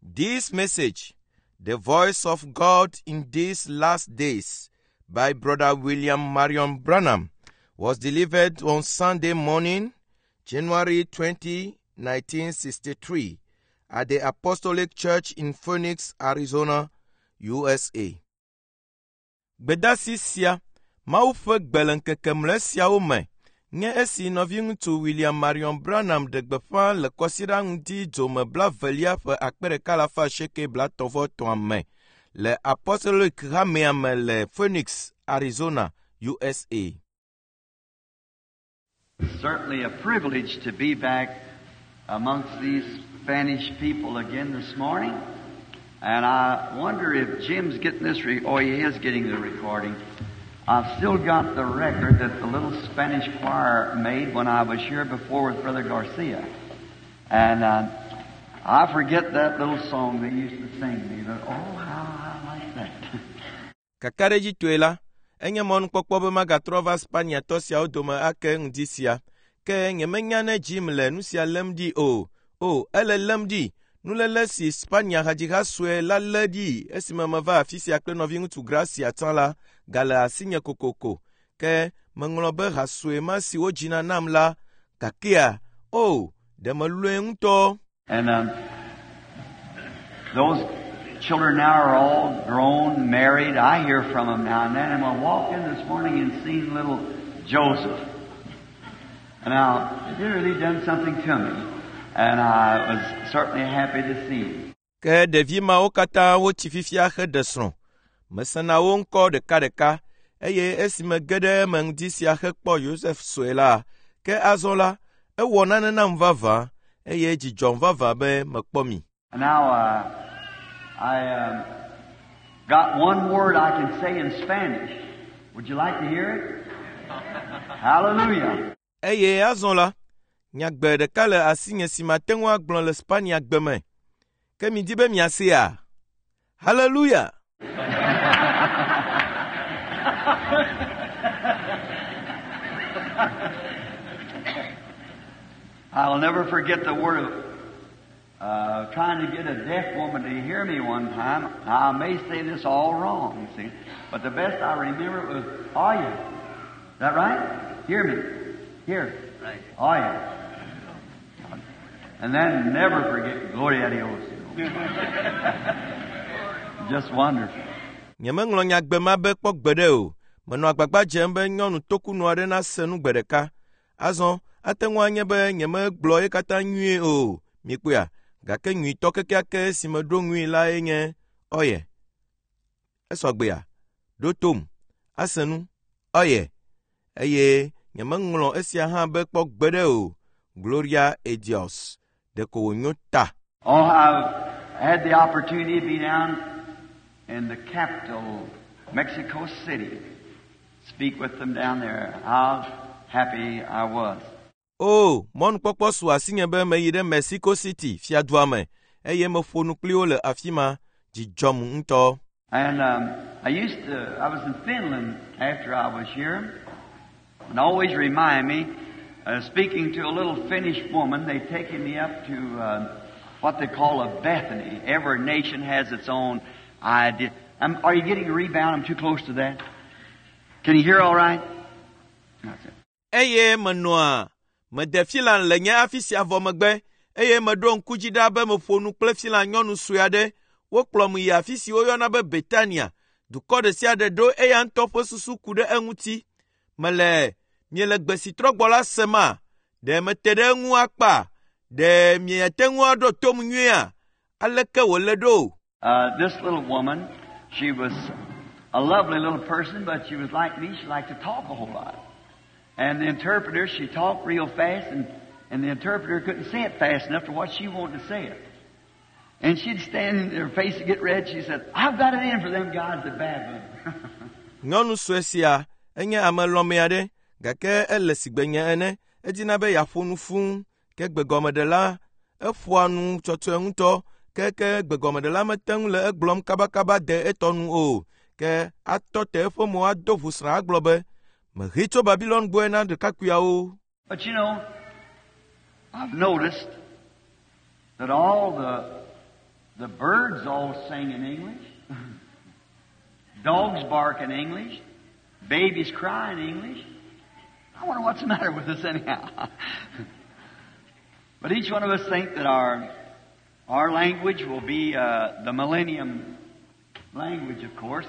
This message, The Voice of God in These Last Days, by Brother William Marion Branham, was delivered on Sunday morning, January 20, 1963, at the Apostolic Church in Phoenix, Arizona, USA. Gbedasi sia, Mawu ƒe gbe le ŋkeke mlɔe siawo me nye esi nɔviŋutsu William Marion Branham ɖe gbeƒã le kɔsiɖa ŋdi dzome blavelia ƒe 1833 me le Apostolic Hamea me le Phoenix, Arizona, USA. Certainly a privilege to be back amongst these Spanish people again this morning. And I wonder if Jim's getting this, oh, he is getting the recording. I've still got the record that the little Spanish choir made when I was here before with Brother Garcia. And I forget that little song they used to sing me, but oh, how I like that. Kakaɖedzitɔe la, enye mɔnukpɔkpɔ be magatrɔ va Spaniatɔ siawo dome ake ŋdi sia. Ke nyemenya ne Jim le nu sia lém ɖi o. O, ele lém ɖi. Nuléle si Spania hadziha sue la lé ɖi esime meva afi sia kple nɔviŋutsu Gracia tsã la gale asinye kokoko. Ke meŋlɔ be ha sue ma si wodzina nam la gakea, o, ɖe melɔ̃e ŋutɔ. And those children now are all grown, married. I hear from them now and then. And I walked in this morning and seen little Joseph. Now, it really done something to me. And I was certainly happy to see him. Ke ɖevi mawo katã wotsi fifia heɖe srɔ̃. Mesena wo ŋkɔ ɖekaɖeka eye esime ge ɖe eme ŋdi sia hekpɔ Yosef sue la, ke azɔ la, ewɔ nane nam vavã eye dzi dzɔm vavã be mekpɔ mi. And now, I got one word I can say in Spanish. Would you like to hear it? Hallelujah. Eye azɔ la, nyagbe ɖeka le asinye si mate ŋu agblɔ le Spania gbe me. Ke midi be miasea? Hallelujah! I'll never forget the word of trying to get a deaf woman to hear me one time. Now, I may say this all wrong, see, but the best I remember it was, Oye. Is that right? Hear me. Here. Right. Oye. And then never forget Gloria a Dios. You know. Just wonderful. Nyemeŋlɔ nyagbe ma be kpɔ gbeɖe o. Menɔ agbagba dzem be nyɔnu tokunɔ aɖe nase nu gbe ɖeka. Azɔ, ate ŋu anye be nyemegblɔ ye katã nyuie o. Mikpɔea? Gake nyuitɔ kekeake si meɖo ŋui lae nye Oye. Esɔgbea? Ɖo tom. Ase nu. Oye. Eye nyemeŋlɔ esia hã be kpɔ gbeɖe o. Gloria a Dios. Ɖeko wònyo ta. Oh, I've had the opportunity to be down in the capital, Mexico City, speak with them down there. How happy I was. O, mɔnukpɔkpɔ su asinye be meyi ɖe Mexico City, fiadua me, eye meƒo nu kpli wo le afi ma. Dzi dzɔm ŋutɔ. And I was in Finland after I was here, and always remind me, speaking to a little Finnish woman, they taken me up to what they call a Bethany. Every nation has its own idea. Are you getting a rebound? I'm too close to that. Can you hear all right? That's it. Eye menɔa mede Finland le nye afi sia vɔ megbe eye meɖo ŋku dzi ɖa be meƒo nu kple Finland nyɔnu sue aɖe. Wokplɔm yi afi si woyɔna be Betania. Dukɔ ɖe sia ɖe ɖo eya ŋutɔ ƒe susu ku ɖe eŋuti. Mele miele gbe si trɔ gbɔ la sema? Ɖe mete ɖe eŋu akpa? Ɖe miate ŋu aɖo tom nyuiea? Aleke wòle ɖo? This little woman, she was a lovely little person, but she was like me. She liked to talk a whole lot. And the interpreter, she talked real fast, and the interpreter couldn't say it fast enough to what she wanted to say it. And she'd stand and her face would get red. She said, I've got it in for them guys at Babylon. Nyɔnu sue sia enye ame lɔ̃ame aɖe gake ele sigbe nye ene. Edina be yeaƒo nu fũu ke gbegɔmeɖela eƒoa nu tsɔtsɔe ŋutɔ ke ke gbegɔmeɖela mete ŋu le egblɔm kabakaba de etɔ nu o. Ke atɔ te eƒe mo ado ʋusrã agblɔ be mehe tso Babilon gbɔe na ɖekakpuiawo. But I've noticed that all the The birds all sing in English. Dogs bark in English. Babies cry in English. I wonder what's the matter with us anyhow. But each one of us think that our language will be the millennium language, of course.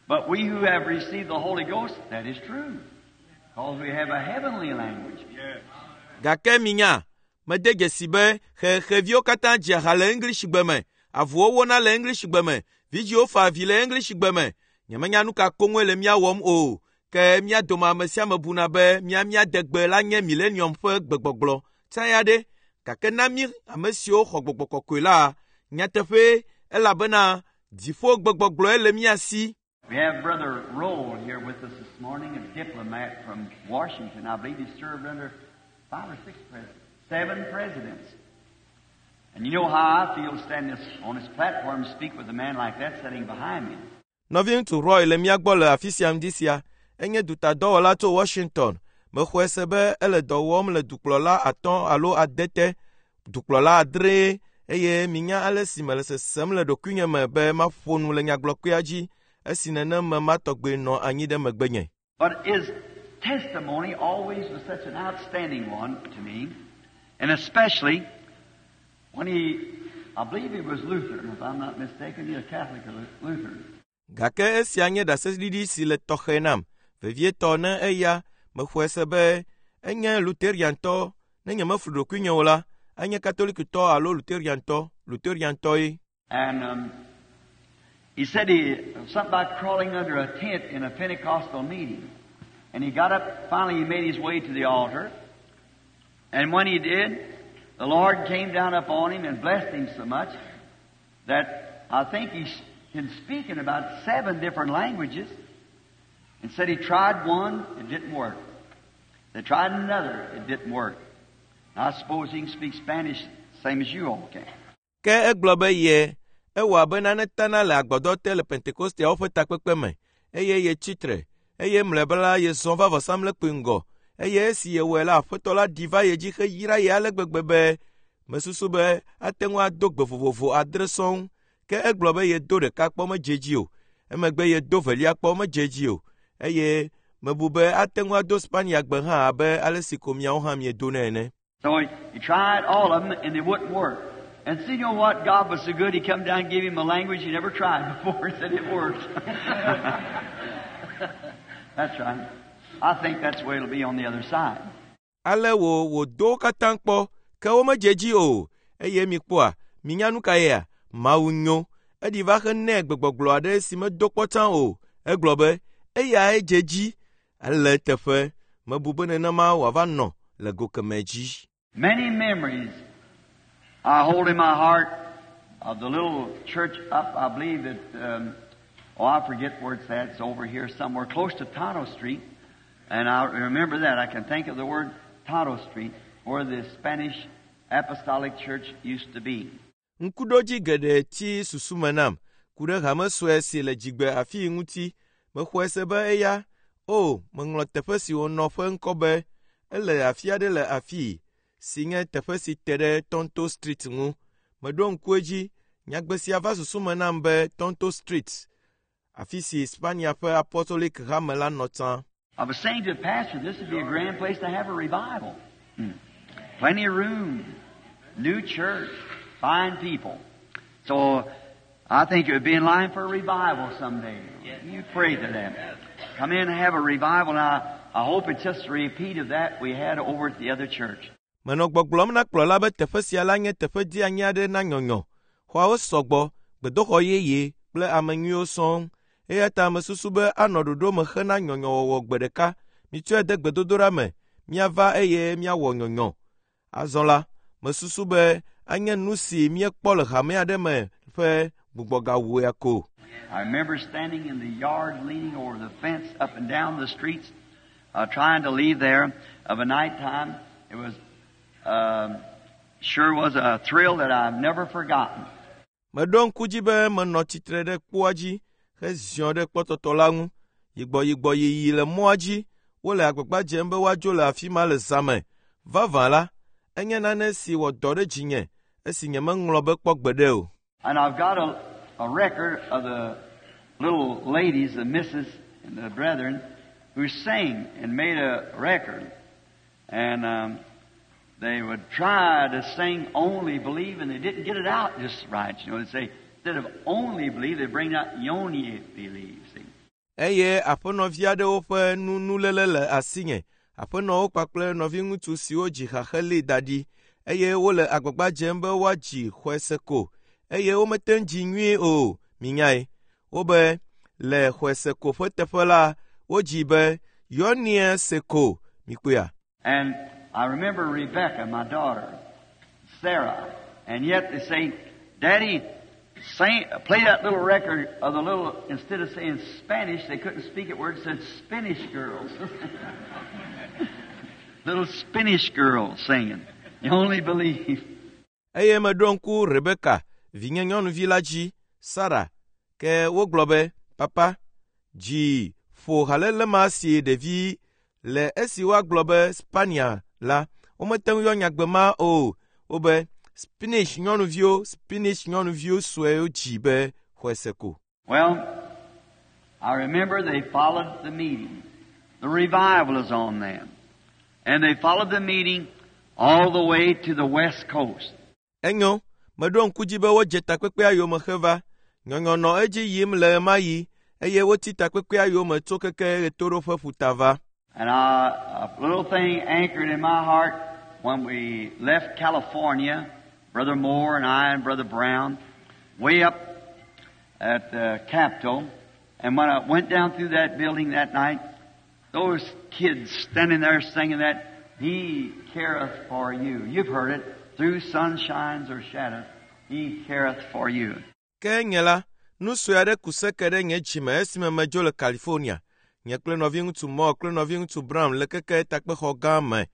But we who have received the Holy Ghost, that is true. Because we have a heavenly language. Gake minya, mede dzesi be xexeviwo katã dzia ha le English gbe me, avuwo wona le English gbe me, vidziwo fa avi le English gbe me. Nyemenya nu ka koŋue le mía wɔm o. Ke mía dome ame sia ame buna be mía mía degbe la nye millennium ƒe gbegbɔgblɔ. Tsã ya ɖe, gake na mí ame siwo xɔ gbɔgbɔ kɔkɔe la, nyateƒee elabena dziƒo gbegbɔgblɔe le mía si. We have Brother Roll here with us this morning, a diplomat from Washington. I believe he served under 5 or 6 presidents, 7 presidents. And you know how I feel standing on this platform and speak with a man like that sitting behind me. Nɔviŋutsu Roy le mía gbɔ le afi sia ŋdi sia. Enye dutadɔwɔla tso Washington. Mexɔe se be ele dɔ wɔm le dukplɔla 5 alo 8 te, dukplɔla 6 eye minya ale si mele sesem le ɖokuinye me be maƒo nu le nyagblɔkpea dzi esi nenem me ma tɔgbe nɔ anyi ɖe megbenye. But his testimony always was such an outstanding one to me, and especially when he, I believe he was Lutheran, if I'm not mistaken, he's a Catholic or Lutheran. Gake esia nye ɖaseɖiɖi si le tɔxɛ nam, vevietɔ ne eya mexɔe se be enye Lutheriantɔ, ne nyemeflu ɖokuinye o la, enye Katolikitɔ alo Lutheriantɔ, Lutheriantɔe. And he said he something about crawling under a tent in a Pentecostal meeting. And he got up, finally he made his way to the altar. And when he did, the Lord came down upon him and blessed him so much that I think he can speak in about 7 different languages. And said he tried one, it didn't work. They tried another, it didn't work. I suppose he can speak Spanish same as you all can. Ke egblɔ be ye ewɔ abe nane tana le agbadɔ te le Pentekosteawo ƒe takpekpe me eye yetsi tre eye mlɔeba la yezɔ va vɔsamlekpui ŋgɔ eye esi yewɔe la aƒetɔ la ɖi va ye dzi heyra ye ale gbegbe be mesusu be ate ŋu ado gbe vovovo 6 sɔŋ. Ke egblɔ be yedo ɖeka kpɔ medze dzi o, emegbe yedo velia kpɔ medze dzi o eye mebu be ate ŋu ado Spania gbe hã abe ale si ko miawo hã miedonɛ ene. So he tried all of them and they wouldn't work. And see, you know what? God was so good, He come down and gave him a language he never tried before and said it worked. That's right. I think that's the way it'll be on the other side. Ale wo wòdo wo katã kpɔ, ke womedze dzi o. Eye mikpɔa, minya nu ka yea? Mawu nyo. Eɖi va henɛ gbegbɔgblɔ aɖe si medo kpɔ tsã o. Egblɔ be, eyae dze dzi. Ele eteƒe. Mebu be nenema wòava nɔ le go kemɛ dzi. Many memories I hold in my heart of the little church up, I believe that, oh, I forget where it's at. It's over here somewhere close to Tonto Street. And I remember that. I can think of the word Tonto Street, where the Spanish Apostolic Church used to be. Ŋkuɖodzi geɖe tsi susu me nam ku ɖe hame sue si le dzigbe afii ŋuti. Mexɔe se be eya, o, meŋlɔ teƒe si wònɔ ƒe ŋkɔ be ele afi aɖe le afii si nye teƒe si te ɖe Tonto Street ŋu. Meɖo ŋku edzi, nyagbe sia va susu me nam be Tonto Street, afi si Spania ƒe Apostolic hame la nɔ tsã. I was saying to the pastor, this would be a grand place to have a revival. Plenty of room, new church, fine people. So I think it would be in line for a revival someday. You pray to them. Come in and have a revival. Now, I hope it's just a repeat of that we had over at the other church. Menɔ gbɔgblɔm na kplɔla be teƒe sia la nye teƒe dzeanyi aɖe na nyɔnyɔ. Xɔawo sɔgbɔ, gbedoxɔ yeye kple ame nyuiwo sɔŋ. Eya ta mesusu be anɔ ɖoɖo me hena nyɔnyɔwɔwɔ gbe ɖeka. Mitsɔe de gbedodoɖa me, míava eye míawɔ nyɔnyɔ. Azɔ la, mesusu be anye nu si míekpɔ le hame aɖe me ƒe gbugbɔgawua ko. I remember standing in the yard leaning over the fence up and down the streets, trying to leave there of a night time. It sure was a thrill that I've never forgotten. Meɖo ŋku dzi be menɔ tsitre ɖe kpoa dzi heziɔ ɖe kpɔtɔtɔ la ŋu. Yigbɔyigbɔ yiyi le mɔa dzi, wole agbagba dzem be woadzo le afi ma le zã me. Vavã la, enye nane si wɔ dɔ ɖe dzinye esi nyemeŋlɔ be kpɔ gbeɖe o. And I've got a record of the little ladies, the misses and the brethren, who sang and made a record. And they would try to sing Only Believe, and they didn't get it out just right. You know, they'd say, instead of only believe, they'd bring out Yoni believe, see. Eye aƒenɔvi aɖewo ƒe nunuléle le asinye, aƒenɔwo kpakple nɔviŋutsu siwo dzi ha heli da ɖi eye wole agbagba dzem be woadzi xɔese ko eye womete ŋu dzi nyuie o, minyae. Wobe le xɔese ko ƒe teƒe la, wodzi be yɔnie se ko, mikpɔea. And I remember Rebecca, my daughter, Sarah, and yet they say, Daddy, sing, play that little record of the little, instead of saying Spanish, they couldn't speak it word, said Spanish girls. Little Spanish girls singing. You only believe. Eye meɖo ŋku Rebeka, vinye nyɔnuvi la dzi, Sara, ke wogblɔ be, Papa, dzi ƒo halele ma si ɖevi le esi woagblɔ be Spania la, womete ŋu yɔ nyagbe ma o. Wobe Spanish nyɔnuviwo, Spanish nyɔnuviwo suewo dzi be xɔese ko. Well, I remember they followed the meeting. The revival is on them. And they followed the meeting all the way to the west coast. Enyo, meɖo ŋku dzi be wodze takpekpea yome heva. Nyɔnyɔ nɔ edzi yim le ɣemaɣi eye wotsi takpekpea yome tso keke ɣetoɖoƒe ƒuta va. And I, a little thing anchored in my heart when we left California, Brother Moore and I and Brother Brown, way up at the Capitol. And when I went down through that building that night, those kids standing there singing that, He careth for you. You've heard it. Through sunshines or shadows, He careth for you. Ke nye la, nu sue aɖe ku seke ɖe nye dzime esime medzo le California. Nye kple nɔviŋutsu Moore kple nɔviŋutsu Brown le keke takpexɔ gã me.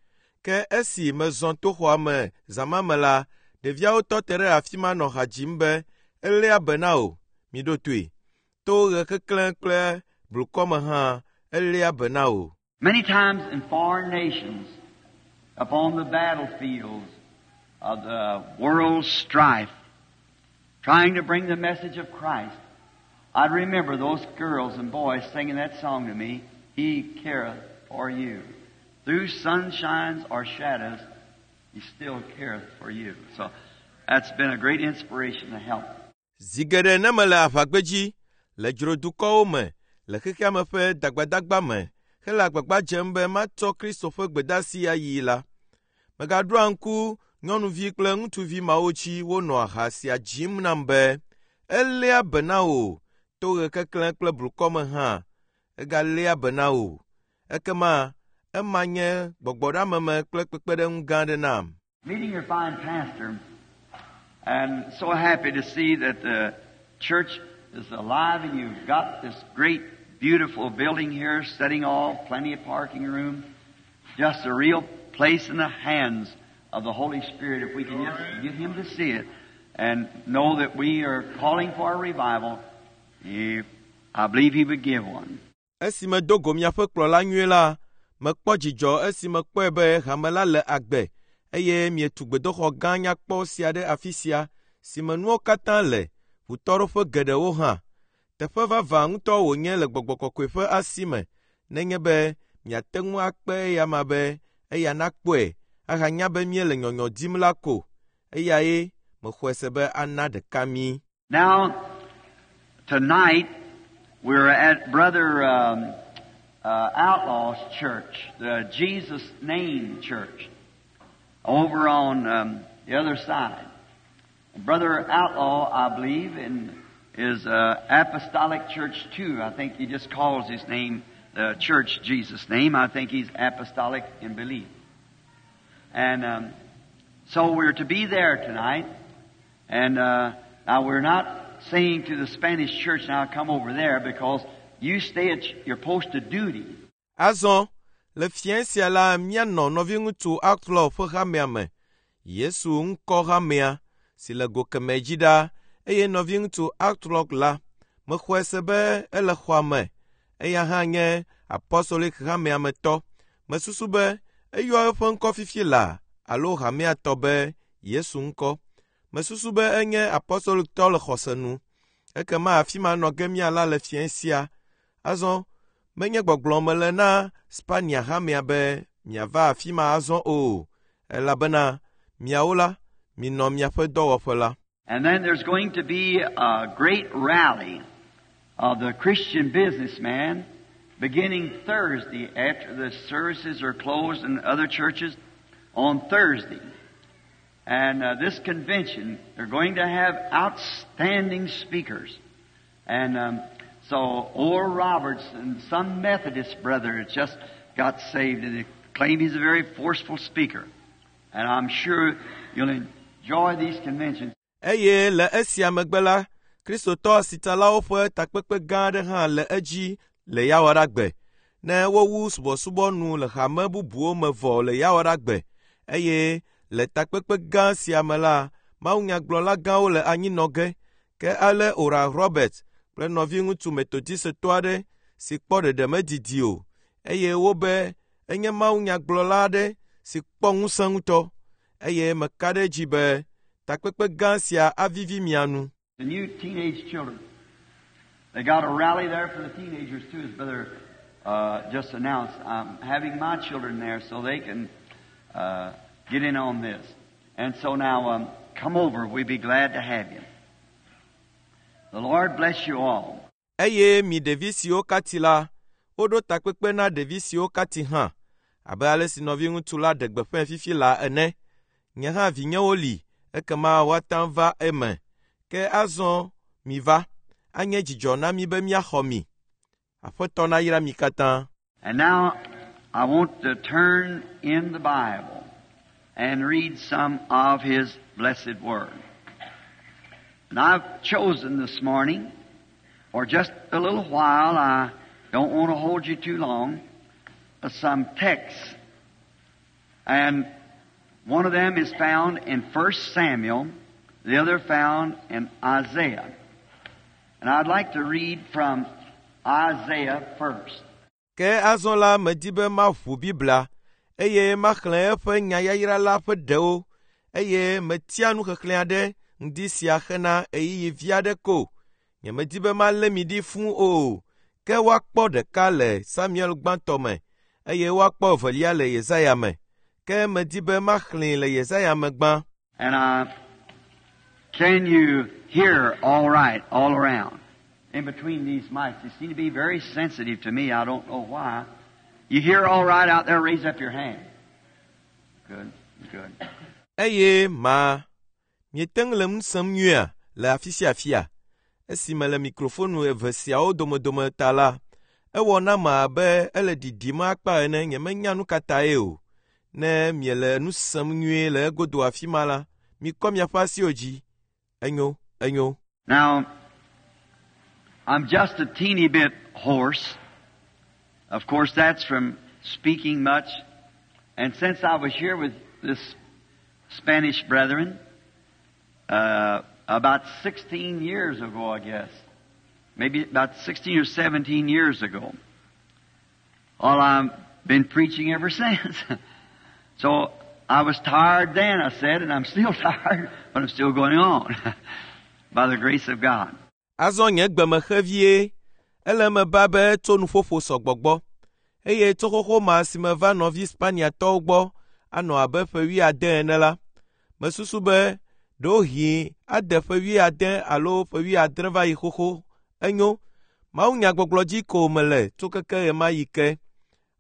Ke esi mezɔ to xɔa me zã ma me la, ɖeviawo tɔ te ɖe afi ma nɔ ha dzim be eléa be na wò, miɖo toe. To ɣe keklẽ kple blukɔ me hã, eléa be na wò. Many times in foreign nations, upon the battlefields of the world's strife, trying to bring the message of Christ, I'd remember those girls and boys singing that song to me, He careth for you. Through sunshines or shadows, He still careth for you. So that's been a great inspiration to help. Zi geɖe ne mele aʋagbedzi, le dzrodukɔwo me, le xexea me ƒe dagbadagba me, hele agbagba dzem be matsɔ Kristo ƒe gbedeasi ayi la, megaɖoa ŋku nyɔnuvi kple ŋutsuvi mawo dzi wonɔa ha sia dzim nam be, eléa be na wò to ɣe keklẽ kple blukɔ me hã, egaléa be na wò. Ekema ema nye gbɔgbɔɖeameme kple kpekpeɖeŋu gã aɖe nam. Meeting your fine pastor, and so happy to see that the church is alive and you've got this great, beautiful building here setting off, plenty of parking room, just a real place in the hands of the Holy Spirit if we can just get Him to see it and know that we are calling for a revival. I believe He would give one. Esi medo go miaƒe kplɔla nyuie la, mekpɔ dzidzɔ esi mekpɔe be hame la le agbe eye mietu gbedoxɔ gã nyakpɔ sia ɖe afi sia si me nuwo katã le, ʋutɔɖoƒe geɖewo hã. Teƒe vavã ŋutɔ wònye le gbɔgbɔ kɔkɔe ƒe asi me nenye be miate ŋu akpe eya ma be eya nakpɔe ahanya be míele nyɔnyɔ dim la ko. Eyae mexɔe se be ana ɖeka mí. Now, tonight, we're at Brother Outlaw's church, the Jesus Name Church, over on the other side. Brother Outlaw, I believe, in is Apostolic Church too. I think he just calls his name, the church, Jesus' name. I think he's apostolic in belief. And so we're to be there tonight. And now we're not saying to the Spanish church, now come over there, because you stay at your post of duty. Azɔ, le fiẽ sia la míanɔ nɔviŋutsu Outlaw ƒe hamea me, Yesu ŋkɔ hamea si le go kemɛ dzi ɖaa eye nɔviŋutsu Outlaw la, mexɔe se be ele xɔa me. Eya hã nye apostolic hamea me tɔ. Mesusu be eyɔ eƒe ŋkɔ fifi laa alo hamea tɔ be Yesu ŋkɔ. Mesusu be enye apostolitɔ le xɔse nu. Ekema afi ma nɔ ge míala le fiẽ sia. Azɔ menye gbɔgblɔ mele na Spania hamea be miava afi ma azɔ o, elabena miawo la, minɔ miaƒe dɔwɔƒe la. And then there's going to be a great rally of the Christian businessman beginning Thursday after the services are closed in other churches on Thursday. And this convention, they're going to have outstanding speakers. And so Oral Roberts and some Methodist brother just got saved and they claim he's a very forceful speaker. And I'm sure you'll enjoy these conventions. Eye le esia megbe la, Kristotɔ asitsalawo ƒe takpekpe gã aɖe hã le edzi le Yawoɖagbe. Ne wowu subɔsubɔ nu le hame bubuwo me vɔ le Yawoɖagbe eye le takpekpe gã sia me la, mawunyagblɔla gãwo le anyi nɔ ge. Ke ale Oral Roberts kple nɔviŋutsu Methodistetɔ aɖe si kpɔ ɖeɖe medidi o eye wobe enye mawunyagblɔla aɖe si kpɔ ŋusẽ ŋutɔ eye meka ɖe edzi be takpekpe gã sia avivi mia nu. The new teenage children. They got a rally there for the teenagers too, as Brother just announced. I'm having my children there so they can get in on this. And so now come over. We'd be glad to have you. The Lord bless you all. Eye mi ɖevi siwo katsi la, woɖo takpekpe na ɖevi siwo katsi hã, abe ale si nɔviŋutsu la ɖe gbeƒãe fifi la ene. Nye hã vinyewo li, ekema woate ŋu va eme. Ke azɔ miva, anye dzidzɔ na mí be míaxɔ mi. Aƒetɔ nayra mi katã. And now I want to turn in the Bible and read some of His blessed Word. And I've chosen this morning, for just a little while, I don't want to hold you too long, some texts. And one of them is found in 1 Samuel, the other found in Isaiah. And I'd like to read from Isaiah first. Ke azɔ la medi be maʋu Biblia eye maxlẽ eƒe nyayayra la ƒe ɖewo eye metia nuxexlẽ aɖe ŋdi sia hena ɣeyiɣi vi aɖe ko. Nyemedi be malé mi ɖi fũu o, ke woakpɔ ɖeka le Samuel gbãtɔ me eye woakpɔ evelia le Yesaya me. Ke medi be maxlẽe le Yesaya me gbã. And can you hear all right all around? In between these mics, they seem to be very sensitive to me. I don't know why. You hear all right out there? Raise up your hand. Good, good. Eye ma miete ŋu le nu sem nyuia le afi sia afia. Esime le mikrofonu eve siawo domedome ta la, ewɔ nam abe ele ɖiɖim akpa ene nyemenya nu ka tae o. Ne miele nu sem nyuie le egodo afi ma la, mikɔ miaƒe asiwo dzi. Enyo, enyo. Now, I'm just a teeny bit hoarse. Of course, that's from speaking much. And since I was here with this Spanish brethren, about 16 years ago, I guess, maybe about 16 or 17 years ago, well, I've been preaching ever since. So I was tired then, I said, and I'm still tired, but I'm still going on by the grace of God. Azɔ nye gbeme xe vie. Ele eme ba be tso nuƒoƒo sɔgbɔ gbɔ. Eye tso xoxo ma si meva nɔvi Spaniatɔwo gbɔ anɔ abe ƒe wuiade ene la, mesusu be ɖewohĩ ade ƒe wuiade alo ƒe wuiadre va yi xoxo. Enyo, mawunyagbɔgblɔ dzi ko mele tso keke ɣemaɣi ke.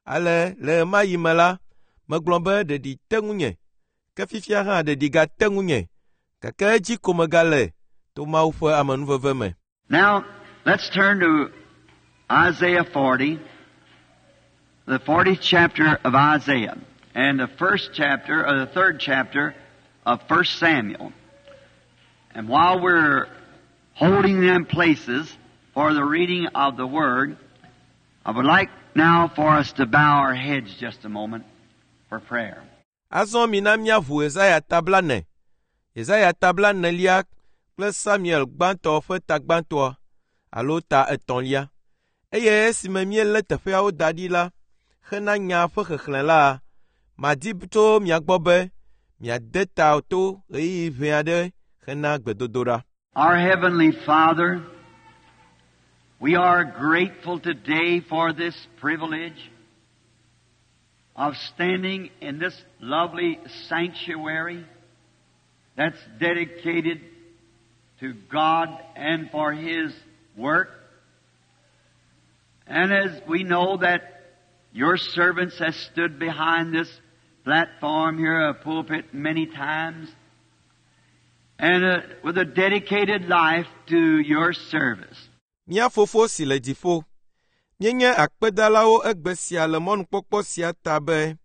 Ale le ɣemaɣi me la, megblɔ be ɖeɖi te ŋunye. Ke fifia hã ɖeɖi gate ŋunye. Gake edzi ko megale to Mawu ƒe amenuveve me. Now, let's turn to Isaiah 40, the 40th chapter of Isaiah, and the first chapter, or the third chapter of 1 Samuel. And while we're holding them places for the reading of the Word, I would like now for us to bow our heads just a moment for prayer. Azɔ mina míaʋu Yesaya ta blaene. Yesaya ta blaenelia kple Samuel gbãtɔ ƒe ta gbãtɔa alo ta etɔ̃lia. Eye esime míelé teƒeawo da ɖi la, hena nya ƒe xexlẽ la, madi tso mia gbɔ be miade ta to ɣeyiɣi ʋɛ aɖe hena gbedodoɖa. Our Heavenly Father, we are grateful today for this privilege of standing in this lovely sanctuary that's dedicated to God and for His work. And as we know that your servants have stood behind this platform here, a pulpit, many times, and with a dedicated life to your service. Mía Fofo si le dziƒo, míenye akpedalawo egbe sia le mɔnukpɔkpɔ sia ta be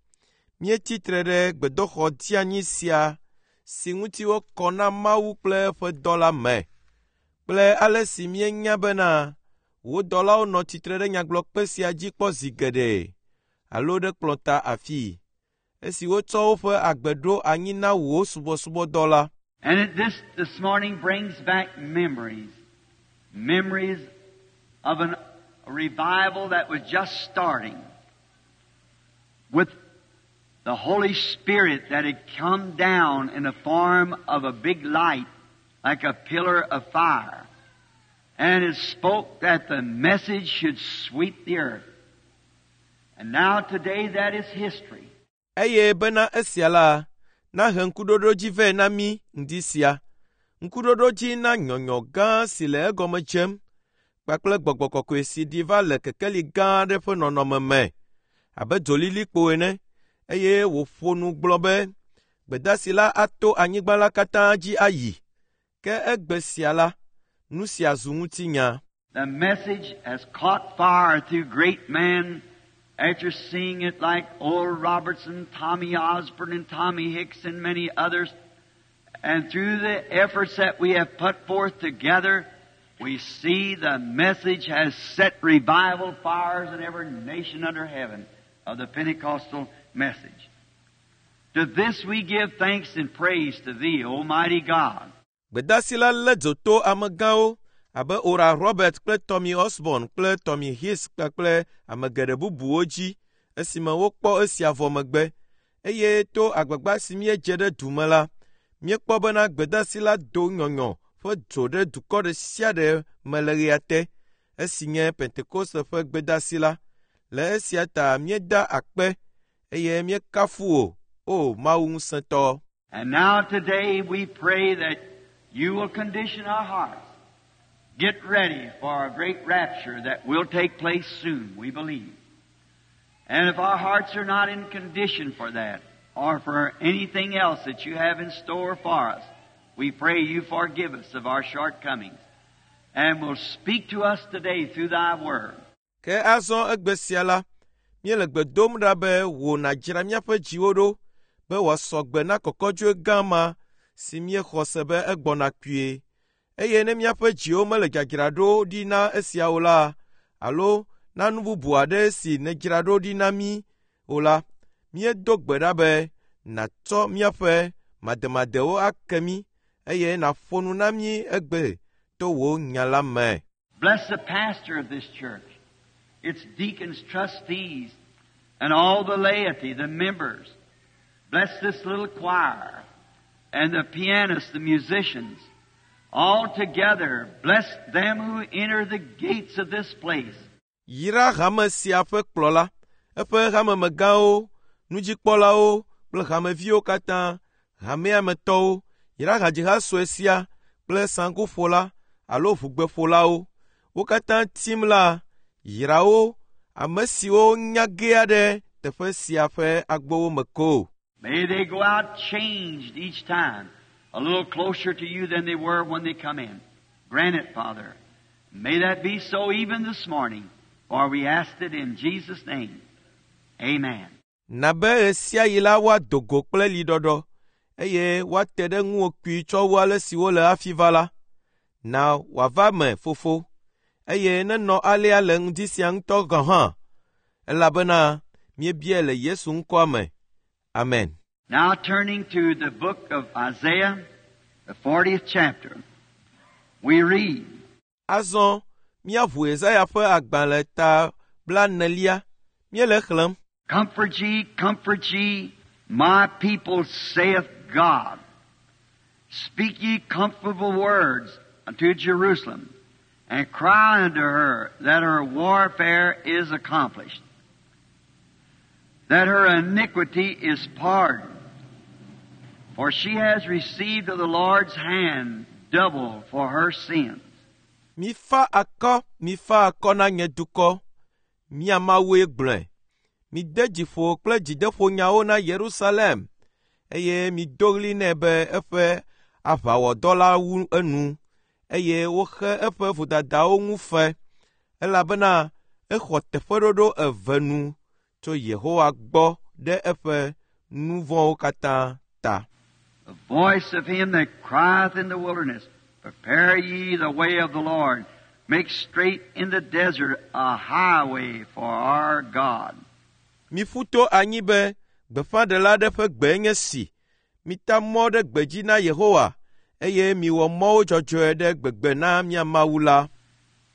míetsi tre ɖe gbedoxɔ dzeanyi sia si ŋuti wokɔ na Mawu kple eƒe dɔ la me kple ale si míenya bena wò dɔlawo nɔ tsitre ɖe nyagblɔkpe sia dzi kpɔ zi geɖe alo ɖe kplɔ̃ta afii esi wotsɔ woƒe agbe ɖo anyi na wò subɔsubɔdɔ la. And this morning brings back memories, memories of a revival that was just starting with the Holy Spirit that had come down in the form of a big light, like a pillar of fire. And it spoke that the message should sweep the earth. And now today that is history. Eye bena esia la, nahe ŋkuɖoɖodzi vɛ na mí ŋdi sia. Ŋkuɖoɖodzi na nyɔnyɔ gã si le egɔme dzem kpakple gbɔgbɔ kɔkɔe si ɖi va le kekeli gã aɖe ƒe nɔnɔme me abe dzolilikpo ene eye wòƒo nu gblɔ be gbedasi la ato anyigba la katã dzi ayi. Ke egbe sia la, nu sia zu ŋutinya. The message has caught fire through great men after seeing it like Oral Robertson, Tommy Osborne, and Tommy Hicks, and many others. And through the efforts that we have put forth together, we see the message has set revival fires in every nation under heaven of the Pentecostal message. To this we give thanks and praise to Thee, Almighty God. Gbedasi la lé dzo to amegãwo abe Oral Robert kple Tommy Osborne kple Tommy Hicks kpakple ame geɖe bubuwo dzi esime wokpɔ esia vɔ megbe eye to agbagba si míedze ɖe du me la, míekpɔ bena gbedasi la do nyɔnyɔ ƒe dzo ɖe dukɔ ɖe sia ɖe me le ɣea te esi nye Pentekoste ƒe gbedasi la. Le esia ta míeda akpe eye míekafu wò, O Mawu ŋusẽtɔ. And now today we pray that you will condition our hearts. Get ready for a great rapture that will take place soon, we believe. And if our hearts are not in condition for that, or for anything else that you have in store for us, we pray you forgive us of our shortcomings and will speak to us today through thy word. Ke azɔ egbe sia la, míele gbe dom ɖa be wò nàdzra míaƒe dziwo ɖo be wòasɔ gbe na kɔkɔdzoe gã ma si míexɔ se be egbɔna kpuie. Eye ne míaƒe dziwo mele dzadzraɖo ɖi na esia o la, alo na nu bubu aɖe si nèdzra ɖo ɖi na mí o la, míedo gbe ɖa be nàtsɔ míaƒe mademadewo ake mí eye nàƒo nu na mí egbe to wò nya la me. Bless the pastor of this church, its deacons, trustees, and all the laity, the members. Bless this little choir and the pianists, the musicians. All together, bless them who enter the gates of this place. Yra hame sia ƒe kplɔla, eƒe hamemegãwo, nudzikpɔlawo kple hameviwo katã, hamea me tɔwo, yra hadziha sue sia kple saŋkuƒola alo ʋugbeƒolawo. Wo katã tim la, yra wo, ame siwo nya gea ɖe teƒe sia ƒe agbowo me ko. May they go out changed each time, a little closer to you than they were when they come in. Grant it, Father. May that be so even this morning, for we ask it in Jesus' name. Amen. Na be ɣe sia ɣi la woado go kple liɖɔɖɔ eye woate ɖe ŋuwò kpui tsɔ wu ale si wole hafi va la. Na wòava me, Fofo, eye nenɔ alea le ŋdi sia ŋutɔ gɔ̃ hã, elabena míebiae le Yesu ŋkɔa me. Amen. Now turning to the book of Isaiah, the 40th chapter, we read, Azɔ míaʋu Yesaya ƒe agbalẽ ta blaenelia. Míele xlẽm. Comfort ye, comfort ye, my people, saith God. Speak ye comfortable words unto Jerusalem, and cry unto her that her warfare is accomplished, that her iniquity is pardoned. For she has received of the Lord's hand double for her sins. Mifa akɔ, mifa akɔ na nye dukɔ. Mia Mawue gblɔe. Mide dzi ƒo kple dzideƒonyawo na Yerusalem eye mido ɣli nɛ be eƒe aʋawɔdɔ la wu enu eye woxe eƒe vodadawo ŋu fe elabena exɔ teƒeɖoɖo eve nu tso Yehowa gbɔ ɖe eƒe nu vɔ̃wo katã ta. The voice of him that crieth in the wilderness, Prepare ye the way of the Lord, make straight in the desert a highway for our God. Miƒu to anyi be gbeƒãɖela aɖe ƒe gbe nye si. Mita mɔ ɖe gbedzi na Yehowa eye miwɔ mɔwo dzɔdzɔe ɖe gbegbe na mía Mawu la.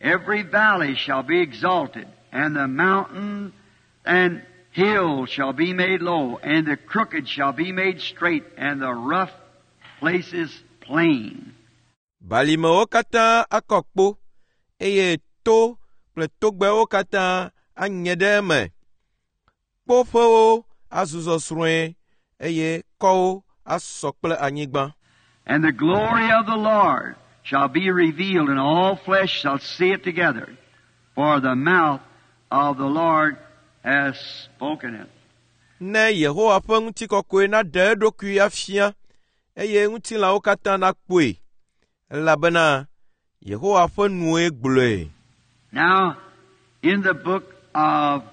Every valley shall be exalted, and the mountain and hill shall be made low, and the crooked shall be made straight, and the rough places plain. Balimewo katã akɔ kpo eye to kple togbɛwo katã anye ɖe eme. Kpoƒewo azu zɔsrɔ̃e eye kɔwo asɔ kple anyigba. And the glory of the Lord shall be revealed, and all flesh shall see it together. For the mouth of the Lord has spoken it. Ne Yehowa ƒe ŋutikɔkɔe naɖe eɖokui afia eye ŋutilãwo katã nakpɔe elabena Yehowa ƒe nue gblɔe. Now, in the book of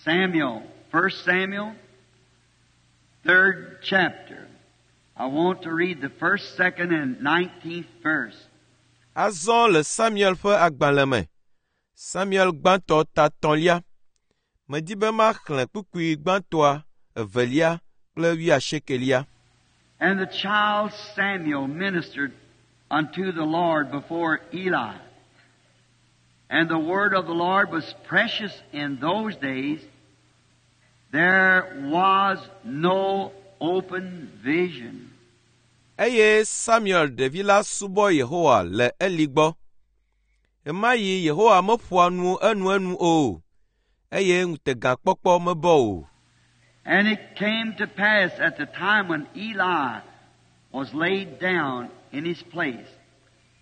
Samuel, 1 Samuel, third chapter, I want to read the first, second, and 19th verse. Azɔ le Samuel ƒe agbalẽ me, Samuel gbãtɔ ta tɔ̃lia, medi be maxlẽ kpukpui gbãtɔa, evelia kple wuiasiekelia. And the child Samuel ministered unto the Lord before Eli. And the word of the Lord was precious in those days. There was no open vision. Eye Samuel ɖevi la subɔ Yehowa le Eli gbɔ. Ɣemaɣi Yehowa meƒoa nu enuenu o, eye ŋutegakpɔkpɔ mebɔ o. And it came to pass at the time when Eli was laid down in his place,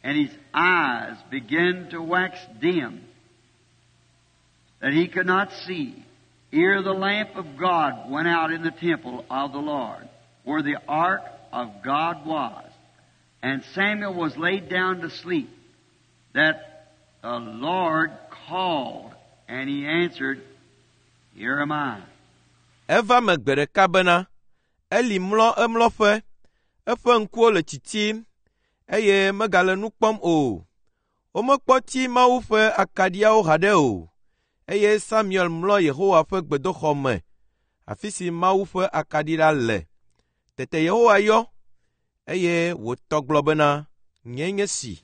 and his eyes began to wax dim, that he could not see, ere the lamp of God went out in the temple of the Lord, where the ark of God was. And Samuel was laid down to sleep, that the Lord called, and he answered, Here am I. Eva me gbe ɖeka bena, Eli mlɔ emlɔƒe, eƒe ŋkuwo le tsitsim eye megale nu kpɔm o. Womekpɔ tsi Mawu ƒe akaɖiawo haɖe o. Eye Samuel mlɔ Yehowa ƒe gbedoxɔ me, afi si Mawu ƒe akaɖi la le. Tete Yehowa yɔ, eye wòtɔ gblɔ bena, Nyee nye si.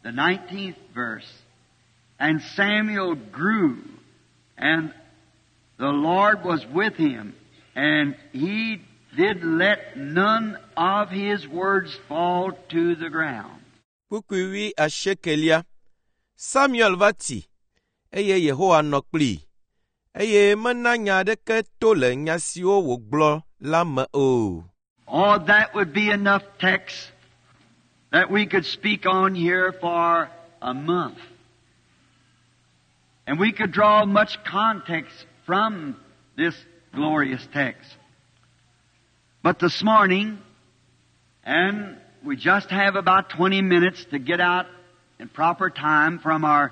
The 19th verse. And Samuel grew, and the Lord was with him, and he did let none of his words fall to the ground. Kpukpui wuiasiekelia. Samuel va tsi, eye Yehowa nɔ kplii, eye mena nya aɖeke to le nya siwo wògblɔ la me o. Oh, that would be enough text that we could speak on here for a month. And we could draw much context from this glorious text. But this morning, and we just have about 20 minutes to get out in proper time from our,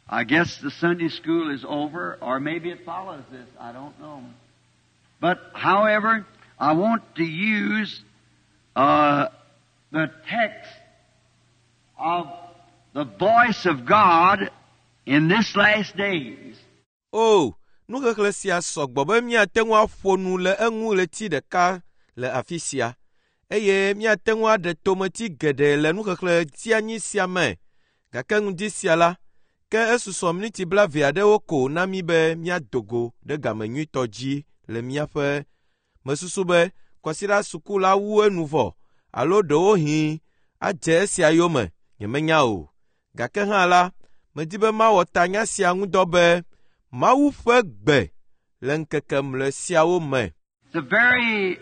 I guess the Sunday school is over, or maybe it follows this, I don't know. But however, I want to use the text of the voice of God in this last days. O, nuxexlẽ sia sɔgbɔ be míate ŋu aƒo nu le eŋu ɣleti ɖeka le afi sia eye míate ŋu aɖe tometi geɖe le nuxexlẽ tianyi sia me gake ŋdi sia la, ke esusɔ miniti blaeve aɖewo ko na mí be míado go ɖe game nyuitɔ dzi le míaƒe mesusu be kwasiɖa suku la wu enu vɔ alo ɖewohĩ adze esia yome, nyemenya o. Gake hã la, medi be mawɔ tanya sia ŋudɔ be Mawu ƒe gbe le ŋkeke mlɔe siawo me. It's a very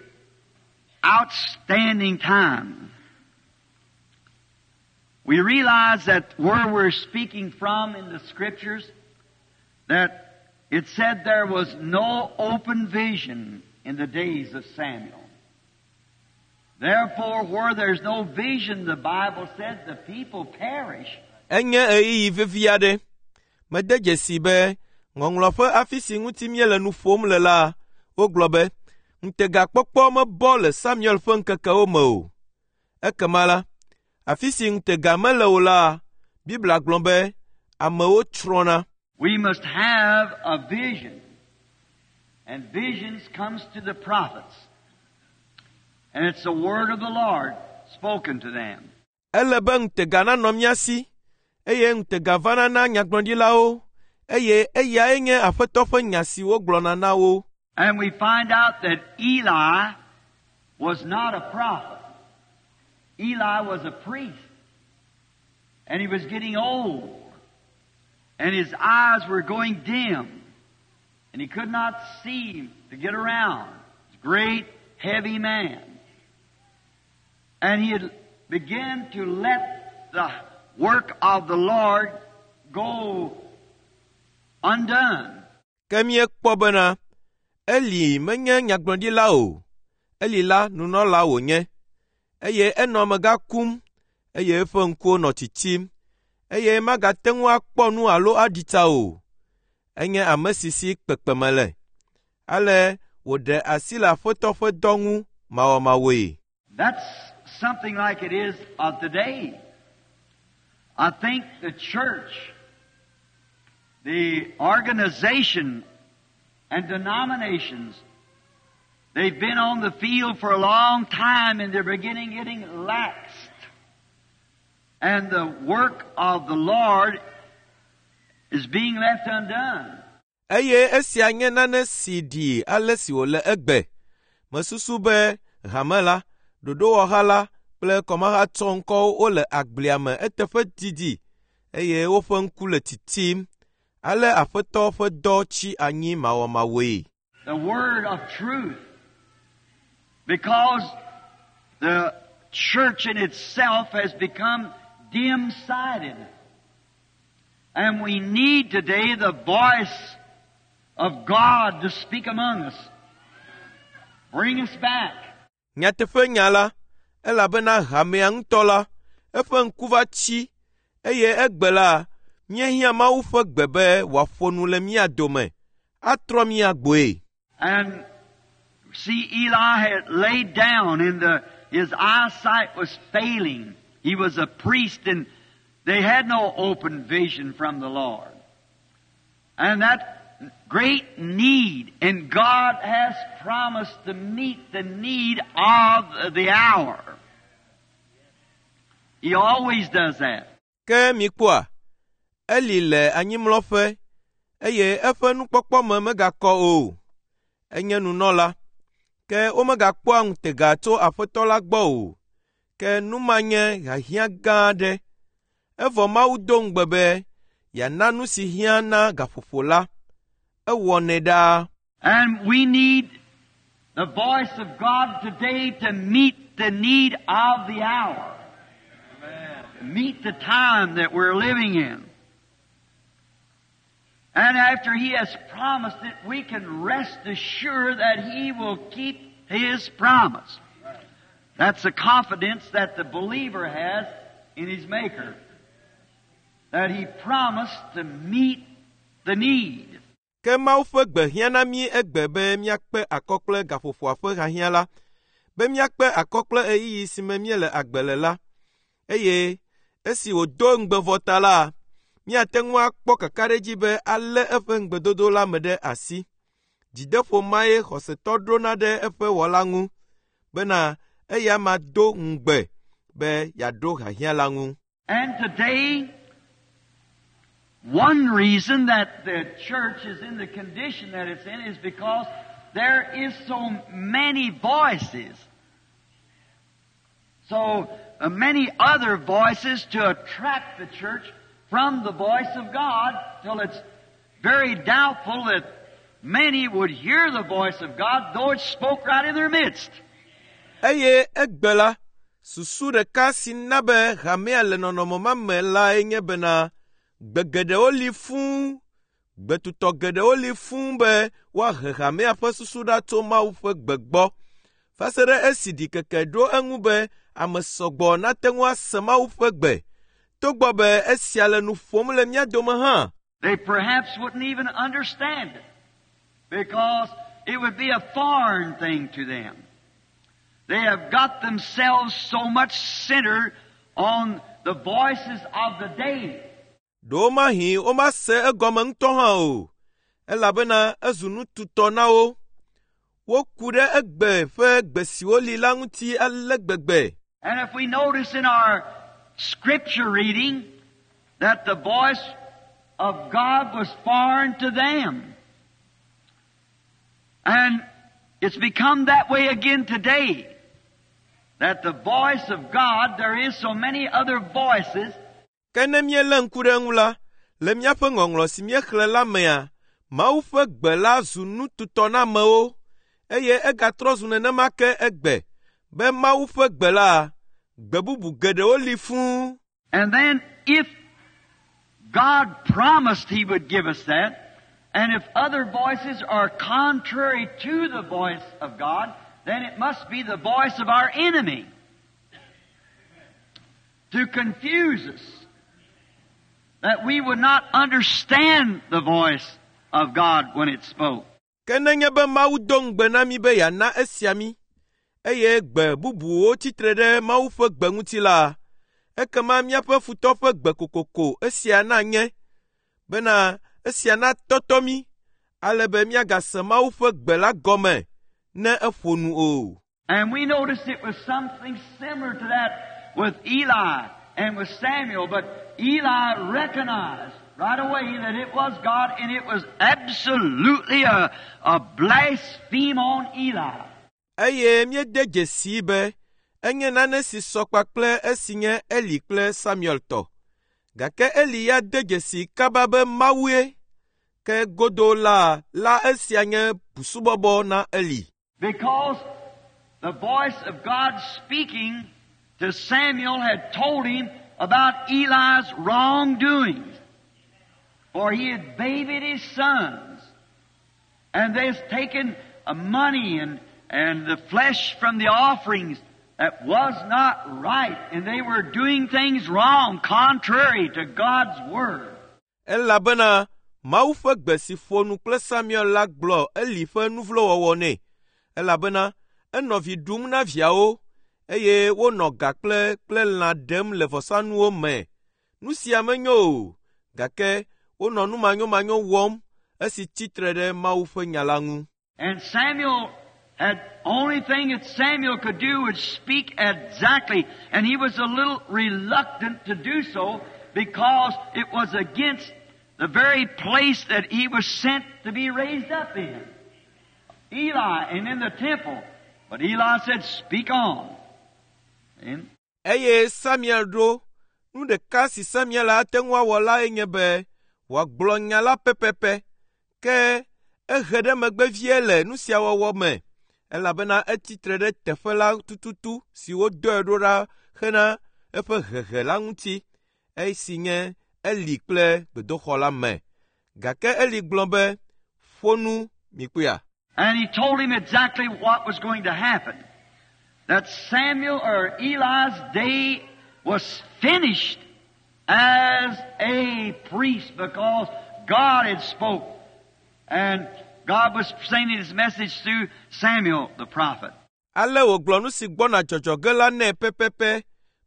outstanding time. We realize that where we're speaking from in the Scriptures, that it said there was no open vision in the days of Samuel. Therefore, where there's no vision, the Bible said the people perish. Enye ɣeyiɣi vevi aɖe. Mede dzesi be ŋɔŋlɔ ƒe afi si ŋuti míele nu ƒom le la, wogblɔ be ŋutegakpɔkpɔ mebɔ le Samuel ƒe ŋkekewo me o. Ekema la, afi si ŋutega mele o la, Biblia gblɔ be amewo tsrɔ̃na. We must have a vision. And visions comes to the prophets. And it's the word of the Lord spoken to them. Ele be ŋutega nanɔ mía si, eye ŋutega vana na nyagblɔɖilawo, eye eyae nye Aƒetɔ ƒe nya si wogblɔna na wo. And we find out that Eli was not a prophet. Eli was a priest. And he was getting old. And his eyes were going dim. And he could not see to get around. He was a great, heavy man. And he had began to let the work of the Lord go undone. Ke míekpɔ bena Eli menye nyagblɔɖila o. Eli la nunɔla wònye, eye enɔ amegã kum, eye eƒe ŋkuwo nɔ tsitsim, eye magate ŋu akpɔ nu alo aɖi tsa o. Enye ame si si kpekpeme le. Ale wòɖe asi le Aƒetɔ ƒe dɔ ŋu mawɔmawɔe. That's something like it is of today. I think the church, the organization and denominations, they've been on the field for a long time and they're beginning getting laxed. And the work of the Lord is being left undone. Eye esia nye nane si ɖi ale si wòle egbe. Mesusu be hame la, ɖoɖowɔha la kple kɔmahatsɔ ŋkɔwo wole agblia me eteƒe didi eye woƒe ŋku le titim. Ale Aƒetɔ ƒe dɔ tsi anyi mawɔmawɔe. The word of truth. Because the church in itself has become dim-sighted. And we need today the voice of God to speak among us. Bring us back. Nyateƒe nya la, elabena hamea ŋutɔ la, eƒe ŋku va tsi eye egbe la, míehiã Mawu ƒe gbe be wòaƒo nu le mía dome, atrɔ mía gbɔe. And see, Eli had laid down and his eyesight was failing. He was a priest and they had no open vision from the Lord. And that great need, and God has promised to meet the need of the hour. He always does that. Ke mikpɔa, Eli le anyimlɔƒe eye eƒe nukpɔkpɔ me megakɔ o. Enye nunɔla, ke womegakpɔa ŋutega tso Aƒetɔ la gbɔ o. Ke nu ma nye hiahiã gã aɖe. Evɔ Mawu do ŋugbe be yeana nu si hiã na gaƒoƒo la. Ewɔnɛ ɖaa. And we need the voice of God today to meet the need of the hour. Meet the time that we're living in. And after He has promised it, we can rest assured that He will keep His promise. That's the confidence that the believer has in his Maker. That He promised to meet the need. Ke Mawu ƒe gbe hiã na mí egbe be míakpe akɔ kple gaƒoƒoa ƒe hiahiã la, be míakpe akɔ kple ɣeyiɣi si me míele agbe le la. Eye esi wòdo ŋugbe vɔ ta la, míate ŋu akpɔ kakaɖedzi be alé eƒe ŋugbedodo la me ɖe asi. Dzideƒo mae xɔsetɔ ɖona ɖe eƒe wɔla ŋu bena eya ma do ŋugbe be yeaɖo hiahiã la ŋu. And today, one reason that the church is in the condition that it's in is because there is so many voices. So many other voices to attract the church from the voice of God till it's very doubtful that many would hear the voice of God though it spoke right in their midst. Eye egbe la, susu ɖeka si na be hamea le nɔnɔme ma me lae nye bena gbe geɖewo li fũu, gbetutɔ geɖewo li fũu be woahe hamea ƒe susu ɖa tso Mawu ƒe gbe gbɔ. Va se ɖe esi ɖikeke ɖo eŋu be ame sɔgbɔ nate ŋu ase Mawu ƒe gbe. Togbɔ be esia le nu ƒom le mía dome hã. They perhaps wouldn't even understand it because it would be a foreign thing to them. They have got themselves so much centered on the voices of the day. Ɖewomahi womase egɔme ŋutɔ hã o, elabena ezu nututɔ na wo. Woku ɖe egbe ƒe gbe siwo li la ŋuti ale gbegbe. And if we notice in our scripture reading that the voice of God was foreign to them. And it's become that way again today. That the voice of God, there is so many other voices. Ke ne míelé ŋku ɖe eŋu la, le míaƒe ŋɔŋlɔ si míexlẽ la mea, Mawu ƒe gbe la zu nututɔ na amewo eye egatrɔ zu nenema ke egbe be Mawu ƒe gbe la, gbe bubu geɖewo li fũu. And then if God promised He would give us that, and if other voices are contrary to the voice of God, then it must be the voice of our enemy to confuse us, that we would not understand the voice of God when it spoke. Ke nenye be Mawu do ŋugbe na mí be yeana esia mí, eye gbe bubuwo tsitre ɖe Mawu ƒe gbe ŋuti la, ekema míaƒe futɔ ƒe gbe kokoko esia nanye bena esia natɔtɔ mí ale be míagase Mawu ƒe gbe la gɔme ne eƒo nu o. And we noticed it was something similar to that with Eli and with Samuel, but Eli recognized right away that it was God and it was absolutely a blaspheme on Eli. Eye míede dzesii be enye nane si sɔ kpakple esi nye Eli kple Samuel tɔ. Gake Eli ya de dzesi kaba be Mawue. Ke godo la la esia nye busubɔbɔ na Eli. Because the voice of God speaking to Samuel had told him about Eli's wrongdoings. For he had babied his sons. And they's taken money and the flesh from the offerings that was not right. And they were doing things wrong, contrary to God's word. Elabena Mawu ƒe gbe si ƒo nu kple Samuel la gblɔ Eli ƒe nuvlowɔwɔ nɛ. Elabena enɔ vi ɖum na viawo eye wonɔ ga kple kple lã ɖem le vɔsanuwo me. Nu sia menyo o, gake wonɔ nu manyomanyo wɔm esi tsitre ɖe Mawu ƒe nya la ŋu. And Samuel had only thing that Samuel could do was speak exactly, and he was a little reluctant to do so because it was against the very place that he was sent to be raised up in. Eli and in the temple. But Eli said, "Speak on." And Eye Samuel ɖo nu ɖeka si Samuel ate ŋu awɔ lae nye be wòagblɔ nya la pɛpɛpɛ. Ke ehe ɖe megbe vie le nu sia wɔwɔ me elabena etsitre ɖe teƒe la tututu si wodɔe ɖo ɖa hena eƒe hehe la ŋuti esi nye Eli kple gbedoxɔ la me. Gake Eli gblɔ be, "Ƒo nu mikpɔea." And he told him exactly what was going to happen. That Samuel or Eli's day was finished as a priest because God had spoke. And God was sending his message through Samuel the prophet. Ale wògblɔ nu si gbɔna dzɔdzɔ ge la nɛ pɛpɛpɛ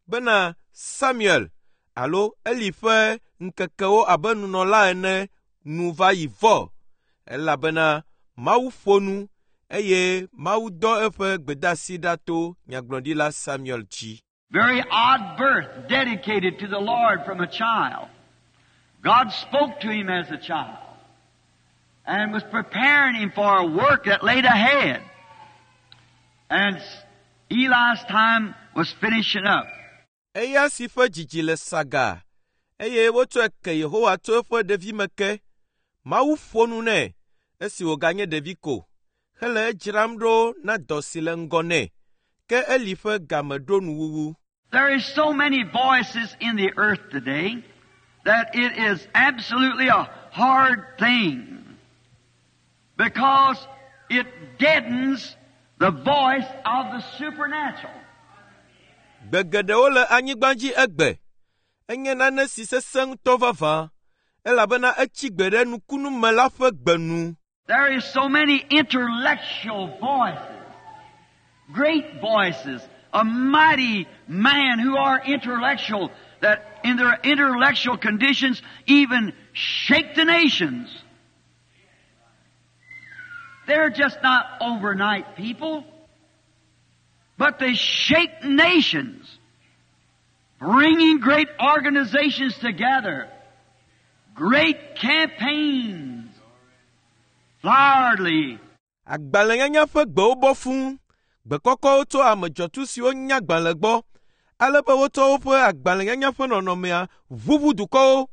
bena Samuel alo Eli ƒe ŋkekewo abe nunɔla ene nu va yi vɔ elabena Mawu ƒo nu eye Mawu dɔ eƒe gbedeasi ɖa to nyagblɔɖila Samuel dzi. Very odd birth, dedicated to the Lord from a child. God spoke to him as a child and was preparing him for a work that laid ahead. And Eli's time was finishing up. Eya si ƒe dzidzi le sagaa, eye wotsɔe ke Yehowa tso eƒe ɖevime ke. Mawu ƒo nu nɛ esi wòganye ɖevi ko, hele edzram ɖo na dɔ si le ŋgɔ nɛ. Ke Eli ƒe game ɖo nuwuwu. There is so many voices in the earth today that it is absolutely a hard thing because it deadens the voice of the supernatural. Gbe geɖewo le anyigba dzi egbe. Enye nane si sesẽ ŋutɔ vavã, elabena etsi gbe ɖe nukunume la ƒe gbe nu. There is so many intellectual voices, great voices, a mighty man who are intellectual that in their intellectual conditions even shake the nations. They're just not overnight people, but they shake nations, bringing great organizations together, great campaigns, floweredly. Agbalẽnyanya ƒe gbewo bɔ fũu. Gbe kɔkɔwo tso ame dzɔtsu siwo nya agbalẽ gbɔ, ale be wotsɔ woƒe agbalẽnyanya ƒe nɔnɔmea ʋuʋu dukɔwo.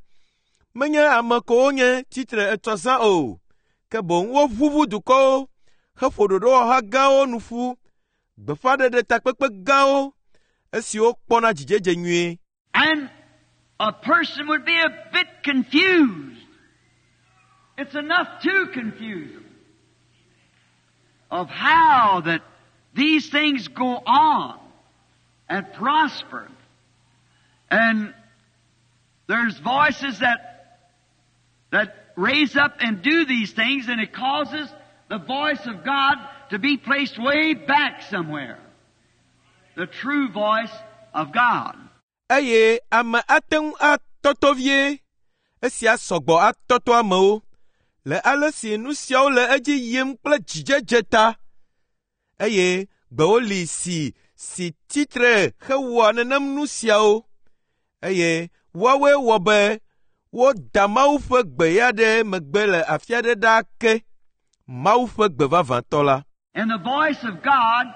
Menye ame ko wonye tsitre etsɔ zã o, ke boŋ woʋuʋu dukɔwo heƒo ɖoɖowɔha gãwo nu ƒu, gbeƒãɖeɖe takpekpe gãwo, esiwo kpɔna dzidzedze nyuie. And a person would be a bit confused. It's enough to confuse them of how that these things go on and prosper. And there's voices that raise up and do these things, and it causes the voice of God to be placed way back somewhere. The true voice of God. Eye ame ate ŋu atɔtɔ vie. Esia sɔgbɔ atɔtɔ amewo le ale si nu siawo le edzi yim kple dzidzedze ta. Eye gbewo li si tsitre hewɔa nenem nu siawo. Eye woawoe wɔ be woda Mawu ƒe gbe ya ɖe megbe le afi aɖe ɖaa ke. Mawu ƒe gbe vavãtɔ la. And the voice of God,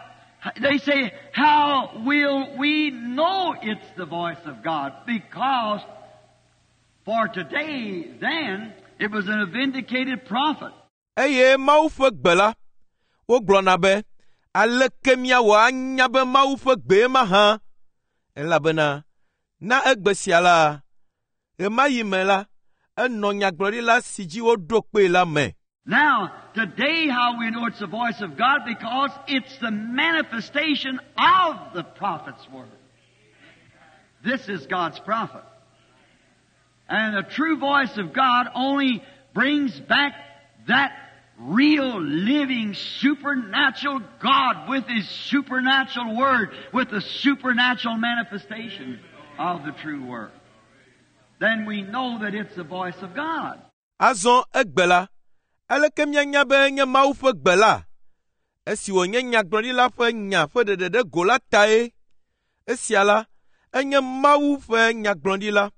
they say, how will we know it's the voice of God? Because for today, then, it was a vindicated prophet. Eye Mawu ƒe gbe la, wogblɔna be, aleke míawɔ anya be Mawu ƒe gbee mahã? Elabena na egbe sia la, ɣemaɣi me la, enɔ nyagblɔɖila si dzi woɖo kpee la me. Now, today how we know it's the voice of God, because it's the manifestation of the prophet's word. This is God's prophet. And the true voice of God only brings back that real, living, supernatural God with His supernatural word, with the supernatural manifestation of the true word. Then we know that it's the voice of God. Azɔ egbe la, aleke míanya be enye Mawu ƒe gbe la? Esi wònye nyagblɔɖila ƒe nya ƒe ɖeɖe ɖe go la tae. Esia la, enye Mawu ƒe nyagblɔɖila.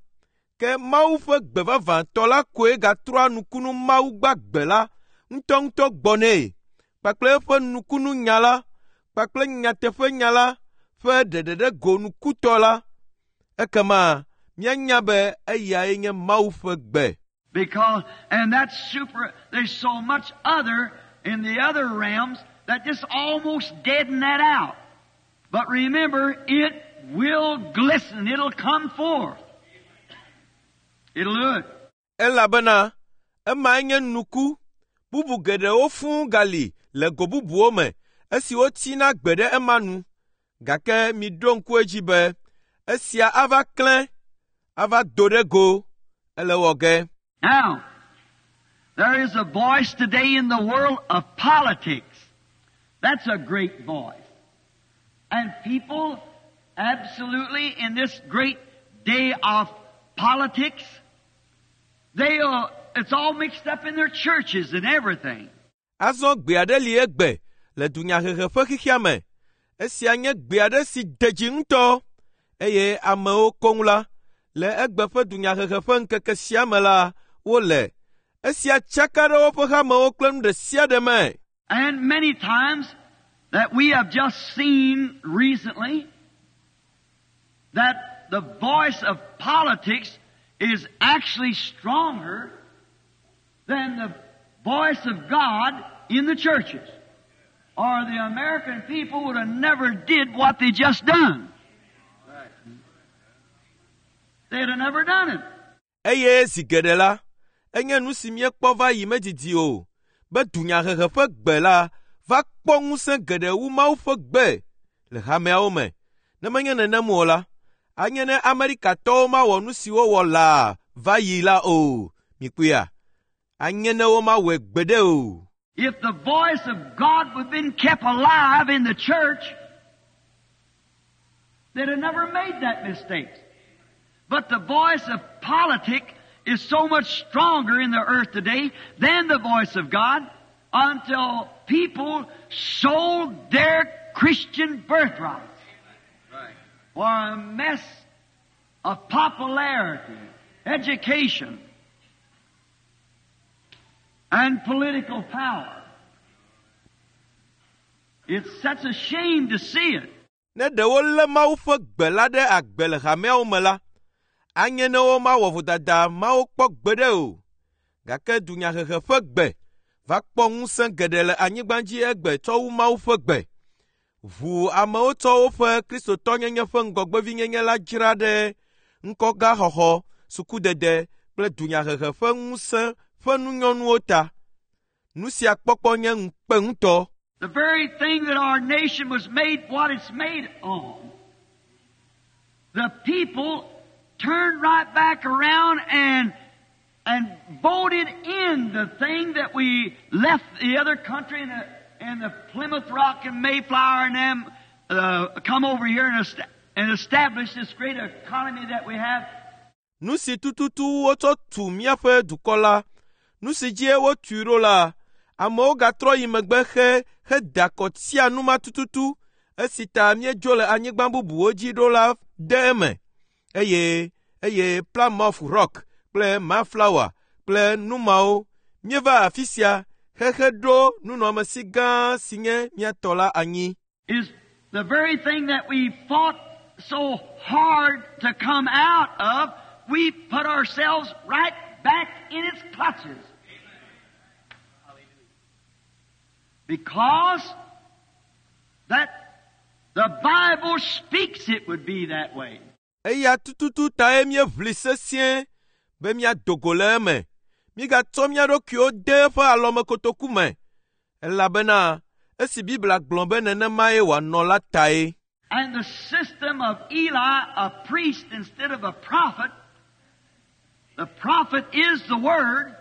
Ke Mawu ƒe gbe vavãtɔ la koe gatrɔa nukunu Mawu gbagbe la ŋutɔŋutɔ gbɔ nɛ, kpakple eƒe nukununya la, kpakple nyateƒenya la ƒe ɖeɖe ɖe go nukutɔ la. Ekema míanya be eyae nye Mawu ƒe gbe. Because, and that's super, there's so much other in the other realms that just almost deaden that out. But remember, it will glisten. It'll come forth. It'll do it. Elabena emae nye nuku. Bubu geɖewo fũu gali le go bubuwo me esi wotsina gbe ɖe ema nu. Gake miɖo ŋku edzi be esia ava klẽ, ava do ɖe go, ele wɔ ge. Now, there is a voice today in the world of politics. That's a great voice. And people absolutely in this great day of politics, it's all mixed up in their churches and everything. Azɔ gbe aɖe li egbe le dunyahehe ƒe xexea me. Esia nye gbe aɖe si de dzi ŋutɔ eye amewo koŋ la le egbe ƒe dunyahehe ƒe ŋkeke sia me la wole. Esia tsaka ɖe woƒe hamewo kple nu ɖe sia ɖe me. And many times that we have just seen recently That the voice of politics is actually stronger than the voice of God in the churches. Or the American people would have never did what they just done. They'd have never done it. Eye zi geɖe la, enye nu si míekpɔ va yi medidi o, be dunyahehe ƒe gbe la va kpɔ ŋusẽ geɖe wu Mawu ƒe gbe le hameawo me. Ne menye nenem o la, anye ne Amerikatɔwo mawɔ nu si wowɔ laa va yi la o. Mikpɔea? Anye ne womawɔe gbeɖe o. If the voice of God would have been kept alive in the church, they'd have never made that mistake. But the voice of politics is so much stronger in the earth today than the voice of God until people sold their Christian birthrights for a mess of popularity, education, and political power. It's such a shame to see it. Ne ɖe wolé Mawu ƒe gbe la ɖe agbe le hameawo me la, anye ne womawɔ vodada mawo kpɔ gbeɖe o. Gake dunyahehe ƒe gbe va kpɔ ŋusẽ geɖe le anyigba dzi egbe tsɔ wu Mawu ƒe gbe. Ʋu amewo tsɔ woƒe kristotɔnyenye ƒe ŋgɔgbevinyenye la dzra ɖe ŋkɔgaxɔxɔ, sukudede kple dunyahehe ƒe ŋusẽ ƒe nunyɔnuwo ta. Nu sia kpɔkpɔ nye ŋukpe ŋutɔ. The very thing that our nation was made what it's made on. The people turned right back around and voted in the thing that we left the other country and the Plymouth Rock and Mayflower and them come over here and establish this great economy that we have. Nu si tututu wotsɔ tu míaƒe dukɔ la, nu si dzie wotui ɖo la, amewo gatrɔ yi megbe xe heda akɔ tia nu ma tututu esi ta míedzo le anyigba bubuwo dzi ɖo la de eme. Eye Plymouth Rock kple Mayflower kple nu mawo míeva afi sia xexe ɖo nunɔamesi gã si nye mía tɔ la anyi. Is the very thing that we fought so hard to come out of, we put ourselves right back in its clutches. Because that the Bible speaks it would be that way. Eya tututu tae míeʋli sesĩe be míado go le eme. Mígatsɔ mía ɖokuiwo de eƒe alɔmekotoku me, elabena esi Biblia gblɔ be nenemae wòanɔ la tae. And the system of Eli, a priest instead of a prophet, the prophet is the Word,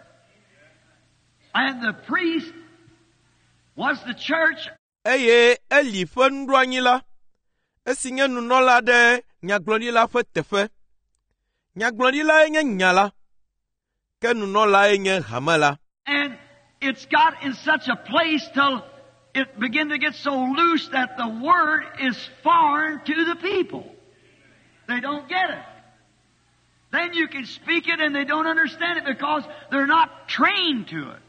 and the priest was the church. Eye Eli ƒe nuɖoanyi la, esi nye nunɔla ɖe nyagblɔɖila ƒe teƒe. Nyagblɔɖilae nye nya la, ke nunɔlae nye hame la. And it's got in such a place till it began to get so loose that the Word is foreign to the people. They don't get it. Then you can speak it and they don't understand it because they're not trained to it.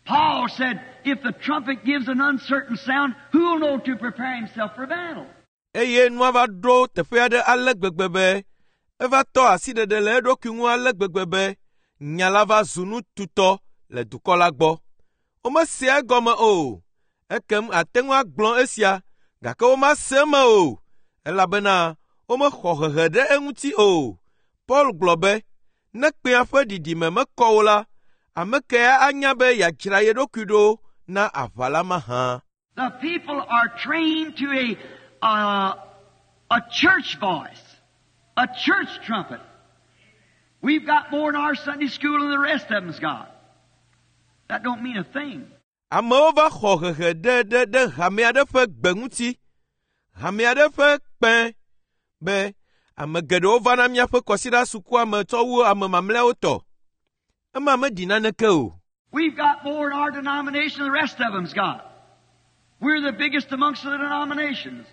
Paul said, if the trumpet gives an uncertain sound, who will know to prepare himself for battle? Eye nua va ɖo teƒe aɖe ale gbegbe be eva tɔ asiɖeɖe le eɖokui ŋu ale gbegbe be nya la va zu nu tutɔ le dukɔ la gbɔ. Womesea egɔme o. Ekem ate ŋu agblɔ esia, gake womase eme o, elabena womexɔ hehe ɖe eŋuti o. Paul gblɔ be, ne kpẽa ƒe ɖiɖime mekɔ o la, ame kae anya be yeadzra ye ɖokui ɖo na aʋa la mahã? The people are trained to a church voice, a church trumpet. We've got more in our Sunday school than the rest of them's got. That don't mean a thing. Amewo va xɔ hehe ɖe ɖe ɖe hame aɖe ƒe gbe ŋuti, hame aɖe ƒe kpẽ be ame geɖewo vana míaƒe kɔsiɖa sukua me tsɔ wu ame mamlɛawo tɔ. Ema meɖi naneke o. We've got more in our denomination than the rest of them's got. We're the biggest amongst the denominations.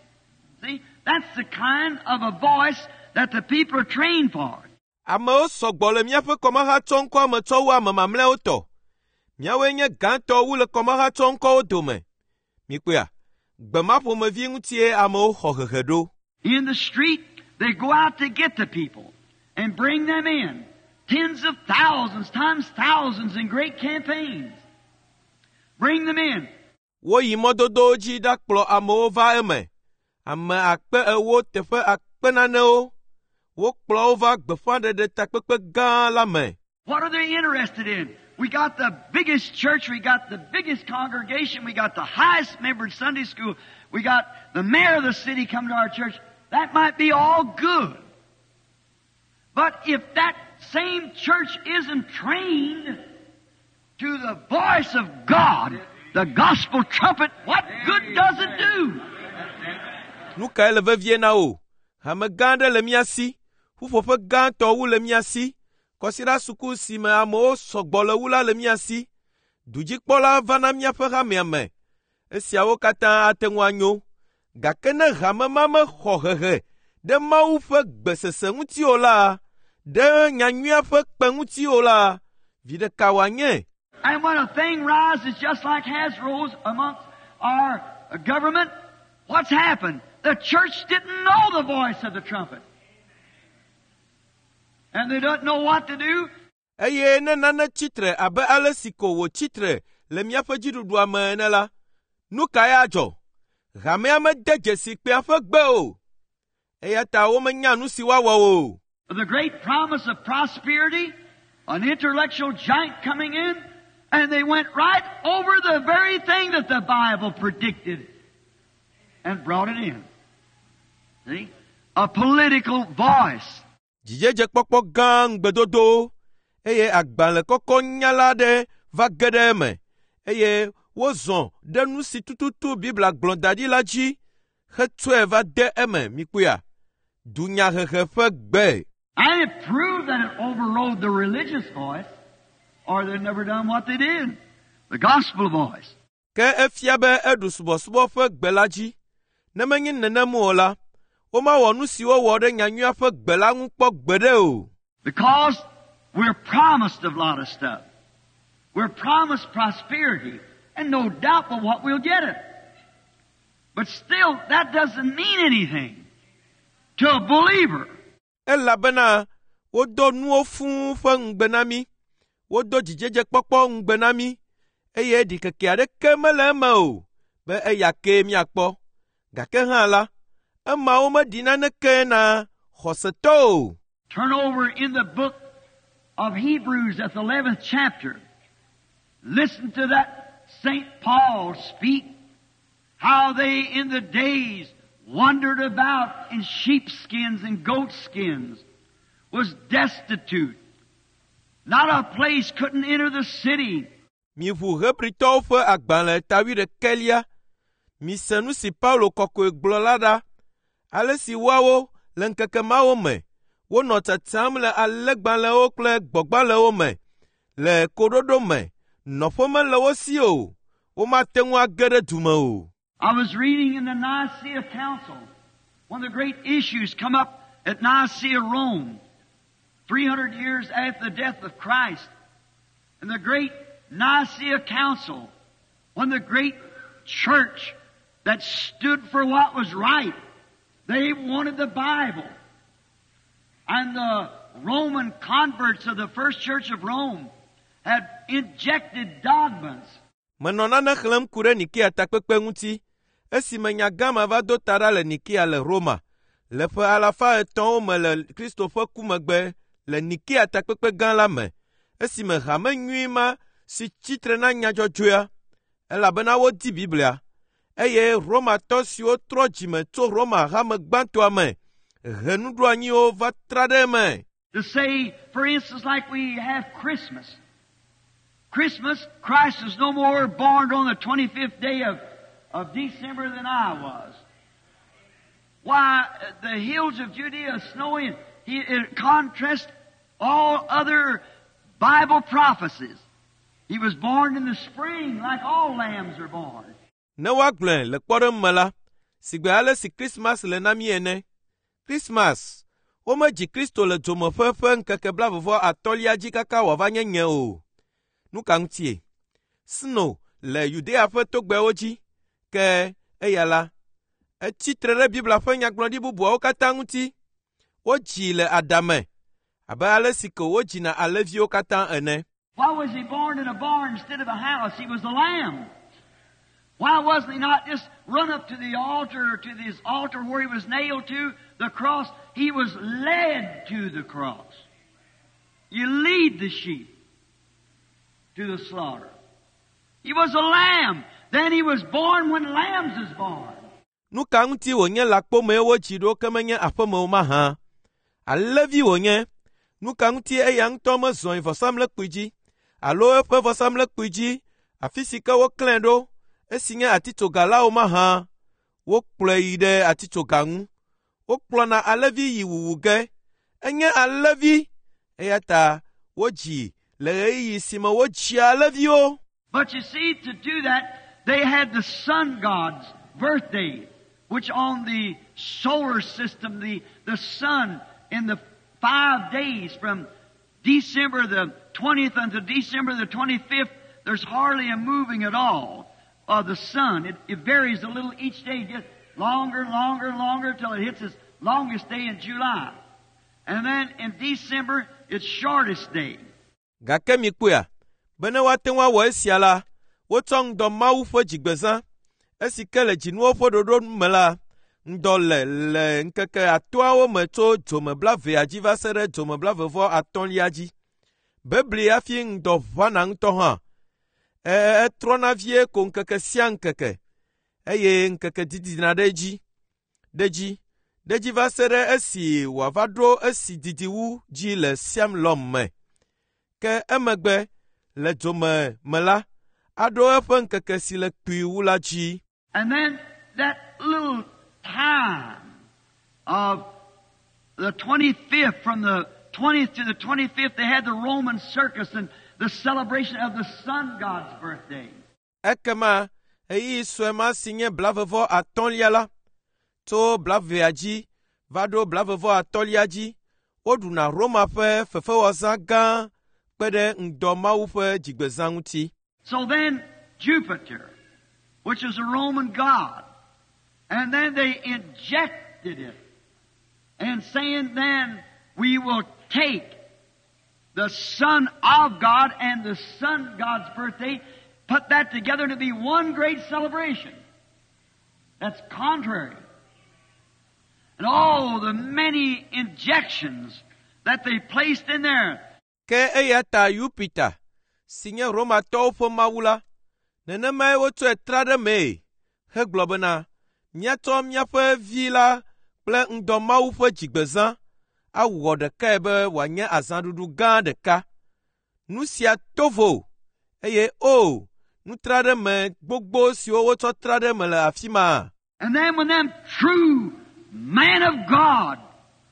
See, that's the kind of a voice that the people are trained for. Amewo sɔgbɔ le míaƒe kɔmahatsɔŋkɔa me tsɔ wu ame mamlɛawo tɔ. Míawoe nye gãtɔ wu le kɔmahatsɔŋkɔwo dome. Mikpɔea, gbe ma ƒomevi ŋutie amewo xɔ hehe ɖo. In the street, They go out to get the people and bring them in. Tens of thousands times thousands in great campaigns. Bring them in. Woyi mɔdodowo dzi ɖakplɔ amewo va eme. Ame akpe ewo teƒe akpe nanewo. Wokplɔ wo va gbeƒãɖeɖe takpekpe gã la me. What are they interested in? We got the biggest church, we got the biggest congregation, we got the highest membered Sunday school, we got the mayor of the city come to our church. That might be all good. But if that same church isn't trained to the voice of God, the gospel trumpet, what good does it do? Nu kae le vevie na wò? Hame gã aɖe le mía si. Ƒuƒoƒe gãtɔ wu le mía si. Kɔsiɖa suku si me amewo sɔgbɔ le wu la le mía si. Dudzikpɔla va na míaƒe hamea me. Esiawo katã ate ŋu anyo. Gake ne hame ma mexɔ hehe ɖe Mawu ƒe gbesese ŋuti o la, ɖe nyanyuia ƒe kpe ŋuti o la, viɖe ka wòanye? And when a thing rises just like has rose amongst our government, what's happened? The church didn't know the voice of the trumpet. And they don't know what to do. Eye ne nane tsitre abe ale si ko wòtsi tre le míaƒe dziɖuɖua me ene la, nu kae adzɔ? Hamea mede dzesi kpea ƒe gbe o. Eya ta womenya nu si woawɔ o. The great promise of prosperity, an intellectual giant coming in, and they went right over the very thing that the Bible predicted and brought it in. See? A political voice. Dzidzedzekpɔkpɔ gã ŋugbedodowo eye agbalẽ kɔkɔ nyala aɖe va ge ɖe eme eye wozɔ ɖe nu si tututu Biblia gblɔ da ɖi la dzi hetsɔe va de eme mikpɔea. Dunyahehe ƒe gbe. And it proved that it overrode the religious voice, or they'd never done what they did. The gospel voice. Ke efia be eɖu subɔsubɔ ƒe gbe la dzi. Ne menye nenem o la, womawɔ nu si wowɔ ɖe nyanyuia ƒe gbe la ŋu kpɔ gbeɖe o. Because we're promised a lot of stuff. We're promised prosperity, and no doubt but what we'll get it. But still, that doesn't mean anything to a believer. Elabena wodo nuwo fũu ƒe ŋugbe na mí. Wodo dzidzedzekpɔkpɔ ŋugbe na mí eye ɖikeke aɖeke mele eme o be eya kee míakpɔ. Gake hã la, emawo meɖi naneke na xɔsetɔ o. Turn over in the book of Hebrews at the 11th chapter. Listen to that St. Paul speak. How they in the days wandered about in sheepskins and goatskins, was destitute. Not a place, couldn't enter the city. Miʋu Hebritɔwo ƒe agbalẽ ta wuiɖekɛlia. Mise nu si Paulo kɔkɔe gblɔ la ɖa. Ale si woawo le ŋkeke mawo me wonɔ tsatsam le alẽgbalẽwo kple gbɔ̃gbalẽwo me le koɖoɖo me. Nɔƒe mele wo si o. Womate ŋu age ɖe du me o. I was reading in the Nicaea Council, one of the great issues come up at Nicaea, Rome, 300 years after the death of Christ. And the great Nicaea Council, when the great church that stood for what was right, they wanted the Bible. And the Roman converts of the first church of Rome had injected dogmas. Menɔ nane xlẽm ku ɖe Nikea takpekpe ŋuti esime nya gã ma va do ta ɖa le Nikea le Roma le ƒe alafa etɔ̃wo me le Kristo ƒe ku megbe le Nikea takpekpe gã la me esime hame nyui ma si tsitre na nya dzɔdzɔea elabena wodi Biblia eye Romatɔ siwo trɔ dzime tso Roma hame gbãtɔa me he nuɖoanyiwo va tra ɖe eme. To say, for instance, like we have Christmas. Christmas, Christ was no more born on the 25th day of December than I was. Why, the hills of Judea are snowing. It contrasts all other Bible prophecies. He was born in the spring like all lambs are born. Ne woagblɔe le kpɔɖeŋu me la, sigbe ale si Krismas le na mí ene. Krismas, womedzi Kristo le dzomeƒe ƒe ŋkeke blaeve atɔ̃lia dzi kaka wòava nye nye o. Nu ka ŋutie? Sno le Yudea ƒe togbɛwo dzi, ke eya la, etsi tre ɖe Biblia ƒe nyagblɔɖi bubuawo katã ŋuti. Wodzii le adame abe ale si ko wodzina alẽviwo katã ene. Why was he born in a barn instead of a house? He was a lamb. Why wasn't he not just run up to the altar, to this altar where he was nailed to, the cross? He was led to the cross. You lead the sheep to the slaughter. He was a lamb. Then he was born when lambs is born. Nu ka ŋuti wònye lãkpomee wodzi ɖo ke menye aƒeme o mahã? Alẽvi wònye. Nu ka ŋuti eya ŋutɔ mezɔ yi vɔsamlekpui dzi alo eƒe vɔsamlekpui dzi afi si ke woklãe ɖo esi nye atitsoga la o mahã? Wokplɔe yi ɖe atitsoga ŋu. Wokplɔna alẽvi yi wuwu ge. Enye alẽvi eya ta wodzi le ɣeyiɣi si me wodzia alẽviwo. But you see, to do that, they had the sun god's birthday, which on the solar system, the sun in the 5 days from December the 20th until December the 25th, there's hardly a moving at all of the sun. It varies a little each day, gets longer and longer and longer till it hits its longest day in July. And then in December, its shortest day. Gake mikpɔea, bene woate ŋu awɔ esia la, wotsɔ ŋdɔ Mawu ƒe dzigbezã, esi ke le dzinuwo ƒe ɖoɖo me la, ŋdɔ le le ŋkeke atɔ̃awo me tso dzome blaevea dzi va se ɖe dzome blaeve vɔ atɔ̃lia dzi. Bebli hafi ŋdɔ ʋãna ŋutɔ hã. Etrɔna vie ko ŋkeke sia ŋkeke eye ŋkeke didina ɖe edzi, ɖe dzi, ɖe dzi va se ɖe esi wòava ɖo esi didi wu dzi le Siamlɔm me. Ke emegbe le dzome me la, aɖo eƒe ŋkeke si le kpui wu la dzi. And then that little time of the 25th, from the 20th to the 25th, they had the Roman circus and the celebration of the sun god's birthday. Ekema ɣeyiɣi sue ma si nye blavevɔ atɔ̃lia la, tso blavea dzi va ɖo blavevɔ atɔ̃lia dzi, woɖuna Roma ƒe fefewɔzã gã kpe ɖe ŋdɔ Mawu ƒe dzigbezã ŋuti. So then Jupiter, which is a Roman god, and then they injected it, and saying then we will take the Son of God and the Sun God's birthday, put that together to be one great celebration. That's contrary. And all the many injections that they placed in there. Ke eya ta Yupita, si nye Romatɔwo ƒe mawu la, nenemae wotsɔe tra ɖe mee hegblɔ bena, míatsɔ míaƒe vi la kple ŋdɔ Mawu ƒe dzigbezã awɔ ɖekae be wòanye azãɖuɖu gã ɖeka. Nu sia to vo eye o, nutraɖeme gbogbo siwo wotsɔ tra ɖe me le afi ma. And then when them true man of God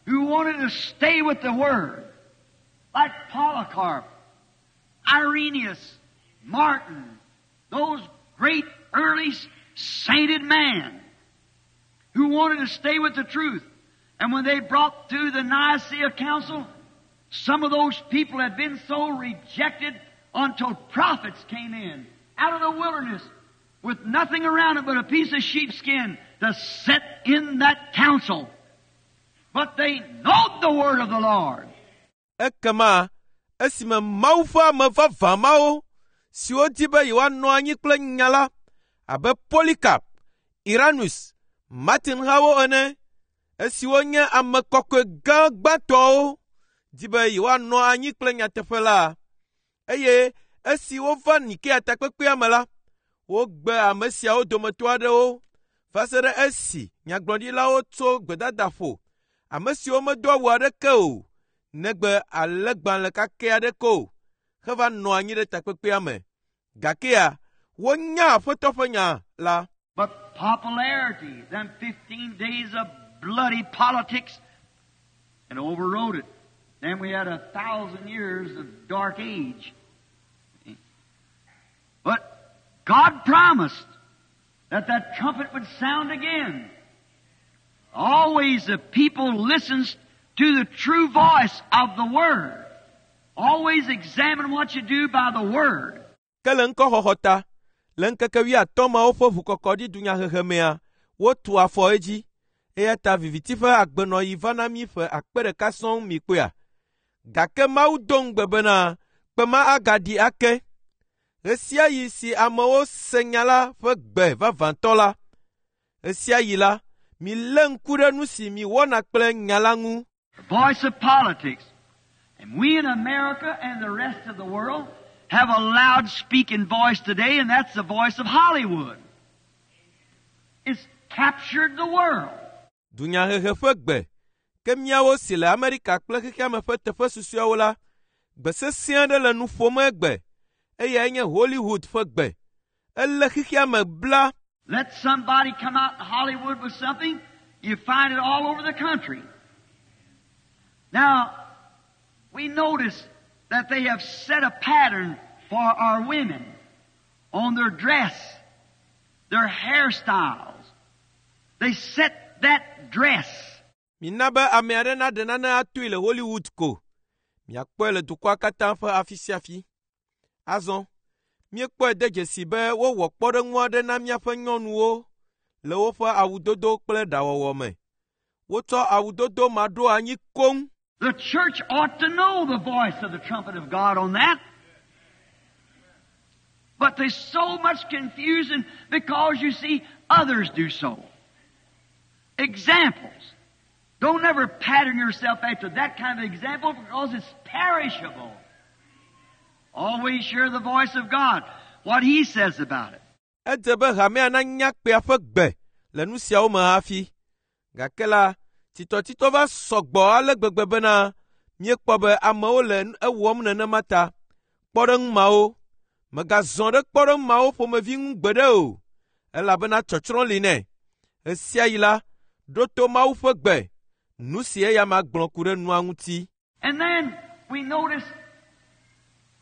who wanted to stay with the Word, like Polycarp, Irenaeus, Martin, those great early sainted men who wanted to stay with the truth. And when they brought through the Nicaea Council, some of those people had been so rejected until prophets came in out of the wilderness with nothing around it but a piece of sheepskin to sit in that council. But they knowed the word of the Lord. Ekema esime Mawu ƒe ame vavã mawo siwo di be yewoanɔ anyi kple nya la abe Polycarp, Irenaeus, Martin hawo ene, esiwo nye ame kɔkɔe gã gbãtɔwo di be yewoanɔ anyi kple nyateƒe la, eye esi wova Nikea takpekpea me la, wogbe ame siawo dometɔ aɖewo va se ɖe esi nyagblɔɖilawo tso gbedadaƒo, ame siwo medo awu aɖeke o, negbe alẽgbalẽ kakɛ aɖeke o, heva nɔ anyi ɖe takpekpea me. Gakea, wonya Aƒetɔ ƒe nya la. But popularity, them 15 days of bloody politics, and overrode it. Then we had 1,000 years of dark age. But God promised that that trumpet would sound again. Always the people listens to the true voice of the Word. Always examine what you do by the Word. Ke le ŋkɔxɔxɔ ta, le ŋkeke wuiatɔ̃ mawo ƒe ʋukɔkɔɖi dunyahehe mea, wotu afɔ edzi Eya ta viviti ƒe agbenɔɣi va na mí ƒe 1000 sɔŋ mi kpɔea. Gake Mawu do ŋugbe bena kpe ma agaɖi ake. Ɣe sia ɣi si amewo se nya la ƒe gbe vavãtɔ la, ɣe sia ɣi la, milé ŋku ɖe nu si miwɔna kple nya la ŋu. The voice of politics. And we in America and the rest of the world have a loud speaking voice today, and that's the voice of Hollywood. It's captured the world. Dunyahehe ƒe gbe ke míawo si le Amerika kple xexeame ƒe teƒe susɔeawo la, gbe sesẽ aɖe le nu ƒom egbe eyae nye Hollywood ƒe gbe. Elé xexeame bla. Let somebody come out in Hollywood with something, you find it all over the country. Now, we notice that they have set a pattern for our women on their dress, their hairstyles. They set that dress. Mina be ame aɖe naɖe nane atoe le Hollywood ko. Miakpɔe le dukɔa katã ƒe afi sia afi. Azɔ, míekpɔe de dzesi be wowɔ kpɔɖeŋu aɖe na míaƒe nyɔnuwo le woƒe awudodo kple ɖawɔwɔ me. Wotsɔ awudodo ma ɖo anyi koŋ. The church ought to know the voice of the trumpet of God on that. But there's so much confusion because, you see, others do so. Examples. Don't ever pattern yourself after that kind of example because it's perishable. Always hear the voice of God, what He says about it. Edze be hamea nanya kpea ƒe gbe le nu siawo me hafi. Gake la, tsitɔtsitɔ va sɔgbɔ ale gbegbe bena míekpɔ be amewo le ewɔm nenema ta. Kpɔɖeŋu mawo, mègazɔ ɖe kpɔɖeŋu mawo ƒomevi ŋu gbeɖe o, elabena tsɔtsrɔ̃ li nɛ. Ɣe sia ɣi la, ɖo to Mawu ƒe gbe, nu si eya ma gblɔ ku ɖe nua ŋuti. And then we notice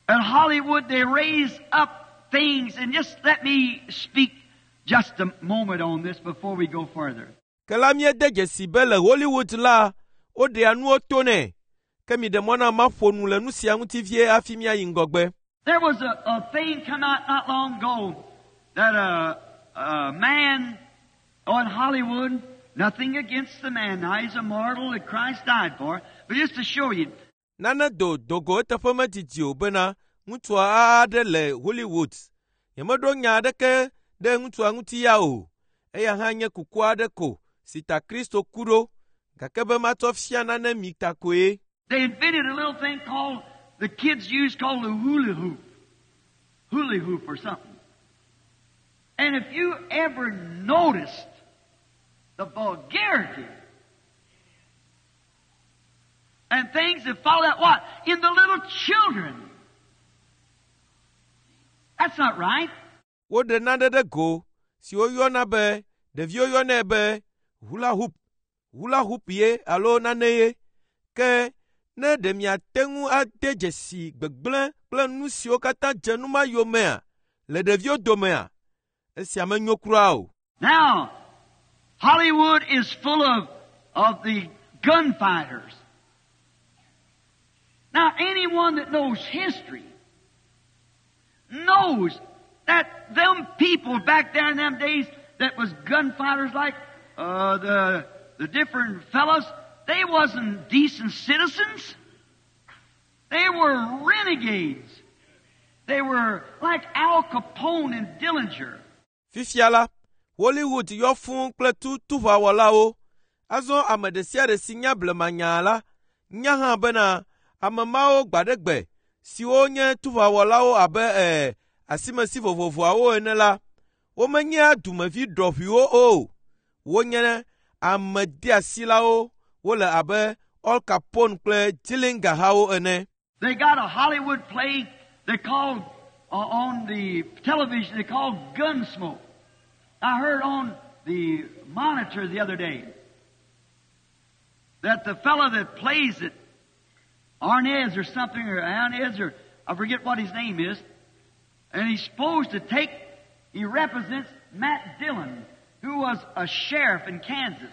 in Hollywood they raise up things, and just let me speak just a moment on this before we go further. Ke la míede dzesi be le Hollywood la, woɖea nuwo to nɛ. Ke miɖe mɔ na maƒo nu le nu sia ŋuti vie hafi míayi ŋgɔgbe. There was a thing come out not long ago that a man in Hollywood, nothing against the man now, he's a mortal that Christ died for, but just to show you. Nane do dogo eteƒe medidi o bena ŋutsua aɖe le Hollywood. Nyemeɖo nya aɖeke ɖe ŋutsua ŋuti ya o. Eya hã nye kuku aɖe ko si ta Kristo ku ɖo, gake be matsɔ fia nane mi ta koe. They invented a little thing called, the kids use called the hula hoop. Hula hoop or something. And if you ever noticed the vulgarity and things that follow that, what? In the little children. That's not right. Woɖe nane ɖe go si woyɔna be ɖeviwo yɔnɛ be hula hoop, hula hoop ye alo nane ye. Ke ne ɖe miate ŋu ade dzesi gbegblẽ kple nu siwo katã dze nu ma yomea le ɖeviwo domea, esia menyo kura o. Now, Hollywood is full of the gunfighters. Now, anyone that knows history knows that them people back there in them days that was gunfighters like the different fellows, they wasn't decent citizens. They were renegades. They were like Al Capone and Dillinger. Fifia la, Hollywood yɔ fũu kple tutuʋawɔlawo. Azɔ ame ɖe sia ɖe si nya blemanya la, nya hã bena ame mawo gbaɖegbe siwo nye tuʋawɔlawo abe asimesi vovovoawo ene la, womenyea dumevi ɖɔʋuiwo o. Wonye ame deasilawo, wole abe Al Capone kple Dillinger hawo ene. They got a Hollywood play they called on the television, they called Gunsmoke. I heard on the monitor the other day that the fellow that plays it, Arnez or something, or Arnez, or I forget what his name is, and he's supposed to take, he represents Matt Dillon, who was a sheriff in Kansas.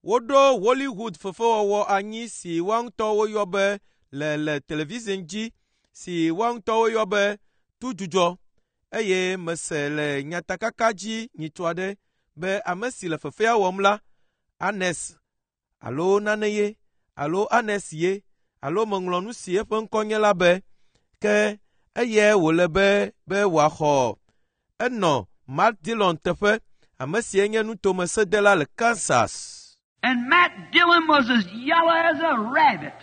Woɖo Hollywood fefewɔwɔ anyi si woa ŋutɔ woyɔ be le television dzi si woa ŋutɔ woyɔ be tudzudzɔ eye mese le nyatakaka dzi nyitsɔ aɖe be ame si le fefea wɔm la, Anes alo nane ye alo Anes ye alo meŋlɔ nu si eƒe ŋkɔ nye la be ke eyae wòle be be wòaxɔ. Enɔ Matt Dillon teƒe, ame sie nye nutomesedela le Kansas. And Matt Dillon was as yellow as a rabbit.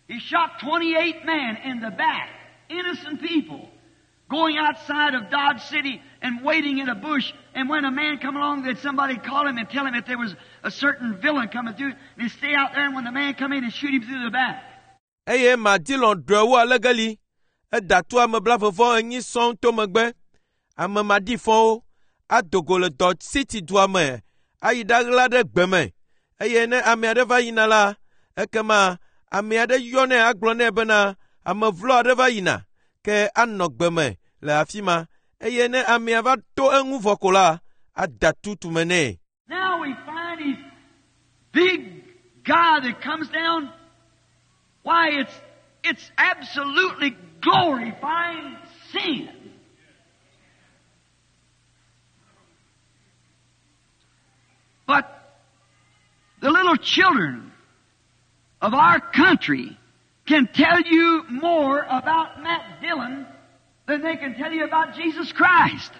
He shot 28 men in the back, innocent people, going outside of Dodge City and waiting in a bush. And when a man come along, that somebody call him and tell him that there was a certain villain coming through. And he'd stay out there, and when the man come in, he'd shoot him through the back. Eye Matt Dillon ɖɔe wu alegeli. Eda tu ame 44 sɔŋ to megbe. Ame maɖifɔwo ado go le Dodge City dua me ayi ɖaɣla ɖe gbe me. Eye ne ame aɖe va yina la, ekema ame aɖe yɔnɛ agblɔ nɛ bena ame vlo aɖe va yina ke anɔ gbe me le afi ma. Eye ne amea va to eŋu vɔ ko la, ada tu tume nɛ. Now we find these big guy that comes down. Why, it's absolutely glorifying sin. But the little children of our country can tell you more about Matt Dillon than they can tell you about Jesus Christ.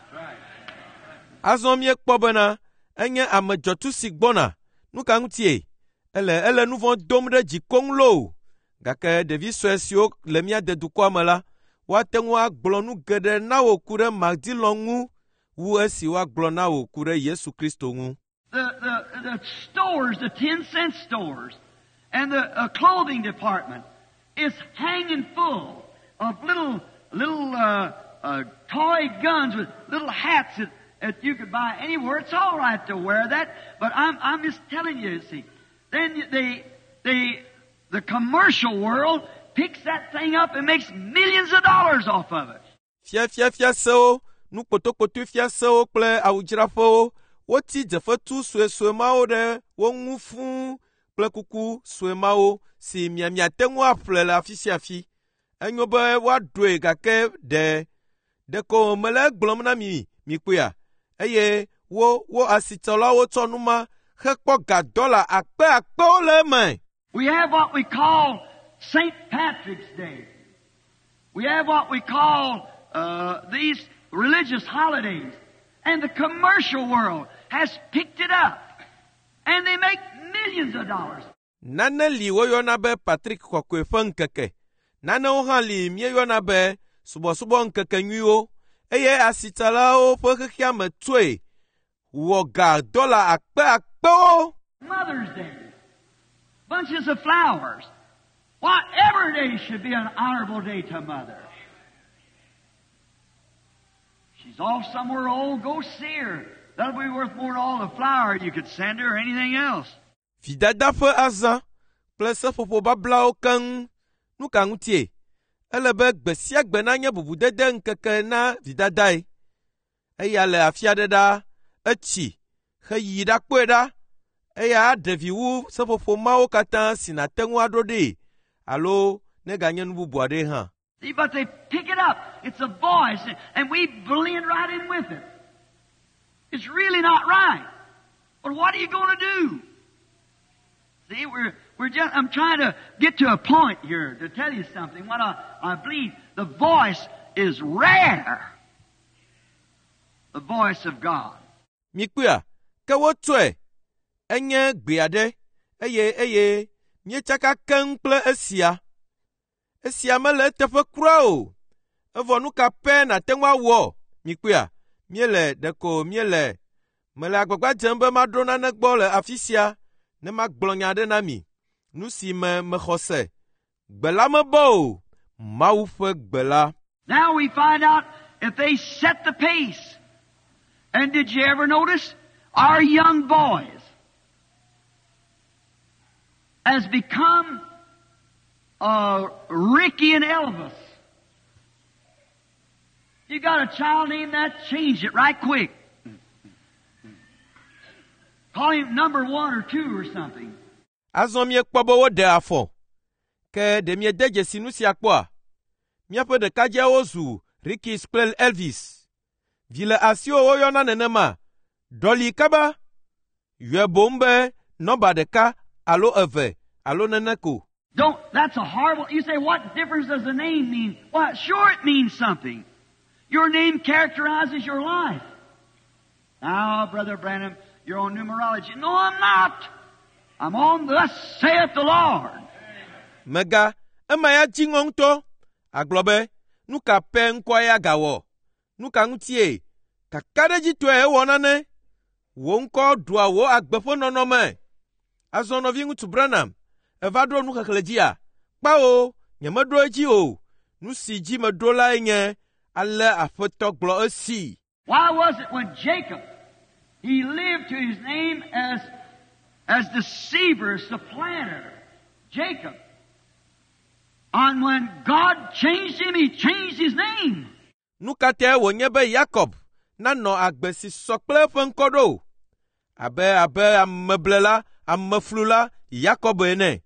Azɔ míekpɔ bena enye ame dzɔtsu si gbɔna. Nu ka ŋutie? Ele nu vɔ̃ dom ɖe dzi koŋ loo. Gake ɖevi sue siwo le mía de dukɔa me la, woate ŋu agblɔ nu geɖe na wò ku ɖe Matt Dillon ŋu wu esi woagblɔ na wò ku ɖe Yesu Kristo ŋu. The stores, the 10-cent stores, and the clothing department is hanging full of little toy guns with little hats that you could buy anywhere. It's all right to wear that, but I'm just telling you, you see. Then the commercial world picks that thing up and makes millions of dollars off of it. Fiafiafiasewo, nu kpotokpoto fiasewo kple awudzraƒewo, woti dzefetu suesue mawo ɖe wo ŋu fũu kple kuku sue mawo si miamiate ŋu aƒle le afi sia afi. Enyo be woaɖoe gake ɖe ɖeko mele egblɔm na mi mikpɔea? Eye wo asitsalawo tsɔ nu ma hekpɔ ga dɔla akpe akpewo le eme. We have what we call St. Patrick's Day. We have what we call these religious holidays. And the commercial world has picked it up. And they make millions of dollars. Nane li woyɔna be Patrick Kɔkɔe ƒe ŋkeke. Nanewo hã li míeyɔna be subɔsubɔ ŋkeke nyuiwo. Eye asitsalawo ƒe xexea me tsoe wɔ ga dɔla akpe akpewo. Mother's Day. Bunches of flowers. Why, every day should be an honorable day to mother. She's off somewhere old, go see her. That'll be worth more than all the flower you could send her or anything else. Vidada ƒe azã kple seƒoƒo bablawo keŋ. Nu ka ŋutie? Ele be gbe sia gbe nanye bubudede ŋkeke na vidadae. Eya le afi aɖe ɖaa, etsi heyi ɖakpɔe ɖa. Eya aɖe vi wu seƒoƒo mawo katã si nàte ŋu aɖo ɖee alo neganye nu bubu aɖe hã. See, but they pick it up. It's a voice, and we blend right in with it. It's really not right. But what are you going to do? See, we're just, I'm trying to get to a point here to tell you something. What I believe, the voice is rare. The voice of God. Mikpɔa, ke wotsɔe. Enye gbe aɖe, eye míetsaka keŋ kple esia. Esia mele eteƒe kura o. Evɔ nu ka pɛ nàte ŋu awɔ? Mikpɔa, míele ɖeko míele. Mele agbagba dzem be maɖo nane gbɔ le afi sia ne magblɔ nya aɖe na mi. Nu si me mexɔ se. Gbe la mebɔ o. Mawu ƒe gbe la. Now we find out if they set the pace. And did you ever notice our young boys has become Ricky and Elvis? You got a child named that, change it right quick. Call him number 1 or 2 or something. Azɔ míekpɔ be woɖe afɔ. Ke ɖe miede dzesi nu sia kpɔa? Míaƒe ɖekadzeawo zu Rickys kple Elvis. Vi le asiwò woyɔna nenema. Ɖɔli kaba. Yɔe boŋ be nɔmba ɖeka alo eve alo nene ko. Don't, that's a horrible, you say, what difference does the name mean? Well, sure it means something. Your name characterizes your life. Now, Brother Branham, you're on numerology. No, I'm not. I'm on thus saith the Lord. Mega ema ya dzi ŋɔ ŋutɔ. Agblɔ be, nu ka pɛ ŋkɔa ya gawɔ? Nu ka ŋutie? Kakaɖedzitɔe ewɔ nane. Wò ŋkɔ ɖua wò agbe ƒe nɔnɔme. Azɔ nɔviŋutsu Branham, eva ɖo nuxexlẽ dzia? Kpawo, nyemeɖo edzi o. Nu si dzi meɖo lae nye ale Aƒetɔ gblɔ esi. Why was it when Jacob, he lived to his name as deceiver, supplanter, Jacob. And when God changed him, he changed his name. Nu ka tae wònye be Yakob nanɔ agbe si sɔ kple eƒe ŋkɔ ɖo? Abe abe ameblela, ameflula Yakob ene.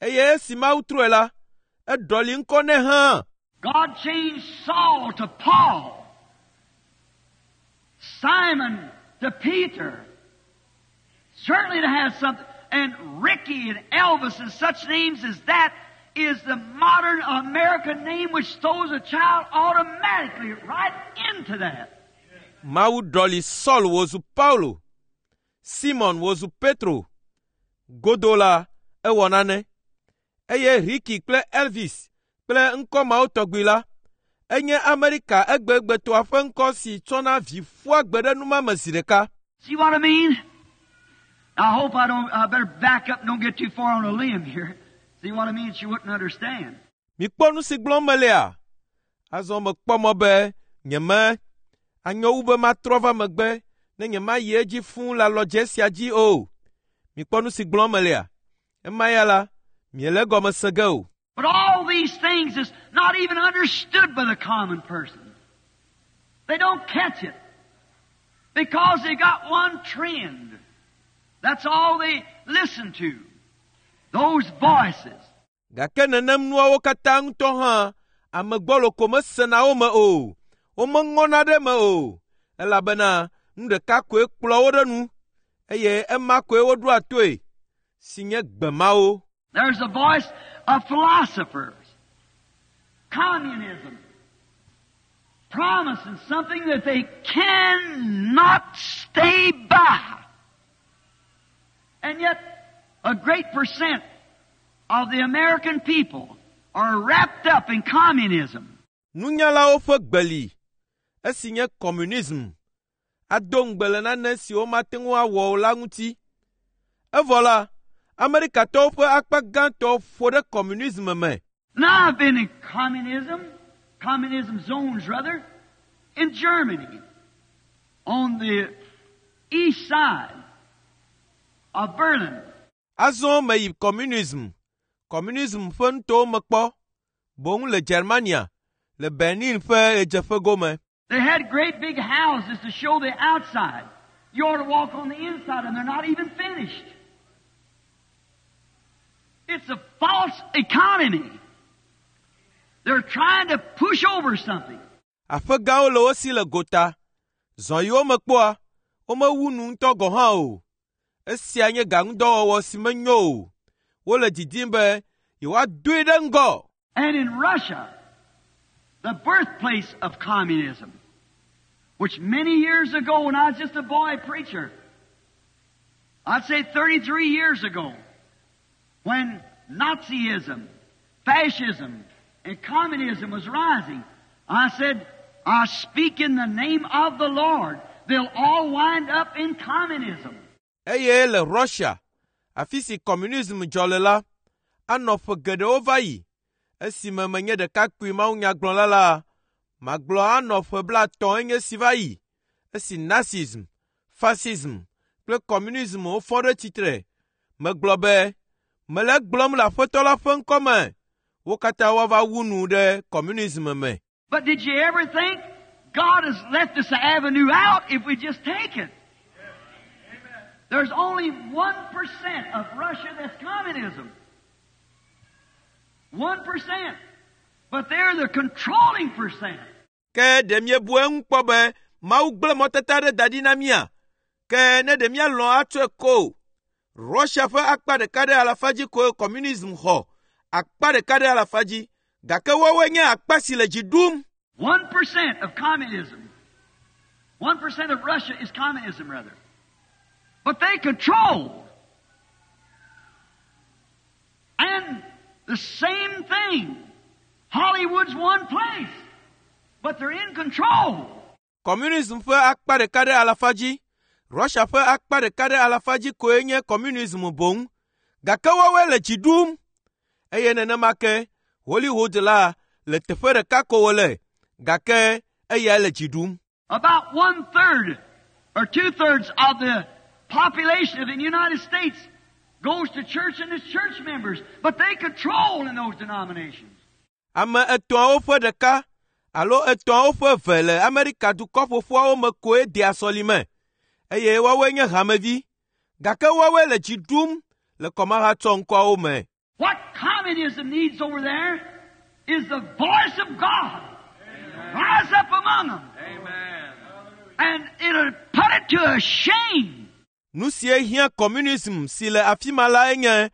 Eye esi Mawu trɔe la, eɖɔli ŋkɔ nɛ hã. God changed Saul to Paul, Simon to Peter. Certainly it has something. And Ricky and Elvis and such names as that is the modern American name which throws a child automatically right into that. Mawu ɖɔli Saul wòzu Paulo, Simon wòzu Petro. Godo la, ewɔ nane. Eye Ricky kple Elvis kple ŋkɔ mawo tɔgbi la, enye Amerika egbegbetɔa ƒe ŋkɔ si tsɔna vi ƒua gbe ɖe numa me zi ɖeka. See what I mean? I hope I don't, I better back up and don't get too far on a limb here. See what I mean? She wouldn't understand. Mikpɔ nu si gblɔm melea? Azɔ mekpɔ mɔ be nyeme anyo wu be matrɔ va megbe ne nyemayi edzi fũu le alɔdze sia dzi o. Mikpɔ nu si gblɔm melea? Ema ya la, miele egɔme se ge o. But all these things is not even understood by the common person. They don't catch it. Because they got one trend. That's all they listen to. Those voices. Gake nenem nuawo katã ŋutɔ hã, ame gbɔlo ko mesena wo me o. Womeŋɔna ɖe eme o. Elabena nu ɖeka koe kplɔ wo ɖe nu eye ema koe woɖoa toe, si nye gbe mawo. There's a voice of philosophers. Communism. Promising something that they cannot stay by. And yet, a great percent of the American people are wrapped up in communism. Nunyalawo ƒe gbe li, esi nye communism, ado ŋugbe le nane si womate ŋu awɔ o la ŋuti. Evɔ la, Amerikatɔwo ƒe akpa gãtɔ ƒo ɖe communism me. Now I've been in communism, communism zones rather, in Germany, on the east side of Berlin. Azɔ meyi communism, communism ƒe nutowo me kpɔ, boŋ le Germania, le Berlin ƒe ɣedzeƒe gome. They had great big houses to show the outside. You ought to walk on the inside and they're not even finished. It's a false economy. They're trying to push over something. Aƒe gãwo le wo si le gota. Zɔ yi wo me kpɔa, womewu nu ŋutɔ gɔ̃ hã o. Esia nye gaŋudɔwɔwɔ si menyo o. Wole didim be yewoadoe ɖe ŋgɔ. And in Russia, the birthplace of communism, which many years ago when I was just a boy preacher, I'd say 33 years ago, when Nazism, fascism, and communism was rising, I said, I speak in the name of the Lord. They'll all wind up in communism. Eye le Russia, afi si communism dzɔ le la, anɔ ƒe geɖewo va yi. Esime menye ɖekakpui mawunyagblɔla la, magblɔ anɔ ƒe 30 enye si va yi. Esi Nazism, fascism kple communism wofɔ ɖe tsitre, megblɔ be, mele egblɔm le Aƒetɔ la ƒe ŋkɔme. Wo katã woava wu nu ɖe communism me. But did you ever think God has left us an avenue out if we just take it? There's only 1% of Russia that's communism. 1%. But they're the controlling percent. Ke ɖe miebu eŋu kpɔ be Mawu gblẽ mɔtata ɖe da ɖi na mía? Ke ne ɖe míalɔ̃ atsɔe ko. Russia ƒe akpa ɖeka ɖe alafa dzi koe communism xɔ. Akpa ɖeka ɖe alafa dzi. Gake woawoe nye akpa si le dzi ɖum. 1% of communism. 1% of Russia is communism, rather. But they control. And the same thing. Hollywood's one place. But they're in control. Communism ƒe akpa ɖeka ɖe alafa dzi. Russia ƒe akpa ɖeka ɖe alafa dzi koe nye communism boŋ. Gake woawoe le dzi ɖum. Eye nenema ke Hollywood la le teƒe ɖeka ko wole. Gake eyae le dzi ɖum. About 1/3 or 2/3 of the population of the United States goes to church and is church members, but they control in those denominations. Ame etɔ̃awo ƒe ɖeka alo etɔ̃awo ƒe eve le Amerika dukɔ ƒoƒuawo me koe dea sɔlime eye woawoe nye hamevi. Gake woawoe le dzi ɖum le kɔmahatsɔŋkɔawo me. What communism needs over there is the voice of God. Rise up among them. Amen. And it'll put it to a shame. Nu sie hiã communism si le afi ma lae nye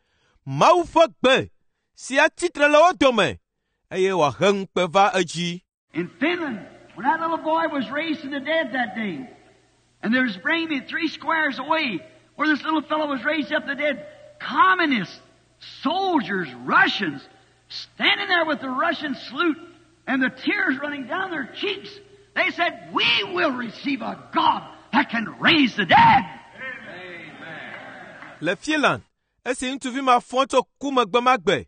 Mawu ƒe gbe si atsitre le wo dome eye wòahe ŋukpe va edzi. In Finland, when that little boy was raised from the dead that day, and they was bringing me 3 squares away where this little fellow was raised up the dead, communists, soldiers, Russians, standing there with the Russian salute and the tears running down their cheeks, they said, "We will receive a God that can raise the dead." Amen. Le Finland, esi ŋutsuvi ma fɔ tso ku me gbe ma gbe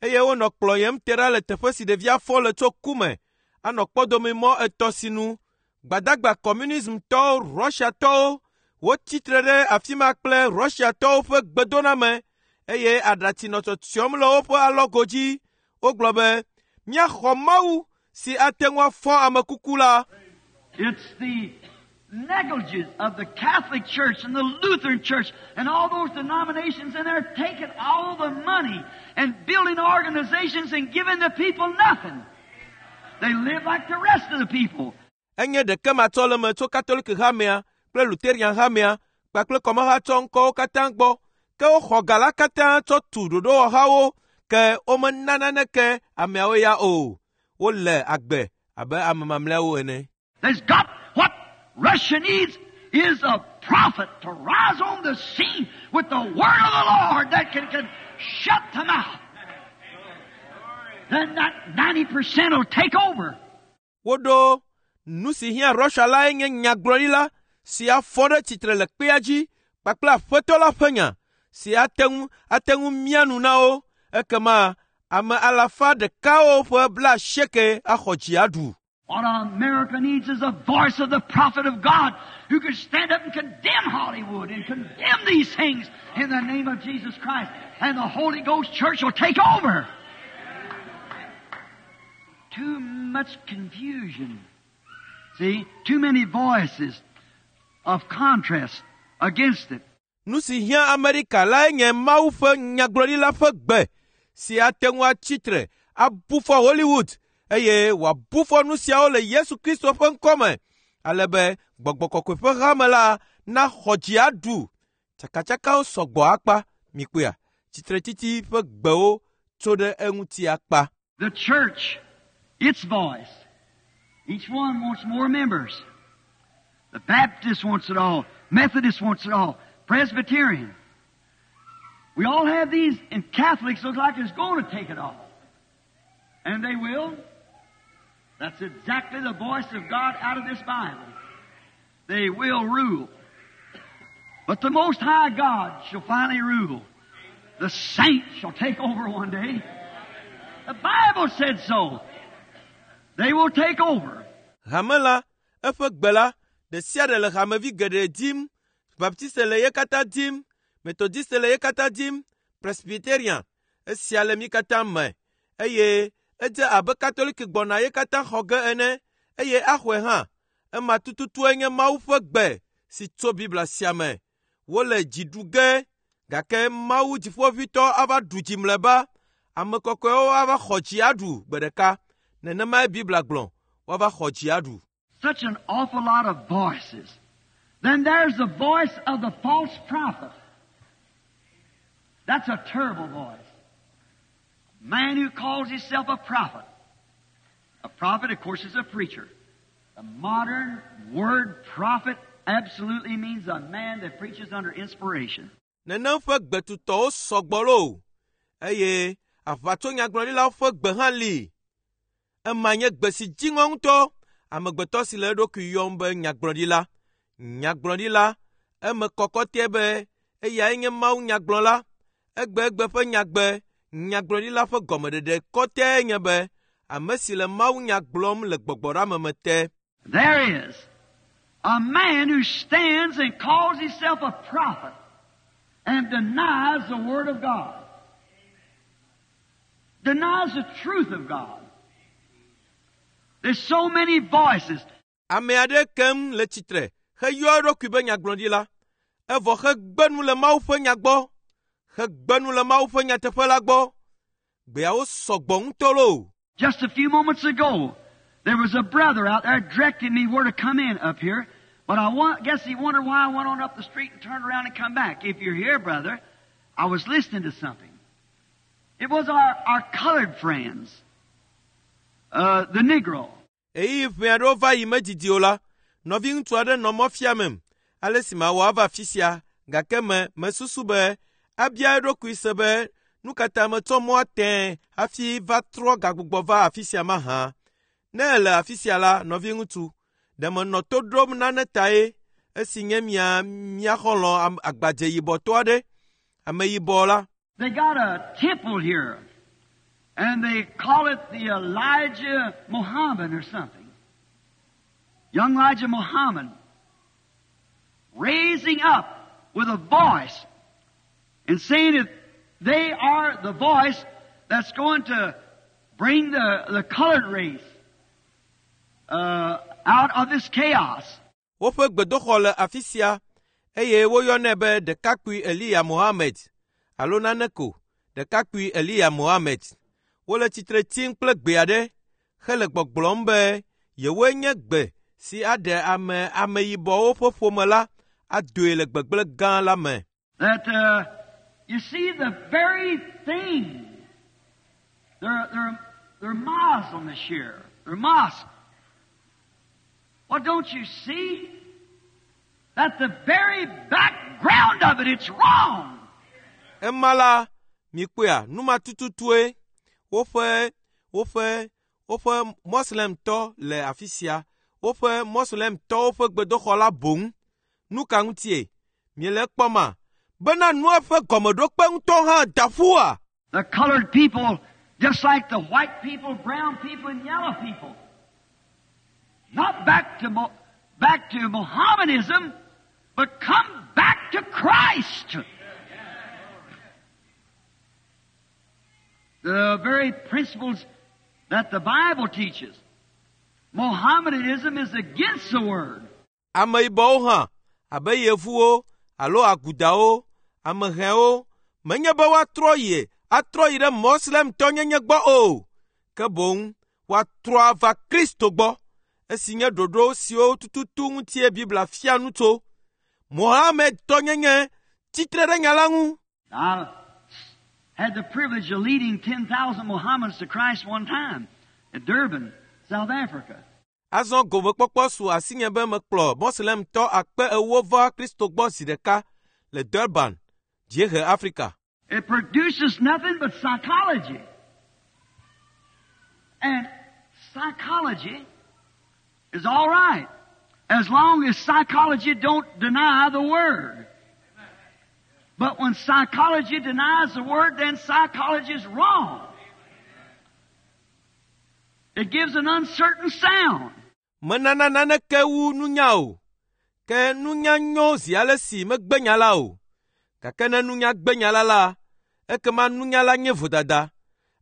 eye wonɔ kplɔyem te ɖa le teƒe si ɖevia fɔ le tso ku me anɔ kpɔdomimɔ etɔ̃ sinu. Gbadagba communismtɔwo, Russiatɔwo wotsitre ɖe afi ma kple Russiatɔwo ƒe gbedoname eye aɖatsi nɔ tsɔtsyɔm le woƒe alɔgo dzi. Wogblɔ be, "Míaxɔ Mawu si ate ŋu afɔ ame kuku la." It's the negligence of the Catholic Church and the Lutheran Church and all those denominations, and they're taking all the money and building organizations and giving the people nothing. They live like the rest of the people. Enye ɖeke matsɔleme tso Katoliki hamea kple Lutheran hamea kpakple kɔmahatsɔŋkɔwo katã gbɔ. Ke woxɔ ga la katã tsɔ tu ɖoɖowɔhawo ke womena naneke ameawo ya o. Wole agbe abe ame mamlɛawo ene. There's got what Russia needs is a prophet to rise on the scene with the word of the Lord that can shut them out. Then that 90% will take over. Woɖo nu si hiã Russia lae nye nyagblɔɖila si afɔ ɖe tsitre le kpea dzi kpakple aƒetɔ la ƒe nya si ate ŋu mia nu na wo. Ekema ame alafa ɖekawo ƒe 80 axɔ dzi aɖu. What America needs is the voice of the prophet of God who could stand up and condemn Hollywood and condemn these things in the name of Jesus Christ. And the Holy Ghost Church will take over. Too much confusion. See, too many voices of contrast against it. Nu si hiã Amerika lae nye Mawu ƒe nyagblɔɖila ƒe gbe si ate ŋu atsitre abu fɔ Hollywood eye wòabu fɔ nu siawo le Yesu Kristo ƒe ŋkɔme ale be gbɔgbɔ kɔkɔe ƒe hame la naxɔ dzi aɖu. Tsakatsakawo sɔgbɔ akpa mikpɔea tsitretsitsi ƒe gbewo tso ɖe eŋuti akpa. The church, its voice. Each one wants more members. The Baptist wants it all. Methodist wants it all. Presbyterian. We all have these, and Catholics look like it's going to take it all. And they will. That's exactly the voice of God out of this Bible. They will rule. But the Most High God shall finally rule. The saints shall take over one day. The Bible said so. They will take over. Hame la, eƒe gbe la, ɖe sia ɖe le hamevi geɖe dim. Baptiste le ye katã dim, Methodiste le ye katã dim, Presbyterian, esia le mi katã me. Eye edze abe Katoliki gbɔna ye katã xɔ ge ene, eye axɔe hã. Ema tututue nye Mawu ƒe gbe si tso Biblia sia me. Wole dzi ɖu ge, gake Mawu dziƒoʋĩtɔ ava ɖu dzi mlɔeba. Ame kɔkɔewo ava xɔ dzi aɖu gbe ɖeka. Nenemae Biblia gblɔ, woava xɔ dzi aɖu. Such an awful lot of voices. Then there's the voice of the false prophet. That's a terrible voice. Man who calls himself a prophet. A prophet, of course, is a preacher. The modern word prophet absolutely means a man that preaches under inspiration. Nenem ƒe gbetutɔwo sɔgbɔ loo eye aʋatsonyagblɔɖilawo ƒe gbe hã li. Ema nye gbe si dziŋɔ ŋutɔ. Amegbetɔ si le eɖokui yɔm be nyagblɔɖila. Nyagblɔɖila eme kɔkɔtɛ be eyae nye Mawu nyagblɔla. Egbegbe ƒe nyagbe nyagblɔɖila ƒe gɔmeɖeɖe kɔtɛe nye be ame si le Mawu nya gblɔm le gbɔgbɔɖeame te. There is a man who stands and calls himself a prophet and denies the Word of God. Denies the truth of God. There's so many voices. Ame aɖe kem le tsitre heyɔ eɖokui be nyagblɔɖila, evɔ hegbe nu le Mawu ƒe nya gbɔ, hegbe nu le Mawu ƒe nyateƒe la gbɔ. Gbeawo sɔgbɔ ŋutɔ loo. Just a few moments ago, there was a brother out there directing me where to come in up here, but I guess he wondered why I went on up the street and turned around and come back. If you're here, brother, I was listening to something. It was our colored friends, the Negro. Ɣeyiɣi ʋɛ aɖewo va yi medidi o la, nɔviŋutsu aɖe nɔ mɔ fiamem ale si mawɔ ava afi sia gake me mesusu be abia eɖokui se be nu ka ta metsɔ mɔa tẽe hafi va trɔ gagbugbɔ va afi sia mahã. Ne èle afi sia la, nɔviŋutsu, ɖe menɔ to ɖom nane tae esi nye mia mía xɔlɔ̃ agbadze yibɔtɔ aɖe, ameyibɔ la. They got a temple here, and they call it the Elijah Muhammad or something. Young Elijah Muhammad, raising up with a voice and saying that they are the voice that's going to bring the colored race out of this chaos. Woƒe gbedoxɔ le afi sia eye woyɔnɛ be ɖekakpui Eliya Mohammed alo nane ko ɖekakpui Eliya Mohammed. Wole tsitre tsim kple gbe aɖe hele gbɔgblɔm be yewoe nye gbe si aɖe ame ameyibɔwo ƒe ƒome la adoe le gbegblẽ gã la me. That you see the very thing. They're Muslims here. They're mosques. Well, don't you see that the very background of it, it's wrong? Ema la, mikpɔea, nu ma tututue woƒe woƒe woƒe moslemtɔ le afi sia. Woƒe moslemtɔwo ƒe gbedoxɔ la boŋ. Nu ka ŋutie? Miele ekpɔma? Bena nua ƒe gɔmeɖokpe ŋutɔ hã da ƒua? The colored people, just like the white people, brown people, and yellow people. Not back to Mohammedanism, but come back to Christ. The very principles that the Bible teaches. Mohammedanism is against the Word. Ameyibɔwo hã, abe yevuwo alo agudawo, amehɛwo, menye be woatrɔ yi atrɔ yi ɖe moslemtɔnyenye gbɔ o, ke boŋ woatrɔ ava Kristo gbɔ. Esi nye ɖoɖo siwo tututu ŋutie Biblia fia nu tso. Mohamedtɔnyenye tsitre ɖe nya la ŋu. I had the privilege of leading 10,000 Mohammedans to Christ one time at Durban, South Africa. Azɔ gomekpɔkpɔ su asinye be mekplɔ moslemtɔ akpe ewo va Kristo gbɔ zi ɖeka le Durban, Dziehe Afrika. It produces nothing but psychology. And psychology is all right, as long as psychology don't deny the Word. But when psychology denies the Word, then psychology is wrong. It gives an uncertain sound. Menana naneke wu nunya o. Ke nunya nyo zi ale si megbe nya la o. Gake ne nunya gbe nya la la, ekema nunya la nye vodada.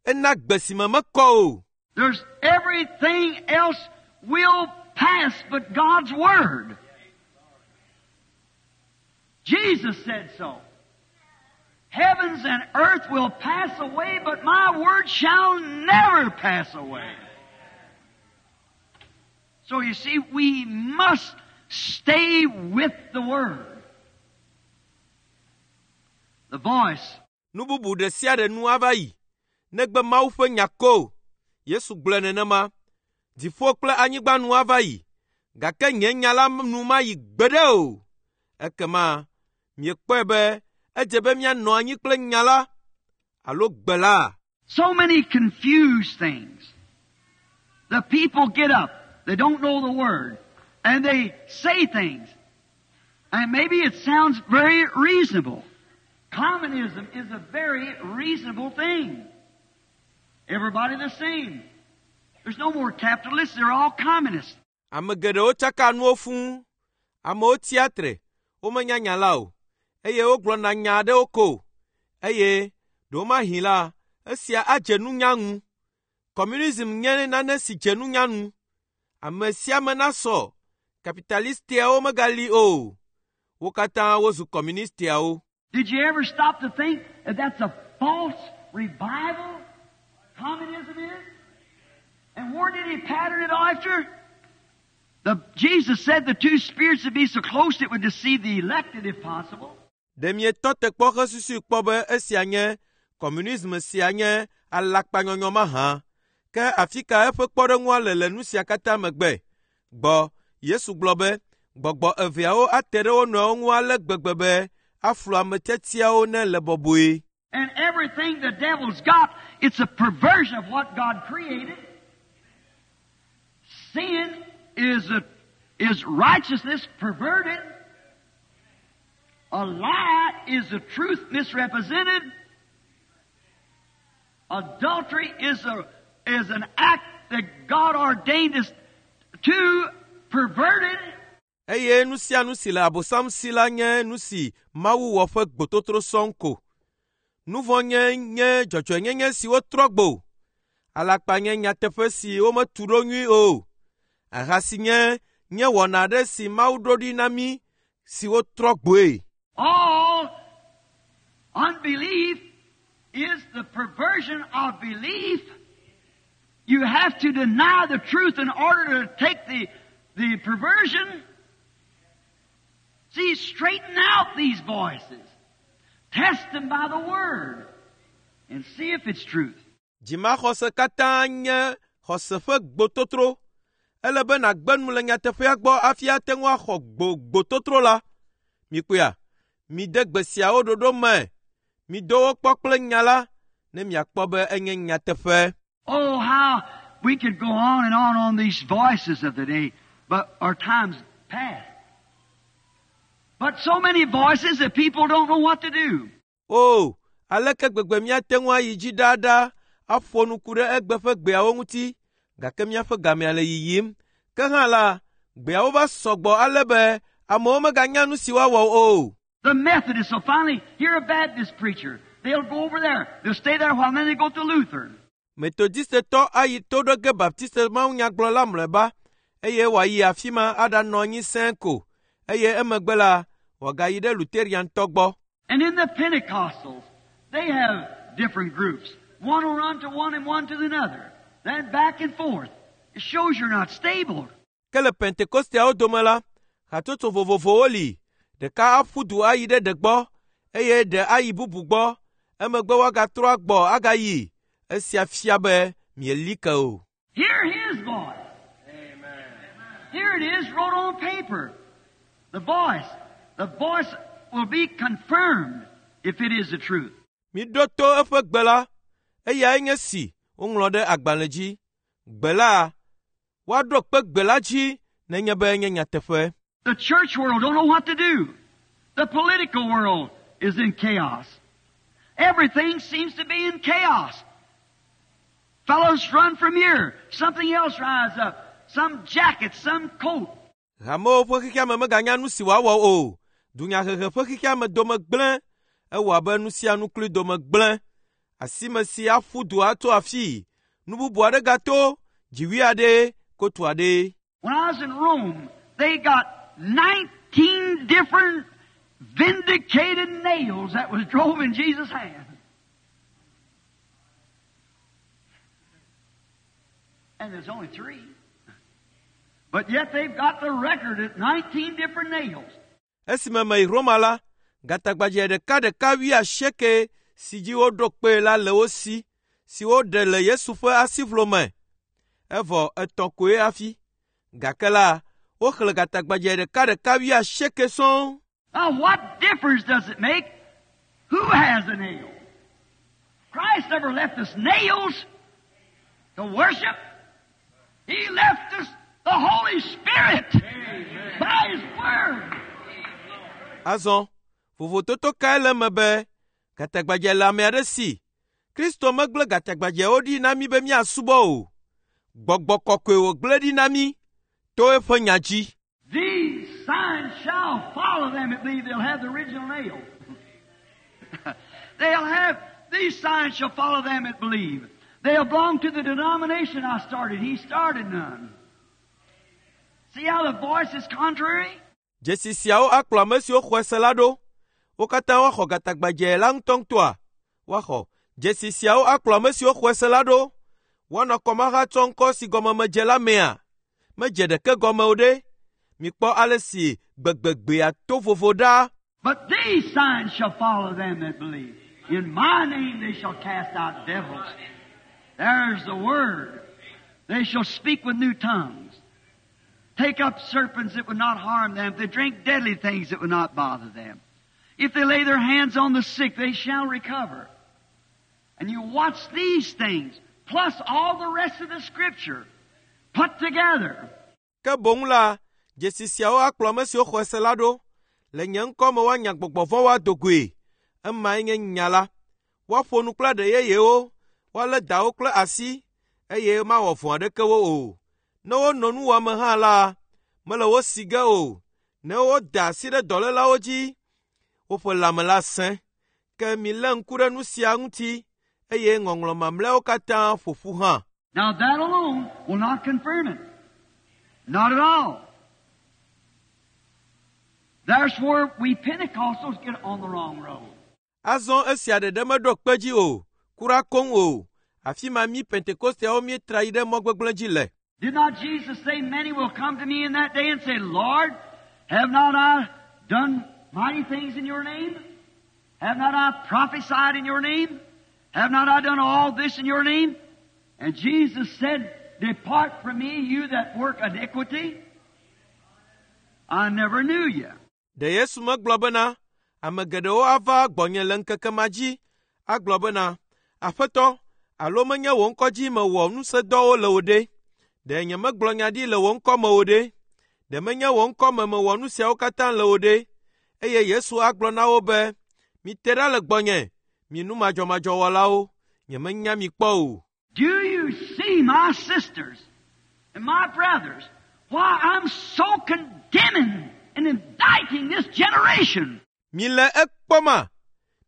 Ena gbe si me mekɔ o. There's everything else will pass but God's Word. Jesus said so. Heavens and earth will pass away, but my word shall never pass away. So you see, we must Stay with the Word. The voice. Nu bubu ɖe sia ɖe nu ava yi, negbe Mawu ƒe nya ko. Yesu gblɔe nenema. Dziƒo kple anyigba nu ava yi, gake nye nya la nu mayi gbeɖe o. Ekema miekpɔe be edze be míanɔ anyi kple nya la alo gbe la. So many confused things. The people get up. They don't know the Word. And they say things. And maybe it sounds very reasonable. Communism is a very reasonable thing. Everybody the same. There's no more capitalists. They're all communists. Ame geɖewo tsaka nuwo fũu. Amewo tsia tre, womenya nya la o, eye wogblɔna nya aɖewo ko. Eye ɖewomahi la, esia adze nunya ŋu. Kɔmunism nye nane si dze nunya ŋu. Ame sia ame nasɔ. Kapitalistiawo megali o. Wo katã wozu kɔmunistiawo. Did you ever stop to think that that's a false revival? Communism is? And where did he pattern it after? Jesus said the two spirits would be so close it would deceive the elected if possible. Ɖe mietɔ te kpɔ hesusui kpɔ be esia nye kɔmunism sia nye alakpanyɔnyɔ mahã? Ke afi ka eƒe kpɔɖeŋua le le nu sia katã megbe? Gbɔ, Yesu gblɔ be gbɔgbɔ eveawo ate ɖe wo nɔewo ŋu ale gbegbe be aflu ame tiatiawo ne le bɔbɔe. And everything the devil's got, it's a perversion of what God created. Sin is righteousness perverted. A lie is the truth misrepresented. Adultery is an act that God ordained us to perverted. Eye nu sia nu si le Abosam si la nye nu si Mawu wɔ ƒe gbototro sɔŋ ko. Nu vɔ̃ nye nye dzɔdzɔenyenye si wotrɔ gbo. Alakpa nye nyateƒe si wometu ɖo nyui o. Ahasi nye nye wɔna aɖe si Mawu ɖo ɖi na mí si wotrɔ gboe. All unbelief is the perversion of belief. You have to deny the truth in order to take the perversion. See, straighten out these voices. Test them by the Word and see if it's truth. Dzimaxɔse katã nye xɔse ƒe gbototro. Ele be nàgbe nu le nyateƒea gbɔ hafi ate ŋu axɔ gbototro la. Mikpɔea, mide gbe siawo ɖoɖo me. Mido wo kpɔ kple nya la ne miakpɔ be enye nyateƒe. Oh, how we could go on and on these voices of the day, but our time's past. But so many voices that people don't know what to do. Oh, aleke gbegbe míate ŋu ayi dzi ɖaaɖa aƒo nu ku ɖe egbe ƒe gbeawo ŋuti, gake míaƒe gamea le yiyim. Ke hã la, gbeawo va sɔgbɔ ale be amewo meganya nu si woawɔ o. The Methodists will finally hear a Baptist preacher. They'll go over there. They'll stay there while then they go to Lutheran. Metodistetɔ ayi to ɖo ge Baptiste mawunyagblɔla mlɔeba eye wòayi afi ma aɖanɔ anyi sẽe ko eye emegbe la wòagayi ɖe Luteriantɔ gbɔ. And in the Pentecostals, they have different groups. One will run to one and one to another. Then back and forth. It shows you're not stable. Ke le Pentekosteawo dome la, hatsotso vovovowo li. Ɖeka aƒu du ayi ɖe ɖe gbɔ eye ɖe ayi bubu gbɔ. Emegbe woagatrɔ agbɔ agayi. Esia fia be mieli ke o. Hear his voice. Amen. Here it is wrote on paper. The voice. The voice will be confirmed if it is the truth. Miɖo to eƒe gbe la, eyae nye si woŋlɔ ɖe agbalẽ dzi. Gbe la, woaɖo kpe gbe la dzi nenye be enye nyateƒe. The church world don't know what to do. The political world is in chaos. Everything seems to be in chaos. Fellows run from here. Something else rise up. Some jacket, some coat. Hamewo ƒe xexeame meganya nu si woawɔ o. Dunyahehe ƒe xexeame dome gblẽ. Ewɔ abe nu sia nu kloe dome gblẽ. Asime si aƒu du ato afii. Nu bubu aɖe gato, dziwui aɖe, kotu aɖe. When I was in Rome, they got 19 different vindicated nails that was drove in Jesus' hand. And there's only 3. But yet they've got the record at 19 different nails. Esime meyi Roma la, gatagbadzɛ ɖekaɖeka 80 si dzi woɖo kpee la le wo si, si woɖe le Yesu ƒe asiʋlo me. Evɔ etɔ̃ koe hafi. Gake la, woxlẽ gatagbadzɛ ɖekaɖeka 80 sɔŋ. Now what difference does it make who has a nail? Christ never left us nails to worship. He left us the Holy Spirit by His Word. Azɔ, vovototo kae le eme be gatagbadzɛ le ame aɖe si? Kristo megblẽ gatagbadzɛwo ɖi na mí be míasubɔ o. Gbɔgbɔ kɔkɔe wògblẽ ɖi na mí to eƒe nya dzi. These signs shall follow them that believe. They'll have the original nail. They'll have, these signs shall follow them that believe. They'll belong to the denomination I started. He started none. See how the voice is contrary? Dzesi siawo akplɔ ame siwo xɔe se la ɖo. Wo katã woaxɔ gatagbadzɛ la ŋutɔŋutɔa? Woaxɔ. Dzesi siawo akplɔ ame siwo xɔe se la ɖo. Woanɔ kɔmahatsɔ ŋkɔ si gɔme medze la mea? Medze ɖeke gɔme o ɖe. Mikpɔ ale si gbegbegbea to vovo ɖa. But these signs shall follow them that believe. In my name they shall cast out devils. There's the word. They shall speak with new tongues. Take up serpents that would not harm them. If they drink deadly things that would not bother them. If they lay their hands on the sick, they shall recover. And you watch these things, plus all the rest of the Scripture, put together. Ke boŋ la, dzesi siawo akplɔ ame siwo xɔe se la ɖo. Le nye ŋkɔ me woanya gbɔgbɔ vɔ̃wo ado goe. Emae nye nya la. Woaƒo nu kple aɖe yeyewo, woalé dawo kple asi, eye mawɔ vɔ̃ aɖeke wo o. Ne wono nuwɔame hã la, mele wo si ge o. Ne woda asi ɖe dɔlélawo dzi, woƒe lãme la sẽ. Ke milé ŋku ɖe nu sia ŋuti, eye ŋɔŋlɔ mamlɛawo katã ƒo ƒu hã. Now that alone will not confirm it. Not at all. That's where we Pentecostals get on the wrong road. Azɔ esia ɖeɖe meɖo kpe dzi o, kura koŋ o. Afi ma mí Pentekosteawo míetra yi ɖe mɔ gbegblẽ dzi le. Did not Jesus say, many will come to me in that day and say, Lord, have not I done mighty things in your name? Have not I prophesied in your name? Have not I done all this in your name? And Jesus said, depart from me, you that work iniquity. I never knew you. Ɖe Yesu megblɔ bena, ame geɖewo ava gbɔnye le ŋkeke ma dzi agblɔ bena, Aƒetɔ, alo menye wò ŋkɔ dzi mewɔ ŋusẽdɔwo le o ɖe? Ɖe nyemegblɔ nya ɖi le wò ŋkɔ me o ɖe? Ɖe menye wò ŋkɔ me mewɔ nu siawo katã le o ɖe? Eye Yesu agblɔ na wo be, mite ɖa le gbɔnye, mi nu madzɔmadzɔwɔlawo, nyemenya mi kpɔ o. Do you see, my sisters and my brothers, why I'm so condemning and indicting this generation? Mile ekpɔma,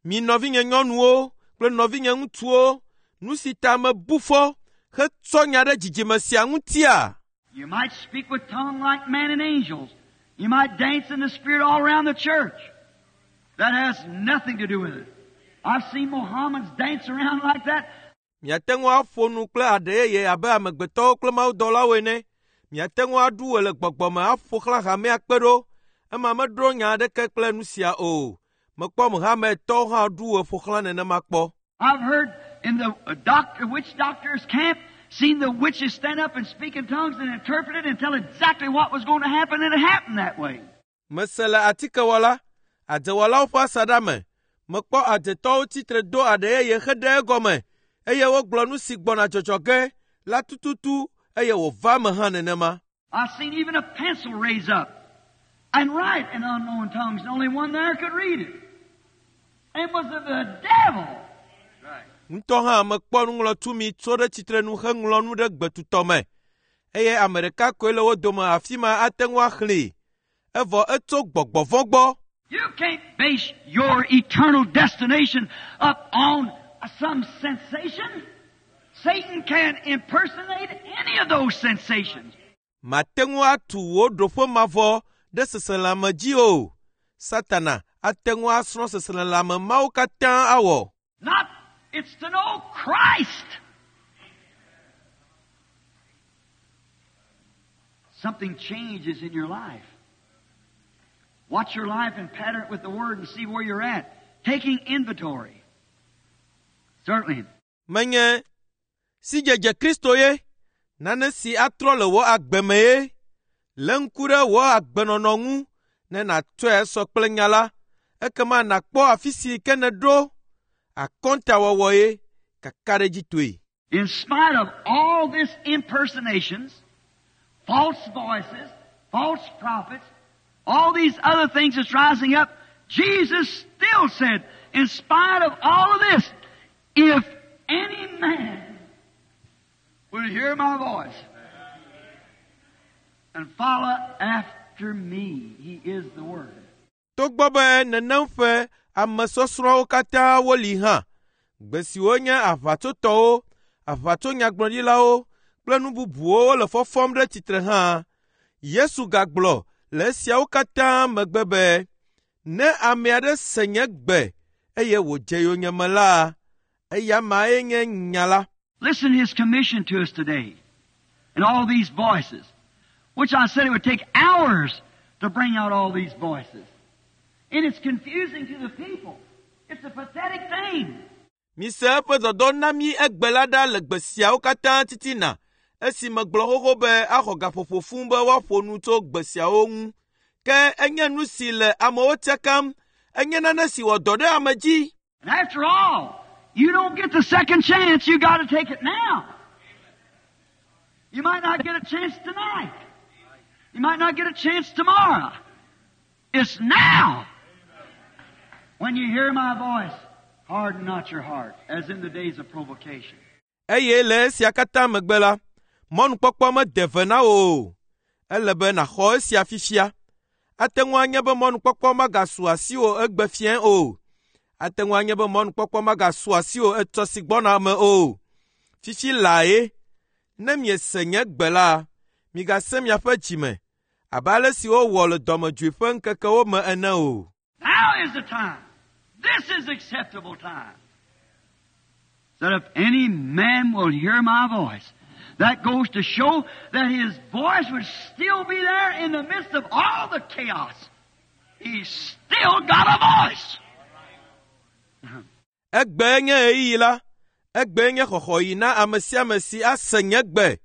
mi nɔvinye nyɔnuwo kple nɔvinye ŋutsuwo, nu si ta mebu fɔ hetsɔ nya ɖe dzidzime sia ŋutia? You might speak with tongue like men and angels. You might dance in the Spirit all around the church. That has nothing to do with it. I've seen Mohammedans dance around like that. Miate ŋu aƒo nu kple aɖe yeye abe amegbetɔwo kple mawudɔlawo ene. Miate ŋu aɖu ɣe le gbɔgbɔ me aƒo xlã hamea kpe ɖo. Ema meɖo nya aɖeke kple nu sia o. Mekpɔ Mohamedtɔwo hã ɖu ɣe ƒo xlã nenema kpɔ. I've heard in the witch doctor's camp, seen the witches stand up and speak in tongues and interpret it and tell exactly what was going to happen, and it happened that way. Mese le atikewɔla, adzewɔlawo ƒe asaɖa me. Mekpɔ adzetɔwo tsitre do aɖe yeye heɖe egɔme eye wogblɔ nu si gbɔna dzɔdzɔ ge la tututu eye wòva eme hã nenema. I've seen even a pencil raise up and write in unknown tongues, and only one there could read it. And it was of the devil. Ŋutɔ hã mekpɔ nuŋlɔtumi tso ɖe tsitrenu heŋlɔ nu ɖe gbetutɔ me eye ame ɖeka koe le wo dome afi ma ate ŋu axlẽe. Evɔ etso gbɔgbɔ vɔ̃ gbɔ. You can't base your eternal destination up on some sensation. Satan can't impersonate any of those sensations. Mate ŋu atu wò ɖoƒe mavɔ ɖe seselãme dzi o. Satana ate ŋu asrɔ̃ seselelãme mawo katã awɔ. Not, it's to know Christ. Something changes in your life. Watch your life and pattern it with the Word and see where you're at. Taking inventory. Certainly. Menye sidzedze Kristo ye, nane si atrɔ le wò agbe me ye. Lé ŋku ɖe wò agbenɔnɔ ŋu ne nàtsɔe sɔ kple nya la, ekema nàkpɔ afi si ke nèɖo akɔntawɔwɔ ye kakaɖedzitɔe. In spite of all this impersonations, false voices, false prophets, all these other things that's rising up, Jesus still said, in spite of all of this, if any man will hear my voice and follow after me, he is the Word. Togbɔ be nenem ƒe amesɔsrɔ̃wo katã woli hã, gbe siwo nye aʋatsotɔwo, aʋatsonyagblɔɖilawo kple nu bubuwo le fɔfɔm ɖe tsitre hã, Yesu gagblɔ le esiawo katã megbe be, ne ame aɖe se nye gbe eye wòdze yonyeme la, eya mae nye nya la. Listen to his commission to us today and all these voices, which I said it would take hours to bring out all these voices. And it's confusing to the people. It's a pathetic thing. Mise eƒe dɔdɔ na mí egbe la ɖa le gbe siawo katã titina esi megblɔ xoxo be axɔ gaƒoƒo fũu be woaƒo nu tso gbe siawo ŋu. Ke enye nu si le amewo tsakam, enye nane si wɔ dɔ ɖe ame dzi. And after all, you don't get the second chance. You got to take it now. You might not get a chance tonight. You might not get a chance tomorrow. It's now. When you hear my voice, harden not your heart, as in the days of provocation. Eye le esia katã megbe la, mɔnukpɔkpɔ mede ve na wò o. Ele be nàxɔ esia fifia. Ate ŋu anye be mɔnukpɔkpɔ magasu asiwò egbe fiẽ o. Ate ŋu anye be mɔnukpɔkpɔ magasu asiwò etsɔ si gbɔna me o. Fifi lae, ne miese nye gbe la, migasẽ miaƒe dzime abe ale si wowɔ le dɔmedzoe ƒe ŋkekewo me ene o. Now is the time. This is acceptable time. That if any man will hear my voice, that goes to show that his voice would still be there in the midst of all the chaos. He's still got a voice. Egbe nye ɣeyiɣi la, egbe nye xɔxɔɣi na ame sia ame si ase nye gbe.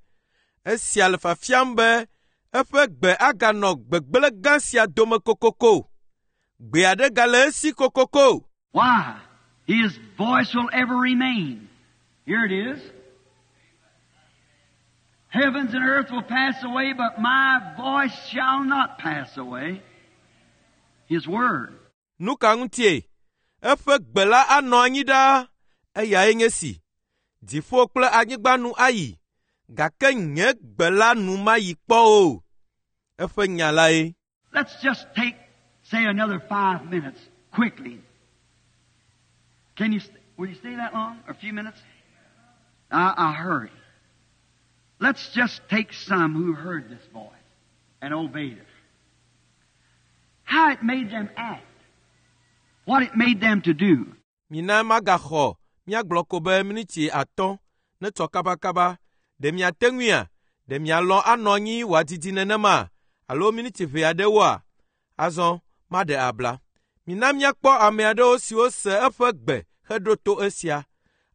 Esia le fiafiam be eƒe gbe aganɔ gbegblẽ gã sia dome kokoko. Gbe aɖe gale esi kokoko. Why? His voice will ever remain. Here it is. Heavens and earth will pass away, but my voice shall not pass away. His word. Nu ka ŋutie? Eƒe gbe la anɔ anyi ɖaa. Eyae nye si. Dziƒo kple anyigba nu ayi, gake nye gbe la nu mayi kpɔ o. Eƒe nya lae. Let's just take, say, another 5 minutes quickly. Can you, will you stay that long? A few minutes? I hurry. Let's just take some who heard this voice and obeyed it. How it made them act. What it made them to do. Mina magaxɔ míagblɔ ko be miniti 5 netsɔ kabakaba. Ɖe miate ŋuia? Ɖe mialɔ̃ anɔ anyi wòadidi nenema? Alo miniti ʋɛ aɖewoa? Azɔ maɖe abla. Mina míakpɔ ame aɖewo siwo se eƒe gbe heɖo to esia.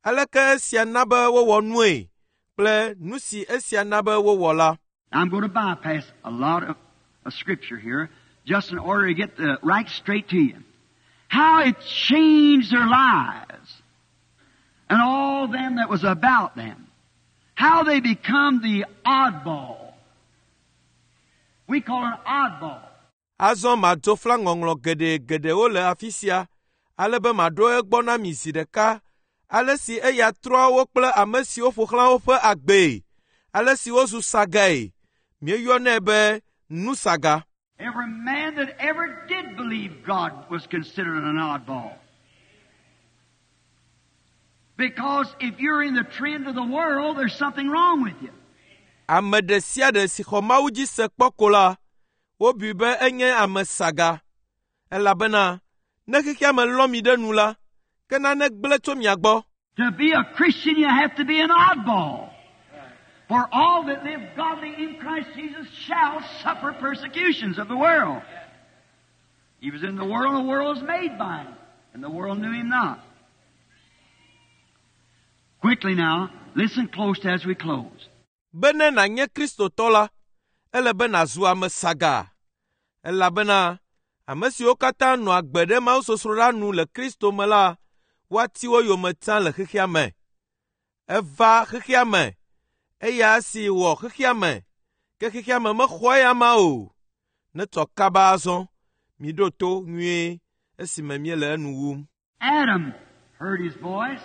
Aleke esia na be wowɔ nue kple nu si esia na be wowɔ la. I'm going to bypass a lot of scripture here just in order to get the right straight to you. How it changed their lives and all them that was about them. How they become the oddball. We call it oddball. Azɔ madzo fla ŋɔŋlɔ geɖe geɖewo le afi sia, ale be maɖo egbɔ na mi zi ɖeka, ale si eya trɔ wo kple ame siwo ƒo xlã woƒe agbee, ale si wozu sagae. Míeyɔnɛ be nusaga. Every man that ever did believe God was considered an oddball. Because if you're in the trend of the world, there's something wrong with you. Ame ɖe sia ɖe si xɔ Mawu dzi se kpɔ ko la, wobui be enye ame saga. Elabena ne xexea me lɔ mi ɖe nu la, ke nane gblẽ tso mia gbɔ. To be a Christian, you have to be an oddball. For all that live godly in Christ Jesus shall suffer persecutions of the world. He was in the world, and the world was made by him, and the world knew him not. Quickly now, listen close as we close. Bene nànye Kristotɔ la, ele be nàzu ame sagaa, elabena ame siwo katã nɔa agbe ɖe mawusosroɖa nu le Kristo me la, woati wo yome tsã le xexea me. Eva xexea me, eya si wɔ xexea me, ke xexea me mexɔ eya ma o. Netsɔ kaba azɔ, miɖo to nyuie esime míele enu wum. Adam heard his voice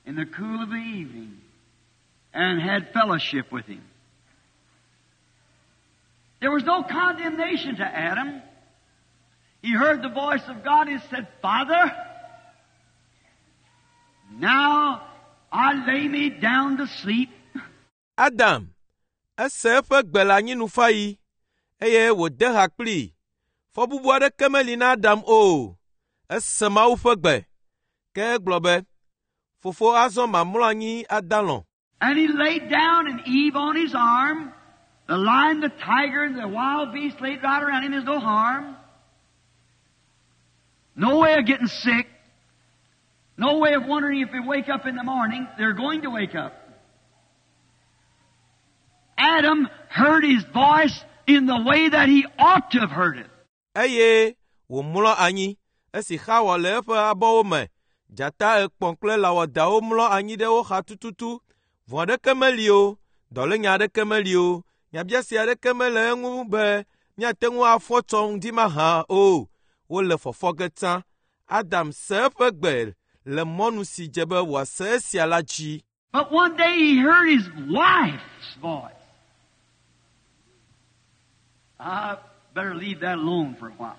in the cool of the evening and had fellowship with him. There was no condemnation to Adam. He heard the voice of God and said, Father, now I lay me down to sleep. Adam ese eƒe gbe le anyinufaɣi eye wòde ha kplii. Fɔbubu aɖeke meli na Adam o. Ese Mawu ƒe gbe. Ke egblɔ be, “Fofo azɔ mamlɔ anyi adalɔ̃.” And he laid down and Eve on his arm. The lion, the tiger, and the wild beast laid right around him. There's no harm. No way of getting sick. No way of wondering if they wake up in the morning. They're going to wake up. Adam heard his voice in the way that he ought to have heard it. Eye wòmlɔ anyi esi Xawa le eƒe abɔwo me. Dzata ekpɔ̃ kple lã wɔadawo mlɔ anyi ɖe wo xa tututu. Vɔ̃ aɖeke meli o, dɔlénya aɖeke meli o, nyabiase aɖeke mele eŋu be míate ŋu afɔ tsɔ ŋdi mahã o. Wole fɔfɔ ge tsã. Adam se eƒe gbe le mɔnu si dze be wòase esia la dzi. But one day he heard his wife's voice. I better leave that alone for a while.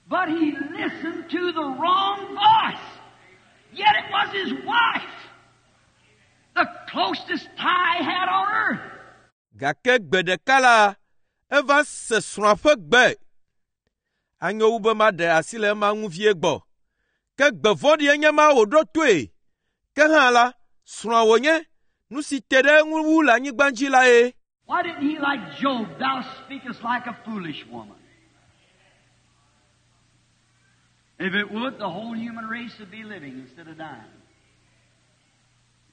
But he listened to the wrong voice. Yet it was his wife, the closest tie he had on earth. Gake gbe ɖeka la, eva se srɔ̃a ƒe gbe. Anyo wu be maɖe asi le ema ŋu vie gbɔ. Ke gbe vɔ̃ɖie nye ma wòɖo toe. Ke hã la, srɔ̃a wònye, nu si te ɖe eŋu wu le anyigba dzi lae. Why didn't he like Job, thou speakest like a foolish woman? If it would, the whole human race would be living instead of dying.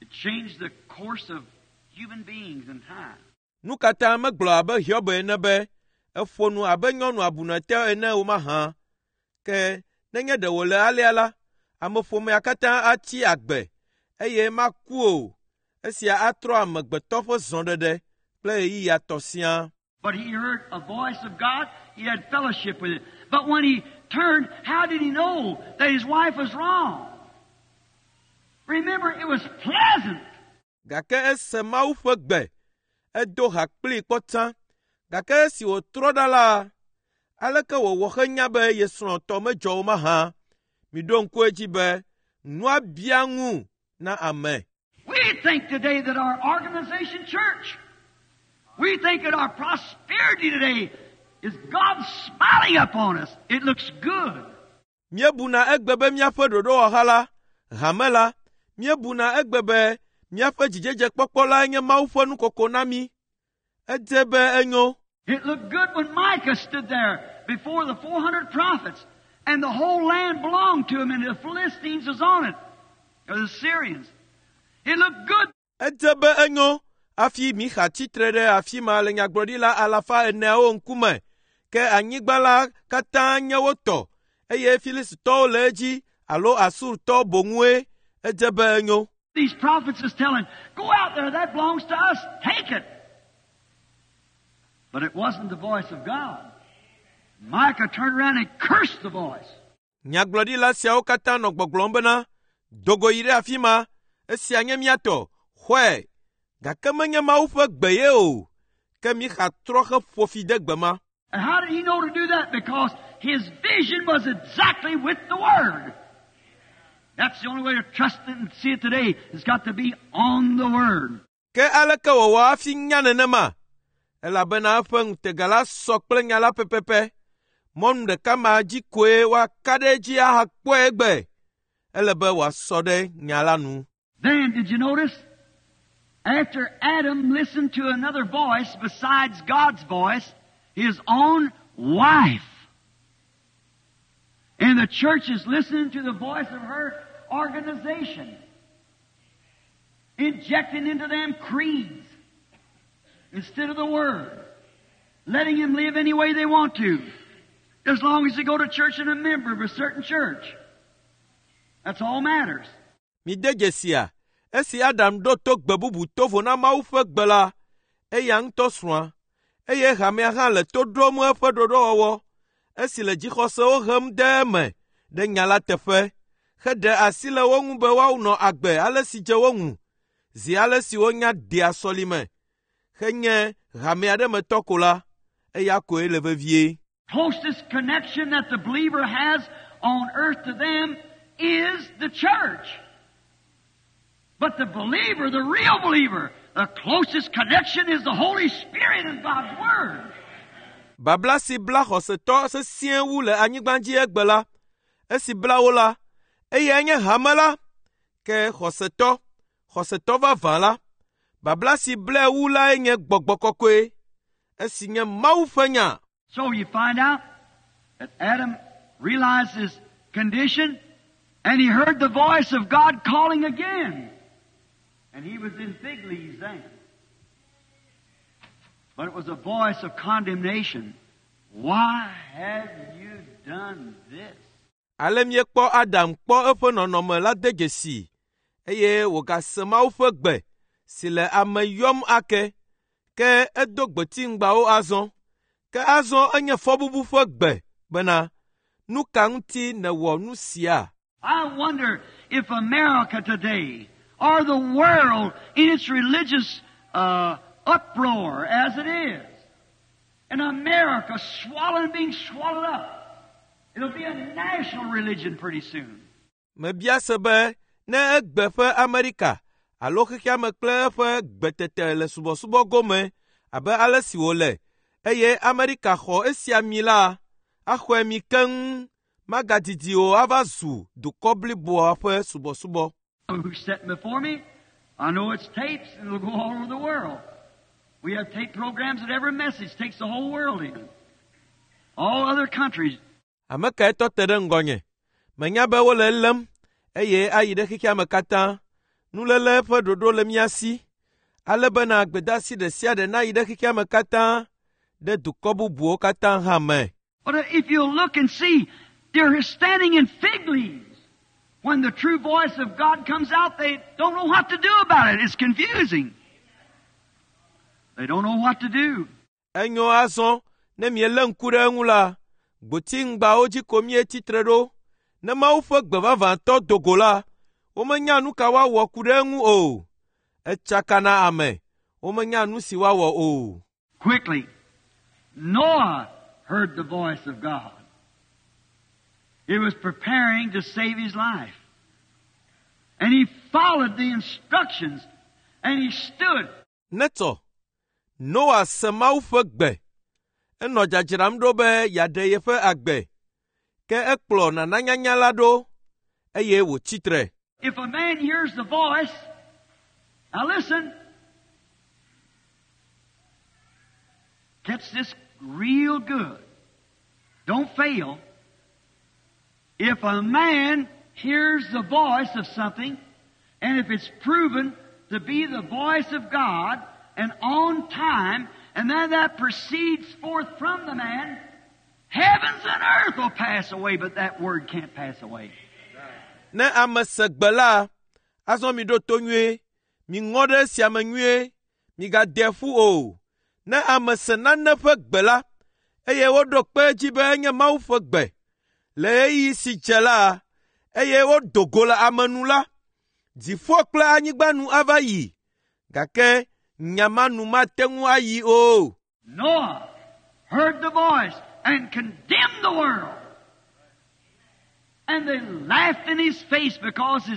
It changed the course of human beings in time. Nu ka ta megblɔ abe Hiob ene be, eƒo nu abe nyɔnu abunɛtɔ ene o mahã? Ke nenye ɖe wòle alea la, ameƒomea katã atsi agbe eye maku o. Esia atrɔ amegbetɔ ƒe zɔɖeɖe kple ɣeyiɣia tɔ siaa. But he heard a voice of God. He had fellowship with it. But when he turned, how did he know that his wife was wrong? Remember, it was pleasant. Gake ese Mawu ƒe gbe, edo ha kplii kpɔ tsã. Gake esi wòtrɔ ɖa la, aleke wòwɔ henya be ye srɔ̃tɔ medzɔ o mahã? Miɖo ŋku edzi be nua bia ŋu na ame. We think today that our organization church, we think that our prosperity today is God smiling upon us. It looks good. Míebuna egbe be míaƒe ɖoɖowɔha la, hame la, míebuna egbe be míaƒe dzidzedzekpɔkpɔ lae nye Mawu ƒe nukoko na mí. Edze be enyo. It looked good when Micah stood there before the 400 prophets, and the whole land belonged to him, and the Philistines was on it, or the Syrians. It looked good. Edze be enyo hafi Mixa tsitre ɖe afi ma le nyagblɔɖila alafa eneawo ŋkume. Ke anyigba la katã nye wo tɔ eye Filistitɔwo le edzi alo Asurtɔ boŋue. Edze be enyo. These prophets is telling, go out there, that belongs to us, take it. But it wasn't the voice of God. Micah turned around and cursed the voice. Nyagblɔɖila siawo katã nɔ gbɔgblɔm bena, do go yi ɖe afi ma, esia nye mía tɔ, xɔe. Gake menye Mawu ƒe gbe ye o. Ke Mixa trɔ heƒo fi de gbe ma. And how did he know to do that? Because his vision was exactly with the Word. That's the only way to trust it and see it today. It's got to be on the Word. Ke aleke wòwɔ hafi nya nenema? Elabena eƒe ŋutega la sɔ kple nya la pɛpɛpɛ. Mɔnu ɖeka ma dzi koe woaka ɖe edzi ahakpɔe egbe. Ele be wòasɔ ɖe nya la nu. Then, did you notice? After Adam listened to another voice besides God's voice, his own wife. And the church is listening to the voice of her organization, injecting into them creeds instead of the Word, letting them live any way they want to, as long as they go to church and a member of a certain church. That's all matters. Mide dzesia, esi Adam ɖo to gbe bubu tovo na Mawu ƒe gbe la, eya ŋutɔ srɔ̃a, eye hamea hã le to ɖom eƒe ɖoɖowɔwɔ, esi le dzixɔsewo hem de eme ɖe nya la teƒe, heɖe asi le wo ŋu be woanɔ agbe ale si dze wo ŋu, zi ale si wonya dea sɔlime, henye hame aɖe me tɔ ko la, eya koe le vevie. Closest connection that the believer has on earth to them is the church. But the believer, the real believer, the closest connection is the Holy Spirit and God's Word. Babla si bla xɔsetɔ sesĩe wu le anyigba dzi egbe la, esi bla wo la, eyae nye hame la. Ke xɔsetɔ, xɔsetɔ vavã la, babla si blae wu lae nye gbɔgbɔ kɔkɔe, esi nye Mawu ƒe nya. So you find out that Adam realized his condition and he heard the voice of God calling again. And he was in fig leaves then. But it was a voice of condemnation. Why have you done this? Ale míekpɔ Adam kpɔ eƒe nɔnɔme la de dzesi eye wògase Mawu ƒe gbe si le ame yɔm ake. Ke edo gbetiŋgbawo azɔ. Ke azɔ enye fɔbubu ƒe gbe bena, nu ka ŋuti nèwɔ nu sia? I wonder if America today, or the world in its religious uproar as it is, and America swallowing, being swallowed up, it'll be a national religion pretty soon. Mebia se be ne egbe ƒe Amerika alo xexea me kple eƒe gbetete le subɔsubɔ gome abe ale si wòle eye Amerika xɔ esia mi la, axɔe mi keŋ magadidi o ava zu dukɔ bliboa ƒe subɔsubɔ. Who's sitting before me? I know it's tapes and it'll go all over the world. We have tape programs that every message takes the whole world in. All other countries. Ame kae tɔ te ɖe ŋgɔnye? Menya be wole elém eye ayi ɖe xexea me katã. Nuléle ƒe ɖoɖo le mía si ale bena gbedeasi ɖe sia ɖe nayi ɖe xexea me katã ɖe dukɔ bubuwo katã hã me. But if you look and see, they're standing in fig leaves. When the true voice of God comes out, they don't know what to do about it. It's confusing. They don't know what to do. Enyo azɔ ne mielé ŋku ɖe eŋu la, gbotiŋgbawo dzi ko míetsi tre ɖo. Ne Mawu ƒe gbe vavãtɔ do go la, womenya nu ka woawɔ ku ɖe eŋu o. Etsaka na ame, womenya nu si woawɔ o. Quickly, Noah heard the voice of God. He was preparing to save his life. And he followed the instructions and he stood. Netɔ, Noa se Mawu ƒe gbe. Enɔ dzadzram ɖo be yeaɖe yeƒe agbe. Ke ekplɔ nananyanya la ɖo eye wòtsi tre. If a man hears the voice, now listen, catch this real good. Don't fail. If a man hears the voice of something, and if it's proven to be the voice of God, and on time, and then that proceeds forth from the man, heavens and earth will pass away, but that word can't pass away. Ne ame se gbe la, azɔ miɖo to nyuie, miŋɔ ɖe esia me nyuie, migade ƒu o. Ne ame se nane ƒe gbe la, eye woɖo kpe edzi be enye Mawu ƒe gbe, le ɣeyiɣi si dze la, eye wodo go le ame nu la, dziƒo kple anyigba nu ava yi, gake nya ma nu mate ŋu ayi o. Noah heard the voice and condemned the world. And they laughed in his face because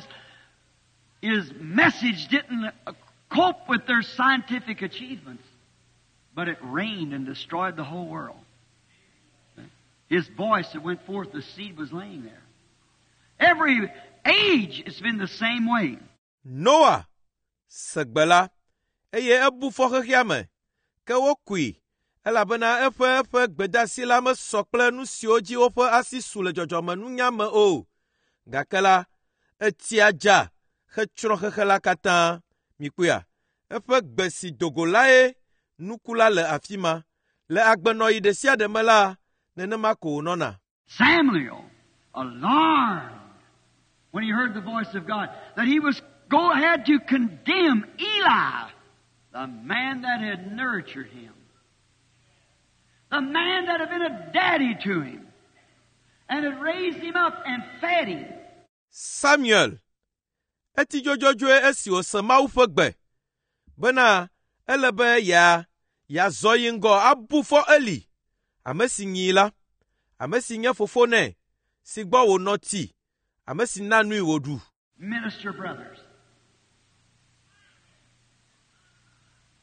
his message didn't cope with their scientific achievements. But it rained and destroyed the whole world. His voice that went forth, the seed was laying there. age, it's been the same way. Noa se gbe la, eye ebu fɔ xexea me, ke wokui elabena eƒe eƒe gbedeasi la mesɔ kple nu siwo dzi woƒe asi su le dzɔdzɔmenunya me o. Gake la, etsia dza hetsrɔ̃ xexe la katã. Mikpɔea, eƒe gbe si do go lae nuku la le afi ma. Le agbenɔɣi ɖe sia ɖe me la, nenema ko wònɔna. Samuel, alarmed when he heard the voice of God, that he was go ahead to condemn Eli, the man that had nurtured him, the man that had been a daddy to him, and had raised him up and fed him. Samuel eti dzodzodzoe esi wòse Mawu ƒe gbe bena ele be yea yeazɔ yi ŋgɔ abu fɔ Eli, ame si nyii la, ame si nye fofo nɛ, si gbɔ wònɔ tsi, ame si na nui wòɖu. Minister brothers,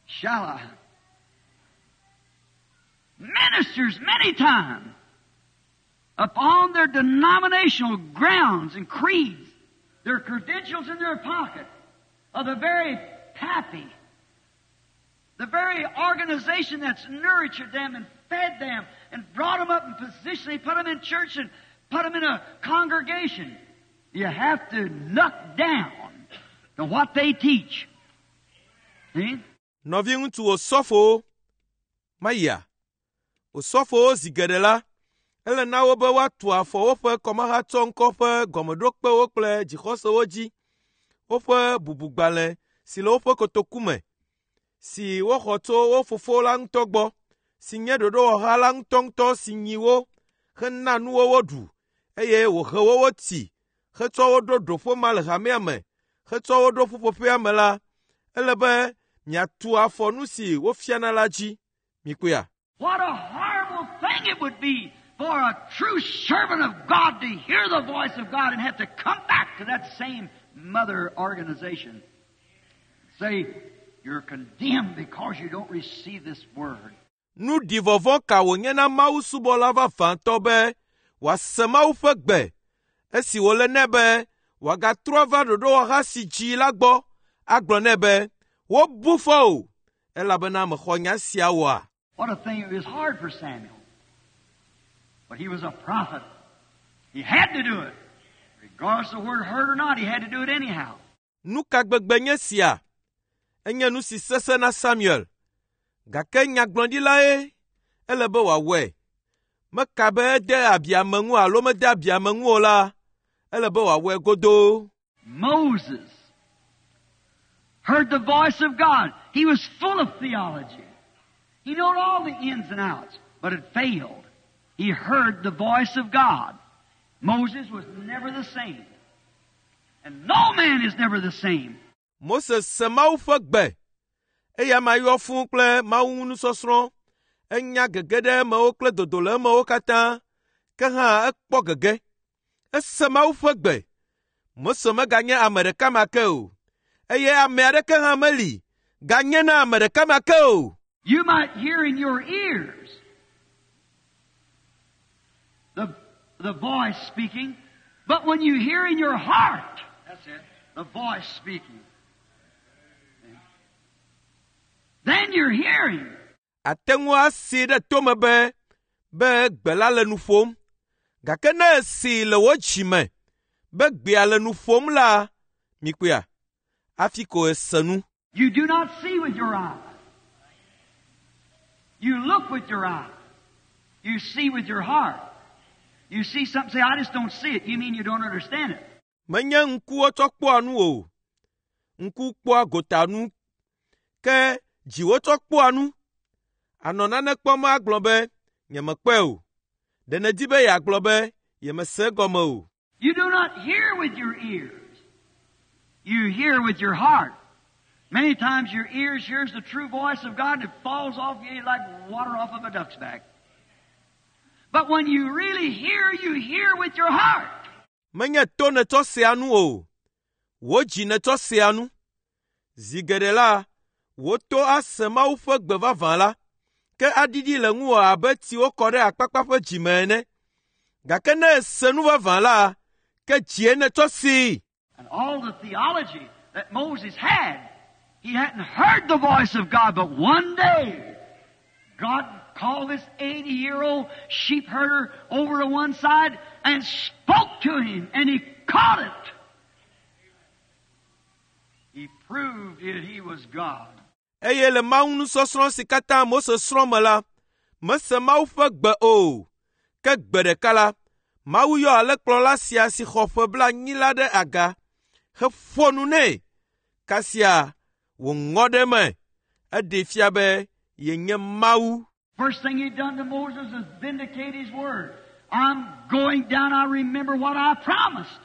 shall I? Ministers many times upon their denominational grounds and creeds, their credentials in their pocket, of the very pappy, the very organization that's nurtured them and fed them and brought them up in position. They put them in church and put them in a congregation. You have to knock down to what they teach. See? Nɔviŋutsu osɔfowo, mayia. Osɔfowo zi geɖe la, ele na wo be woatu afɔ woƒe kɔmahatsɔŋkɔ ƒe gɔmeɖokpewo kple dzixɔsewo dzi, woƒe bubugbalẽ si le woƒe kotoku me, si woxɔ tso wo fofo la ŋutɔ gbɔ, si nye ɖoɖowɔha la ŋutɔŋutɔ si nyi wo hena nuwo woɖu, eye wòhe wo wotsi hetsɔ wo ɖo ɖoƒe ma le hamea me, hetsɔ wo ɖo ƒuƒoƒea me la, ele be miatu afɔ nu si wofiana la dzi. Mikpɔea? What a horrible thing it would be for a true servant of God to hear the voice of God and have to come back to that same mother organization. Say, you're condemned because you don't receive this word. Nu ɖi vɔvɔ̃ ka wònye na Mawu subɔla vavãtɔ be wòase Mawu ƒe gbe esi wòle nɛ be wòagatrɔ va ɖoɖowɔha si dzi la gbɔ agblɔ nɛ be wobu fɔ o elabena mexɔ nya sia oa. What a thing. It was hard for Samuel. But he was a prophet. He had to do it. Regardless of whether it hurt or not, he had to do it anyhow. Nu ka gbegbe nye sia? Enye nu si sesẽ na Samuel. Gake nyagblɔɖilae ele be wòawɔe. Meka be ede abi ame ŋu alo mede abi ame ŋu o la, ele be wòawɔe godoo. Moses heard the voice of God. He was full of theology. He knew all the ins and outs, but it failed. He heard the voice of God. Moses was never the same. And no man is never the same. Mose se Mawu ƒe gbe. Eya ma yɔ fũu kple Mawu nusɔsrɔ̃. Enya gege ɖe emewo kple dodo le emewo katã. Ke hã ekpɔ gege. Ese Mawu ƒe gbe. Mose meganye ame ɖeka ma ke o. Eye ame aɖeke hã meli ganye na ame ɖeka ma ke o. You might hear in your ears the voice speaking, but when you hear in your heart, that's it, the voice speaking, then you're hearing. Ate ŋu asee ɖe tome be be gbe la le nu ƒom. Gake ne esee le wò dzi me be gbea le nu ƒom la, mikpɔea, hafi ko ese nu. You do not see with your eyes. You look with your eyes. You see with your heart. You see something, say, I just don't see it. You mean you don't understand it. Menye ŋkuwo tsɔ kpɔa nu o. Ŋku kpɔa gota nu, ke dziwo tsɔ kpɔa nu. Anɔ nane kpɔm agblɔ be, nyemekpɔe o. Ɖe nèdi be yeagblɔ be yemese egɔme o. You do not hear with your ears. You hear with your heart. Many times your ears hears the true voice of God and it falls off you like water off of a duck's back. But when you really hear, you hear with your heart. Menye to nètsɔ sea nu o. Wò dzi nètsɔ sea nu. Zi geɖe la, wò to ase Mawu ƒe gbe vavã la, ke aɖiɖi le ŋuwò abe tsi wokɔ ɖe akpakpa ƒe dzime ene. Gake ne èse nu vavã la, Ke dzie netsɔ see. And all the theology that Moses had, he hadn't heard the voice of God, but one day, God called this 80 year old sheep herder over to one side and spoke to him, and he caught it. He proved that he was God. Eye le Mawu nusɔsrɔ̃ si katã Mose srɔ̃ me la, mese Mawu ƒe gbe o. Ke gbe ɖeka la, Mawu yɔ alẽkplɔla sia si xɔ ƒe blaenyi la ɖe aga heƒo nu nɛ. Kasia wòŋɔ ɖe eme. Eɖee fia be yenye Mawu. First thing he done to Moses is vindicate his word. I'm going down, I remember what I promised.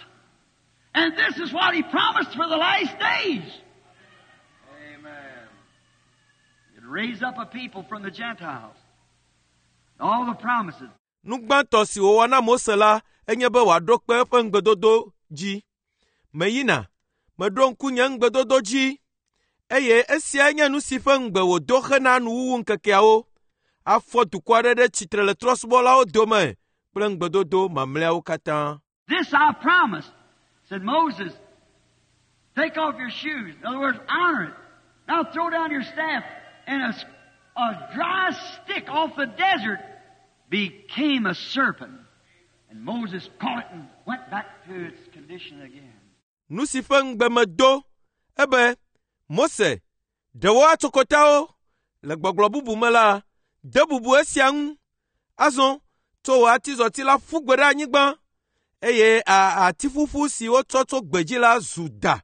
And this is what he promised for the last days. Amen. He'd raise up a people from the Gentiles. All the promises. Nu gbãtɔ si wòwɔ na Mose la enye be wòaɖo kpe eƒe ŋugbedodo dzi. Meyina, meɖo ŋku nye ŋugbedodo dzi eye esiae nye nu si ƒe ŋugbe wòdo hena nuwuwu ŋkekeawo. Afɔ dukɔ aɖe ɖe tsitre le trɔ̃subɔlawo dome kple ŋugbedodo mamlɛawo katã. This I promised, said Moses. Take off your shoes. In other words, honor it. Now throw down your staff, and a dry stick off the desert became a serpent. And Moses caught it and went back to its condition again. Nu si ƒe ŋugbe medo ebe Mose, ɖe wò atsokotawo le gbɔgblɔ bubu me la, de bubu esia ŋu. Azɔ tso wò atizɔti la ƒu gbe ɖe anyigba eye a ati ƒuƒu si wotsɔ tso gbedzi la zu da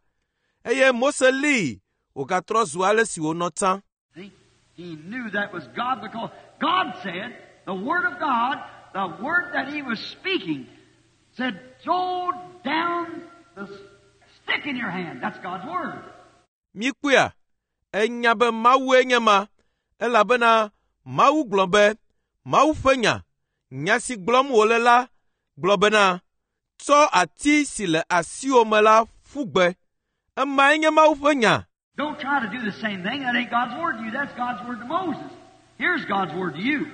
eye Mose lée wògatrɔ zu ale si wònɔ tsã. See, he knew that was God because God said, the Word of God, the Word that he was speaking, said, throw down the stick in your hand. That's God's Word. Míkpɔea, enya be Mawue nye ma elabena Mawu gblɔ be Mawu ƒe nya, nya si gblɔm wòle la gblɔ bena tsɔ ati si le asiwò me la ƒu gbe. Emae nye Mawu ƒe nya. Don't try to do the same thing. That ain't God's Word to you. That's God's Word to Moses. Here's God's Word to you.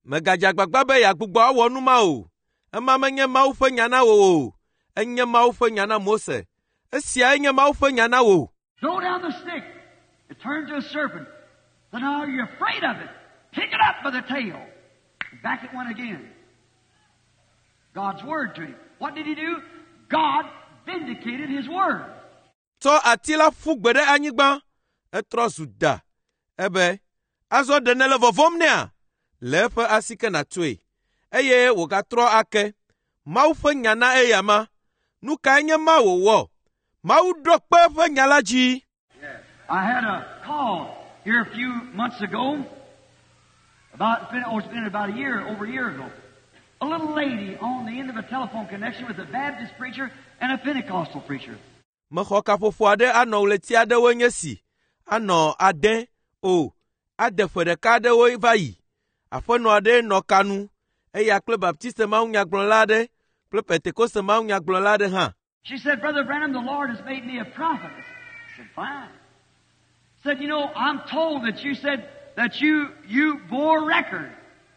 Mègadze agbagba be yeagbugbɔ awɔ nu ma o. Ema menye Mawu ƒe nya na wò o. Enye Mawu ƒe nya na Mose. Esiae nye Mawu ƒe nya na wò. Throw down the stick. It turned to a serpent. So now you're afraid of it. Pick it up by the tail. Back it went again. God's Word to him. What did he do? God vindicated his Word. Tsɔ ati la ƒu gbe ɖe anyigba. Etrɔ zu da. Ebe, azɔ ɖe nèle vɔvɔ̃m nɛa? Le eƒe asike nàtsoe. Eye wògatrɔ ake. Mawu ƒe nya na eyama. Nu kae nye ma wòwɔ? Mawu ɖo kpe eƒe nya la dzi. I had a call here a few months ago. About it's been, oh, it's been about a year, over a year ago. A little lady on the end of a telephone connection with a Baptist preacher and a Pentecostal preacher. Mexɔ kaƒoƒo aɖe anɔ ɣleti aɖewoe nye si. Anɔ ade o, ade ƒe ɖeka aɖewo va yi. Aƒenɔ aɖe nɔ ka nu. Eya kple Baptiste mawunyagblɔla aɖe kple Pentekoste mawunyagblɔla aɖe hã. She said, Brother Branham, the Lord has made me a prophetess. I said, fine. Said, you know, I'm told that you said that you bore record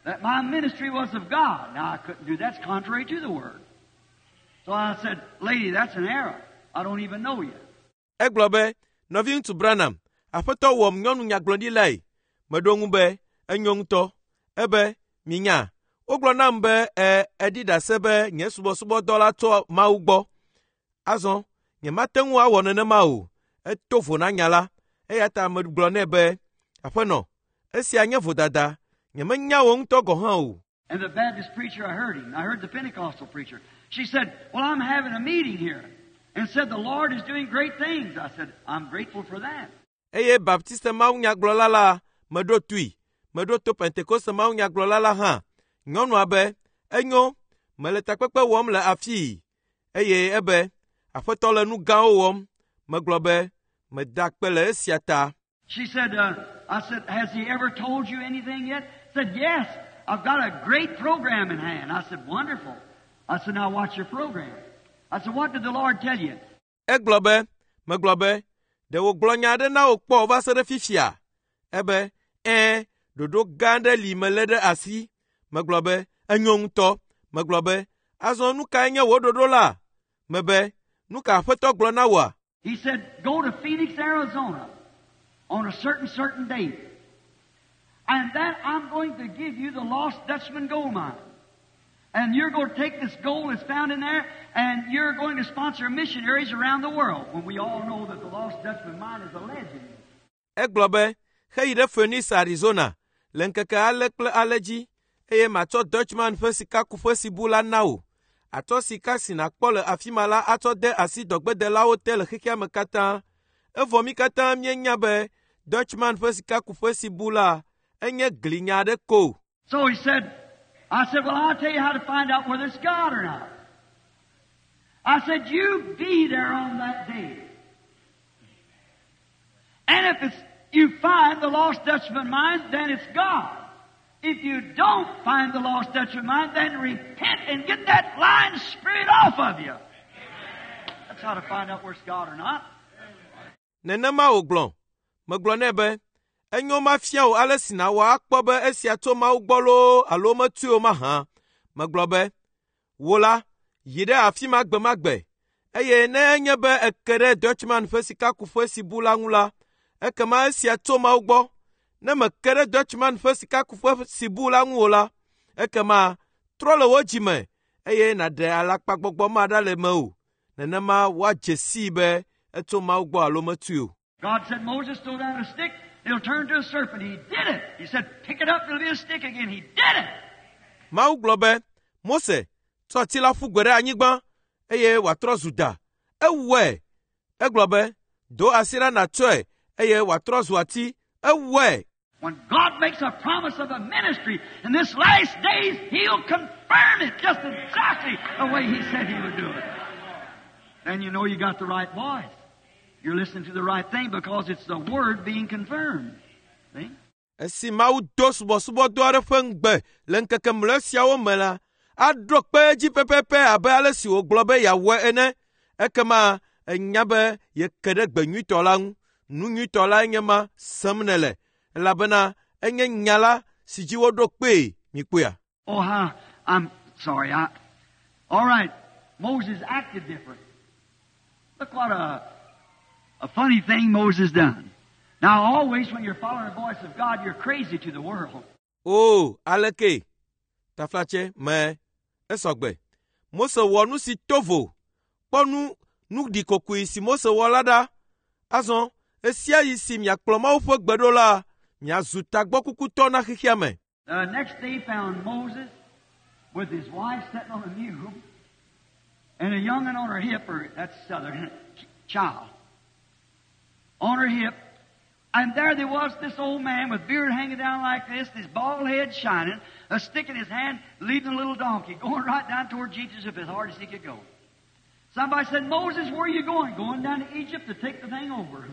that my ministry was of God. Now, I couldn't do that. That's contrary to the Word. So I said, lady, that's an error. I don't even know you. Egblɔ be, nɔviŋutsu Branham, aƒetɔ wɔm nyɔnu nyagblɔɖilae. Meɖo ŋu be, enyo ŋutɔ. Ebe, minya, wogblɔ nam be e eɖi ɖase be nye subɔsubɔdɔ la tso Mawu gbɔ. Azɔ, nyemate ŋu awɔ nenema o. Eto vo na nya la. Eya ta megblɔ nɛ be, aƒenɔ, esia nye vodada. Nyemenya wò ŋutɔ gɔ̃ hã o. And the Baptist preacher, I heard him. I heard the Pentecostal preacher. She said, well, I'm having a meeting here. And said, the Lord is doing great things. I said, I'm grateful for that. Eye Baptiste mawunyagblɔla la meɖo toe. Meɖo to Pentekoste mawunyagblɔla la hã. Nyɔnua be, enyo, mele takpekpe wɔm le afii. Eye ebe, aƒetɔ le nu gãwo wɔm. Megblɔ be, meda akpe le esia ta. She said, I said, has he ever told you anything yet? Said, yes, I've got a great program in hand. I said, wonderful. I said, now what's your program? I said, what did the Lord tell you? Egblɔ be, megblɔ be, ɖe wògblɔ nya aɖe na wò kpɔ va se ɖe fifia? Ebe, ɛ̃, ɖoɖo gã aɖe li melé ɖe asi. Megblɔ be, enyo ŋutɔ. Megblɔ be, azɔ nu kae nye wò ɖoɖo la? Mebe, nu ka Aƒetɔ gblɔ na wòa? He said, Go to Phoenix, Arizona on a certain, certain date. And then I'm going to give you the Lost Dutchman gold mine. And you're going to take this gold that's found in there and you're going to sponsor missionaries around the world when we all know that the Lost Dutchman mine is a legend. Egblɔ be, heyi ɖe Phoenix, Arizona le ŋkeke ale kple ale dzi eye matsɔ Dutchman ƒe sikakuƒe si bu la na wò. Atsɔ sika si nàkpɔ le afi ma la atsɔ de asi dɔgbedelawo te le xexea me katã. Evɔ mí katã míenya be Dutchman ƒe sikakuƒe si bu la enye glinya aɖe ko. So he said, I said, Well, I'll tell you how to find out whether it's God or not. I said, You be there on that day. And if it's, you find the Lost Dutchman mine, then it's God. If you don't find the Lost Dutchman mine, then repent and get that lying spirit off of you. That's how to find out whether it's God or not. Nenema wògblɔ. Megblɔ nɛ be, enyo mafia wò ale si nàwɔ akpɔ be esia tso Mawu gbɔ loo alo metsoe o mahã. Megblɔ be, wò la, yi ɖe afi ma gbe ma gbe eye ne enye be eke ɖe Dutchman ƒe sikakuƒe si bu la ŋu la, ekema esia tso Mawu gbɔ. Ne meke ɖe Dutchman ƒe sikakuƒe si bu la ŋu o la, ekema trɔ le wò dzime eye nàɖe alakpagbɔgbɔ ma ɖa le mewò. Nenema woadze sii be etso Mawu gbɔ alo metsoe o. God said, Moses, throw down a stick, it'll turn to a serpent. He did it. He said, pick it up, it'll be a stick again. He did it. Mawu gblɔ be, Mose, tsɔ ati la ƒu gbe ɖe anyigba eye wòatrɔ zu da. Ewɔe. Egblɔ be, do asi ɖa nàtsɔe eye wòatrɔ zu ati. Ewɔe. When God makes a promise of a ministry in this last days, He'll confirm it just exactly the way He said He would do it. Then you know you got the right voice. You're listening to the right thing because it's the Word being confirmed. See? Esi Mawu do subɔsubɔdɔ aɖe ƒe ŋugbe le ŋkeke mlɔe siawo me la, aɖo kpe edzi pɛpɛpɛ abe ale si wògblɔ be yeawɔe ene. Ekema enya be yeke ɖe gbe nyuitɔ la ŋu. Nu nyuitɔ la enye ma sem nèle elabena enye nya la si dzi woɖo kpee. Mikpɔea? Oh, how, I'm sorry. All right. Moses acted different. Look what a funny thing Moses done. Now, always when you're following the voice of God, you're crazy to the world. O, aleke? Taflatse me esɔgbe. Mose wɔ nu si to vo. Kpɔ nu nu ɖikokoe si Mose wɔ la ɖa. Azɔ, ɣe si miakplɔ Mawu ƒe gbe ɖo la, miazu tagbɔkukutɔ na xexea me. The next day found Moses with his wife sitting on a mule and a young'un on her hip, or that's southern, child, on her hip. And there there was this old man with beard hanging down like this, his bald head shining, a stick in his hand, leading a little donkey, going right down toward Egypt as hard as he could go. Somebody said, Moses, where are you going? Going down to Egypt to take the thing over.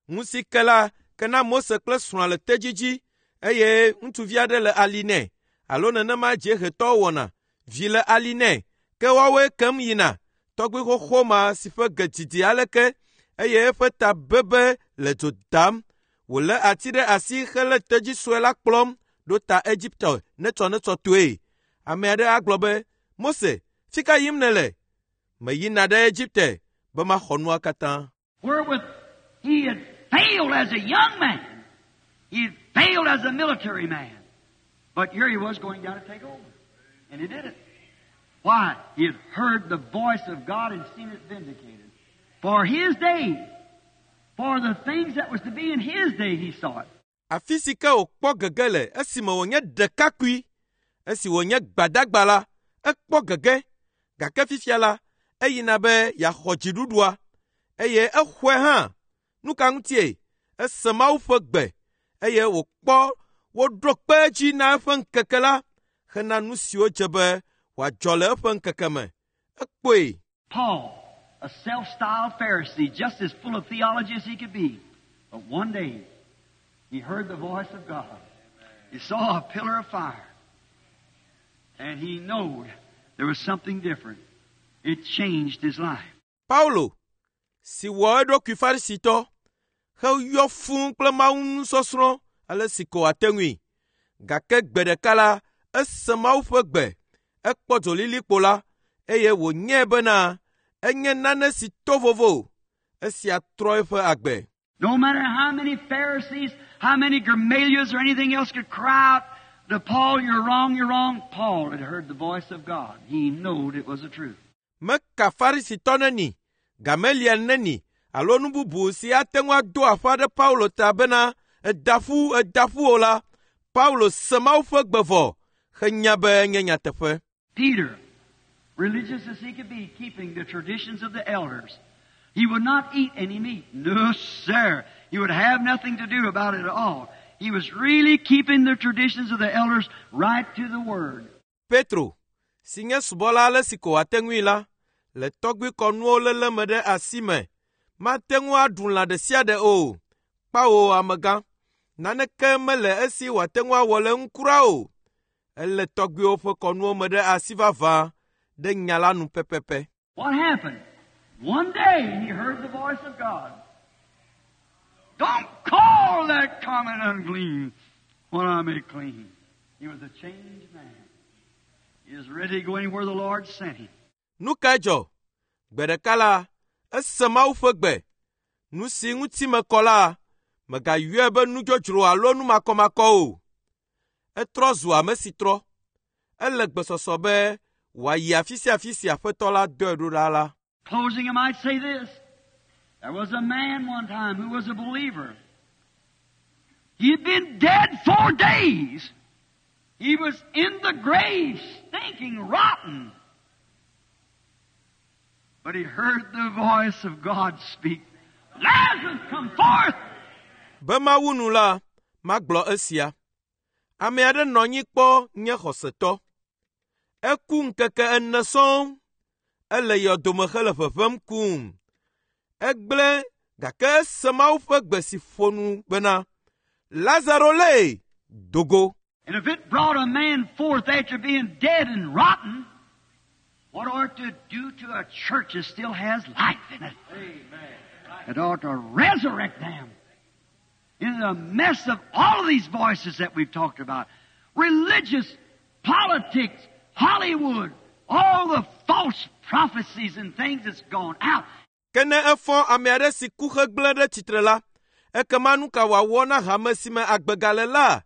Ŋu ke la ke na Mose kple srɔ̃a le tedzi dzi eye ŋutsuvi aɖe le ali nɛ alo nenema dziehetɔwo wɔna. Vi le ali nɛ ke woawoe kem yina. Tɔgbi xoxo ma si ƒe ge didi aleke eye eƒe ta bebe le dzo dam. Wòlé ati ɖe asi hele tedzi sue la kplɔm ɖo ta Egipte netsɔnetsɔ toe. Ame aɖe agblɔ be, Mose, fi ka yim nèle? Meyina ɖe Egipte be maxɔ nua katã. Wherewith he had failed as a young man. He had failed as a military man. But here he was going down to take over. And he did it. Why? He had heard the voice of God and seen it vindicated. For his day, for the things that was to be in his day, he saw it. Afi si ke wòkpɔ gege le esime wònye ɖekakpui, esi wònye gbadagba la, ekpɔ gege. Gake fifia la, eyina be yeaxɔ dziɖuɖua eye exɔe hã. Nu ka ŋutie? Ese Mawu ƒe gbe eye wòkpɔ woɖo kpe edzi na eƒe ŋkeke la hena nu siwo dze be wòadzɔ le eƒe ŋkeke me. Ekpɔe. Paul, a self-styled Pharisee, just as full of theology as he could be. But one day, he heard the voice of God. He saw a pillar of fire. And he knowed there was something different. It changed his life. Paulo, si wɔ eɖokui Farisitɔ, heyɔ fũu kple Mawu nusɔsrɔ̃ ale si ko wòate ŋui. Gake gbe ɖeka la, ese Mawu ƒe gbe, ekpɔ dzolilikpo la, eye wònyae bena Enye nane si to vovo. Esia trɔ eƒe agbe. No matter how many Pharisees, how many Gamaliels or anything else could cry out to Paul, "You're wrong, you're wrong." Paul had heard the voice of God. He knowed it was the truth. Meka Farisitɔ neni, Gamaliel neni alo nu bubu si ate ŋu ado aƒa ɖe Paulo ta bena eda ƒu eda ƒu o la, Paulo se Mawu ƒe gbe vɔ henya be enye nyateƒe. Peter, religious as he could be, keeping the traditions of the elders, he would not eat any meat. No, sir. He would have nothing to do about it at all. He was really keeping the traditions of the elders right to the word. Petro, si nye subɔla ale si ko wòate ŋui la, le tɔgbui kɔnuwo léle me ɖe asi me, mate ŋu aɖu lã ɖe sia ɖe o. Kpawo amegã, naneke mele esi wòate ŋu awɔ le eŋu kura o. Ele tɔgbuiwo ƒe kɔnuwo me ɖe asi vavã ɖe nya la nu pɛpɛpɛ. What happened? One day he heard the voice of God. "Don't call that common unclean what I make clean." He was a changed man. He was ready to go anywhere the Lord sent him. Nu kae dzɔ? Gbe ɖeka la, ese Mawu ƒe gbe. Nu si ŋuti mekɔ la, mègayɔe be nu dzodzro alo nu makɔmakɔ o. Etrɔ zu ame si trɔ. Ele gbesɔsɔ be wòayi afi sia afi si Aƒetɔ la dɔe ɖo ɖa la. Closing, I might say this. There was a man one time who was a believer. He had been dead 4 days. He was in the grave, stinking, rotten. But he heard the voice of God speak, "Lazarus, come forth!" Be mawu nu la, magblɔ esia. Ame aɖe nɔ anyi kpɔ nye xɔsetɔ. Eku ŋkeke ene sɔŋ. Ele yɔdome hele ʋeʋẽm kum. Egblẽ gake ese Mawu ƒe gbe si ƒo nu bena, “Lazaro lé, do go.” And if it brought a man forth after being dead and rotten, what ought to do to a church that still has life in it? It ought to resurrect them. In the mess of all of these voices that we've talked about, religious, politics, Hollywood, all the false prophecies and things that's gone out. Ke ne efɔ ame aɖe si ku hegblẽ ɖe tsitre la, ekema nu ka wòawɔ na hame si me agbe gale la?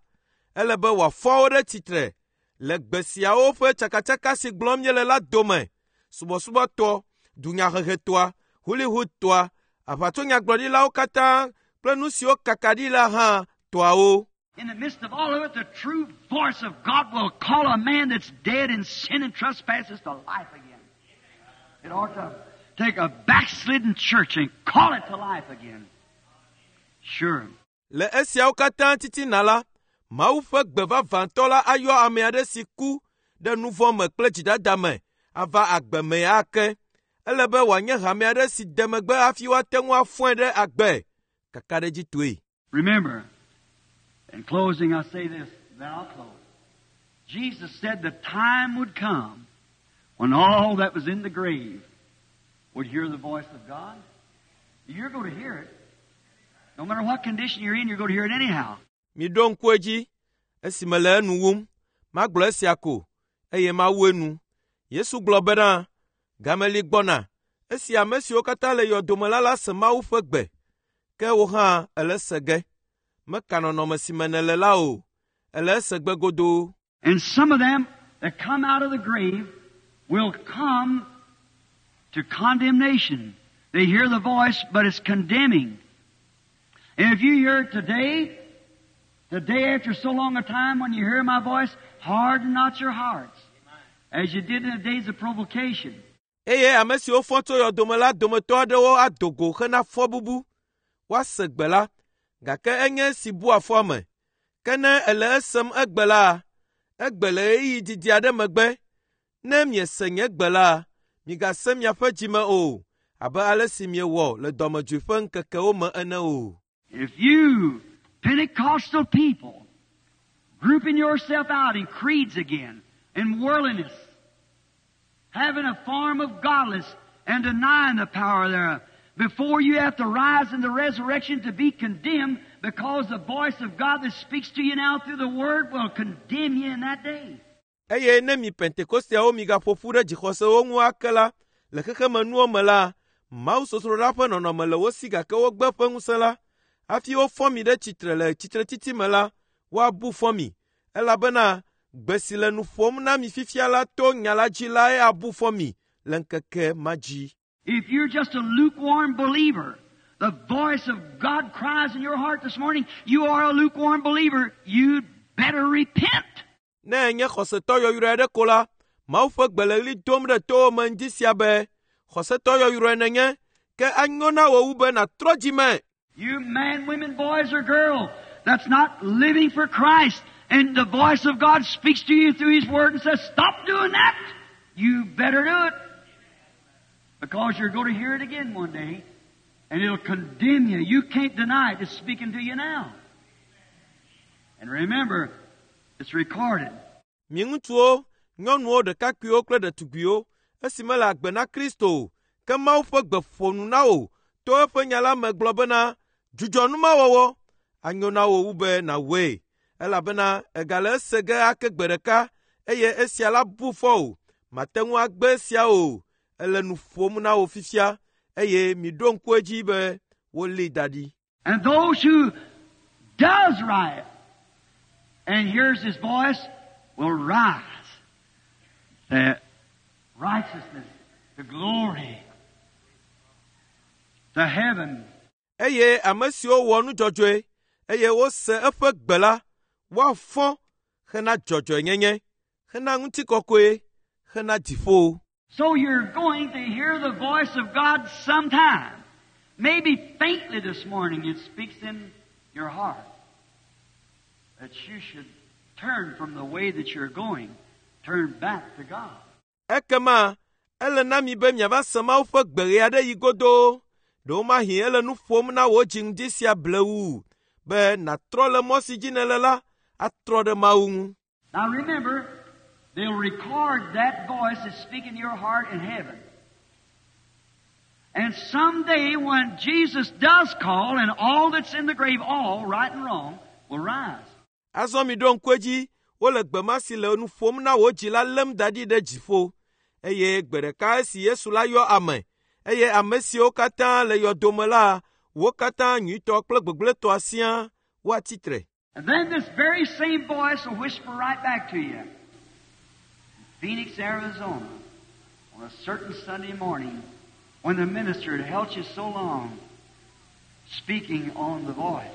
Ele be wòafɔ wo ɖe tsitre le gbe siawo ƒe tsakatsaka si gblɔm míele la dome. Subɔsubɔtɔ, dunyahehetɔa, Hollywoodtɔa, aʋatsonyagblɔɖilawo katã kple nu siwo kaka ɖi la hã tɔawo. In the midst of all of it, the true voice of God will call a man that's dead in sin and trespasses to life again. It ought to take a backslidden church and call it to life again. Sure. Le esiawo katã titina la, Mawu ƒe gbe vavãtɔ la ayɔ ame aɖe si ku ɖe nu vɔ̃ me kple dzidada me ava agbe me ake. Ele be wòanye hame aɖe si de megbe hafi woate ŋu afɔe ɖe agbe. Kakaɖedzitɔe. Remember, in closing, I say this, then I'll close. Jesus said the time would come when all that was in the grave would hear the voice of God. You're going to hear it. No matter what condition you're in, you're going to hear it anyhow. Miɖo ŋku edzi esime le enu wum, magblɔ esia ko, eye mawu enu. Yesu gblɔ bena, game li gbɔna esi ame siwo katã le yɔdome la la se Mawu ƒe gbe. Ke wò hã èle ese ge. Meka nɔnɔme si me nèle la o. Èle ese gbe godoo. And some of them that come out of the grave will come to condemnation. They hear the voice, but it's condemning. And if you hear it today, the day after so long a time when you hear my voice, harden not your hearts, as you did in the days of provocation. Eye ame siwo fɔ tso yɔdome la dometɔ aɖewo ado go hena fɔbubu. Woase gbe la, gake enye esi bua fɔ ame. Ke ne èle esem egbe la, egbe le ɣeyiɣi didi aɖe megbe. Ne miese nye gbe la, migasẽ miaƒe dzime o, abe ale si miewɔ le dɔmedzoe ƒe ŋkekewo me ene o. If you, Pentecostal people, grouping yourself out in creeds again, in worldliness, having a form of godliness and denying the power thereof, before you have to rise in the resurrection to be condemned, because the voice of God that speaks to you now through the Word will condemn you in that day. Eye ne mi Pentekosteawo migaƒo ƒu ɖe dzixɔsewo ŋu ake la, le xexemenuwo me la, mawusosroɖa ƒe nɔnɔme le wo si gake wogbe ƒe ŋusẽ la, hafi wofɔ mi ɖe tsitre le tsitretsitsi me la, woabu fɔ mi, elabena gbe si le nu ƒom na mi fifia la to nya la dzi lae abu fɔ mi le ŋkeke ma dzi. If you're just a lukewarm believer, the voice of God cries in your heart this morning, you are a lukewarm believer, you'd better repent. Ne ènye xɔsetɔ yɔyrɔe aɖe ko la, Mawu ƒe gbe le ɣli dom ɖe towò me ŋdi sia be, xɔsetɔ yɔyrɔe nènye, ke anyo na wò wu be nàtrɔ dzi me. You men, women, boys, or girls that's not living for Christ, and the voice of God speaks to you through His Word and says, stop doing that. You better do it. Because you're going to hear it again one day, and it'll condemn you. You can't deny it. It's speaking to you now. And remember, it's recorded. Mi ŋutsuwo, nyɔnuwo, ɖekakpuiwo kple ɖetugbiwo, esi mele agbe na Kristo o, ke Mawu ƒe gbe ƒo nu na wò to eƒe nya la me gblɔ bena, dzudzɔ numawɔwɔ, anyo na wò wu be nàwɔe, elabena ègale ese ge ake gbe ɖeka eye esia la bu fɔ wò. Màte ŋu agbe esia o. Ele nu ƒom na wò fifia eye miɖo ŋku edzi be wolée da ɖi. And those who does right and hears His voice will rise to righteousness, to glory, to heaven. Eye ame siwo wɔ nu dzɔdzɔe eye wose eƒe gbe la, woafɔ hena dzɔdzɔenyenye, hena ŋutikɔkɔe, hena dziƒo. So you're going to hear the voice of God sometime. Maybe faintly this morning it speaks in your heart that you should turn from the way that you're going, turn back to God. Ekema ele na mi be miava se Mawu ƒe gbe ɣe aɖe yi godoo. Ɖewomahi ele nu ƒom na wò dzi ŋdi sia blewu be nàtrɔ le mɔ si dzi nèle la atrɔ ɖe Mawu ŋu. Now remember, they'll record that voice that's speaking to your heart in heaven. And someday when Jesus does call and all that's in the grave, all, right and wrong, will rise. Azɔ mi ɖo ŋku edzi wole gbe ma si le nu ƒom na wò dzi la lém da ɖi ɖe dziƒo. Eye gbe ɖeka esi Yesu la yɔ ame, eye ame siwo katã le yɔdome la, wo katã nyuitɔ kple gbegblẽtɔa siaa woatsi tre. And then this very same voice will whisper right back to you. Phoenix, Arizona, on a certain Sunday morning, when the minister had held you so long, speaking on the voice.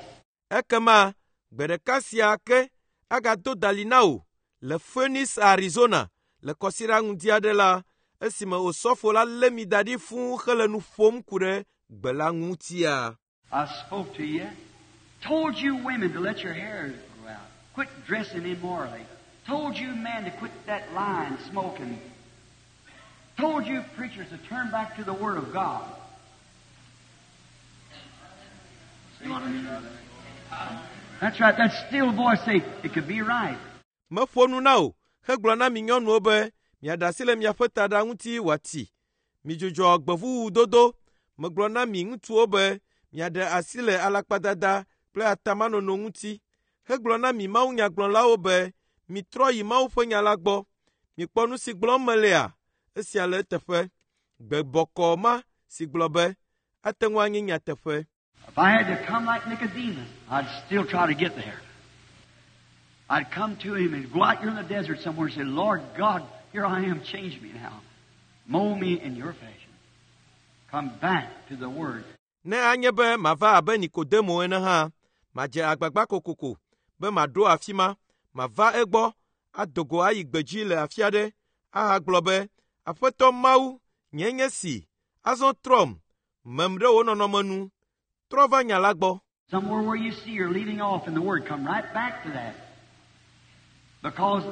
Ekema gbe ɖeka sia ke agado dali na wò le Phoenix, Arizona, le kɔsiɖa ŋdi aɖe la, esime osɔfo la lé mi da ɖi fũu hele nu ƒom ku ɖe gbe la ŋutia. I spoke to you, told you women to let your hair grow out, quit dressing immorally, told you men to quit that lying, smoking, told you preachers to turn back to the Word of God. See what I mean? That's right, that still voice say, it could be right. Meƒo nu na wò hegblɔ na mi nyɔnuwo be miaɖe asi le miaƒe taɖa ŋuti wòati. Midzudzɔ gbevuwu dodo. Megblɔ na mi ŋutsuwo be miaɖe asi le alakpadada kple atamanono ŋuti. Hegblɔ na mi mawunyagblɔlawo be mitrɔ yi Mawu ƒe nya la gbɔ. Mikpɔ nu si gblɔm melea? Esia le eteƒe. Gbe bɔkɔɔ ma si gblɔ be ate ŋu anye nyateƒe. If I had to come like Nicodemus, I'd still try to get there. I'd come to him and go out here in the desert somewhere and say, Lord God, here I am, change me now. Mold me in your fashion. Come back to the Word. Ne anye be mava abe Nikodemo ene hã, madze agbagba kokoko be maɖo afi ma, mava egbɔ, ado go ayi gbedzi le afi aɖe, ahagblɔ be, Aƒetɔ Mawu, nye nye si, azɔ trɔm, mem ɖe wò nɔnɔme nu, trɔ va nya la gbɔ. Somewhere where you see you're leaving off in the Word, come right back to that. Because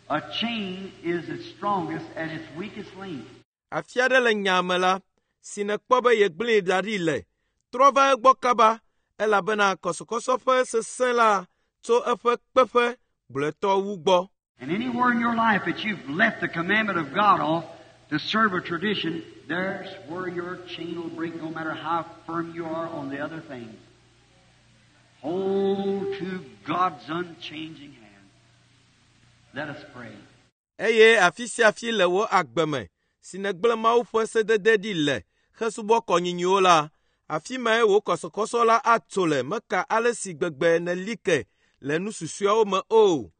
a chain is its strongest at its weakest link. Afi aɖe le nya me la, si nèkpɔ be yegblẽe da ɖi le, trɔ va egbɔ kaba, elabena kɔsɔkɔsɔ ƒe sesẽ la tso eƒe kpeƒe gblɔetɔ wu gbɔ. And anywhere in your life that you've left the commandment of God off to serve a tradition, there's where your chain will break no matter how firm you are on the other things. Hold to God's unchanging hand. Let us pray. Eye afi sia afi le wò agbe me, si nègblẽ Mawu ƒe sedede ɖi le hesubɔ kɔnyinyiwo la, afi mae wò kɔsɔkɔsɔ la atso le meka ale si gbegbe nèli ke le nu susɔeawo me o.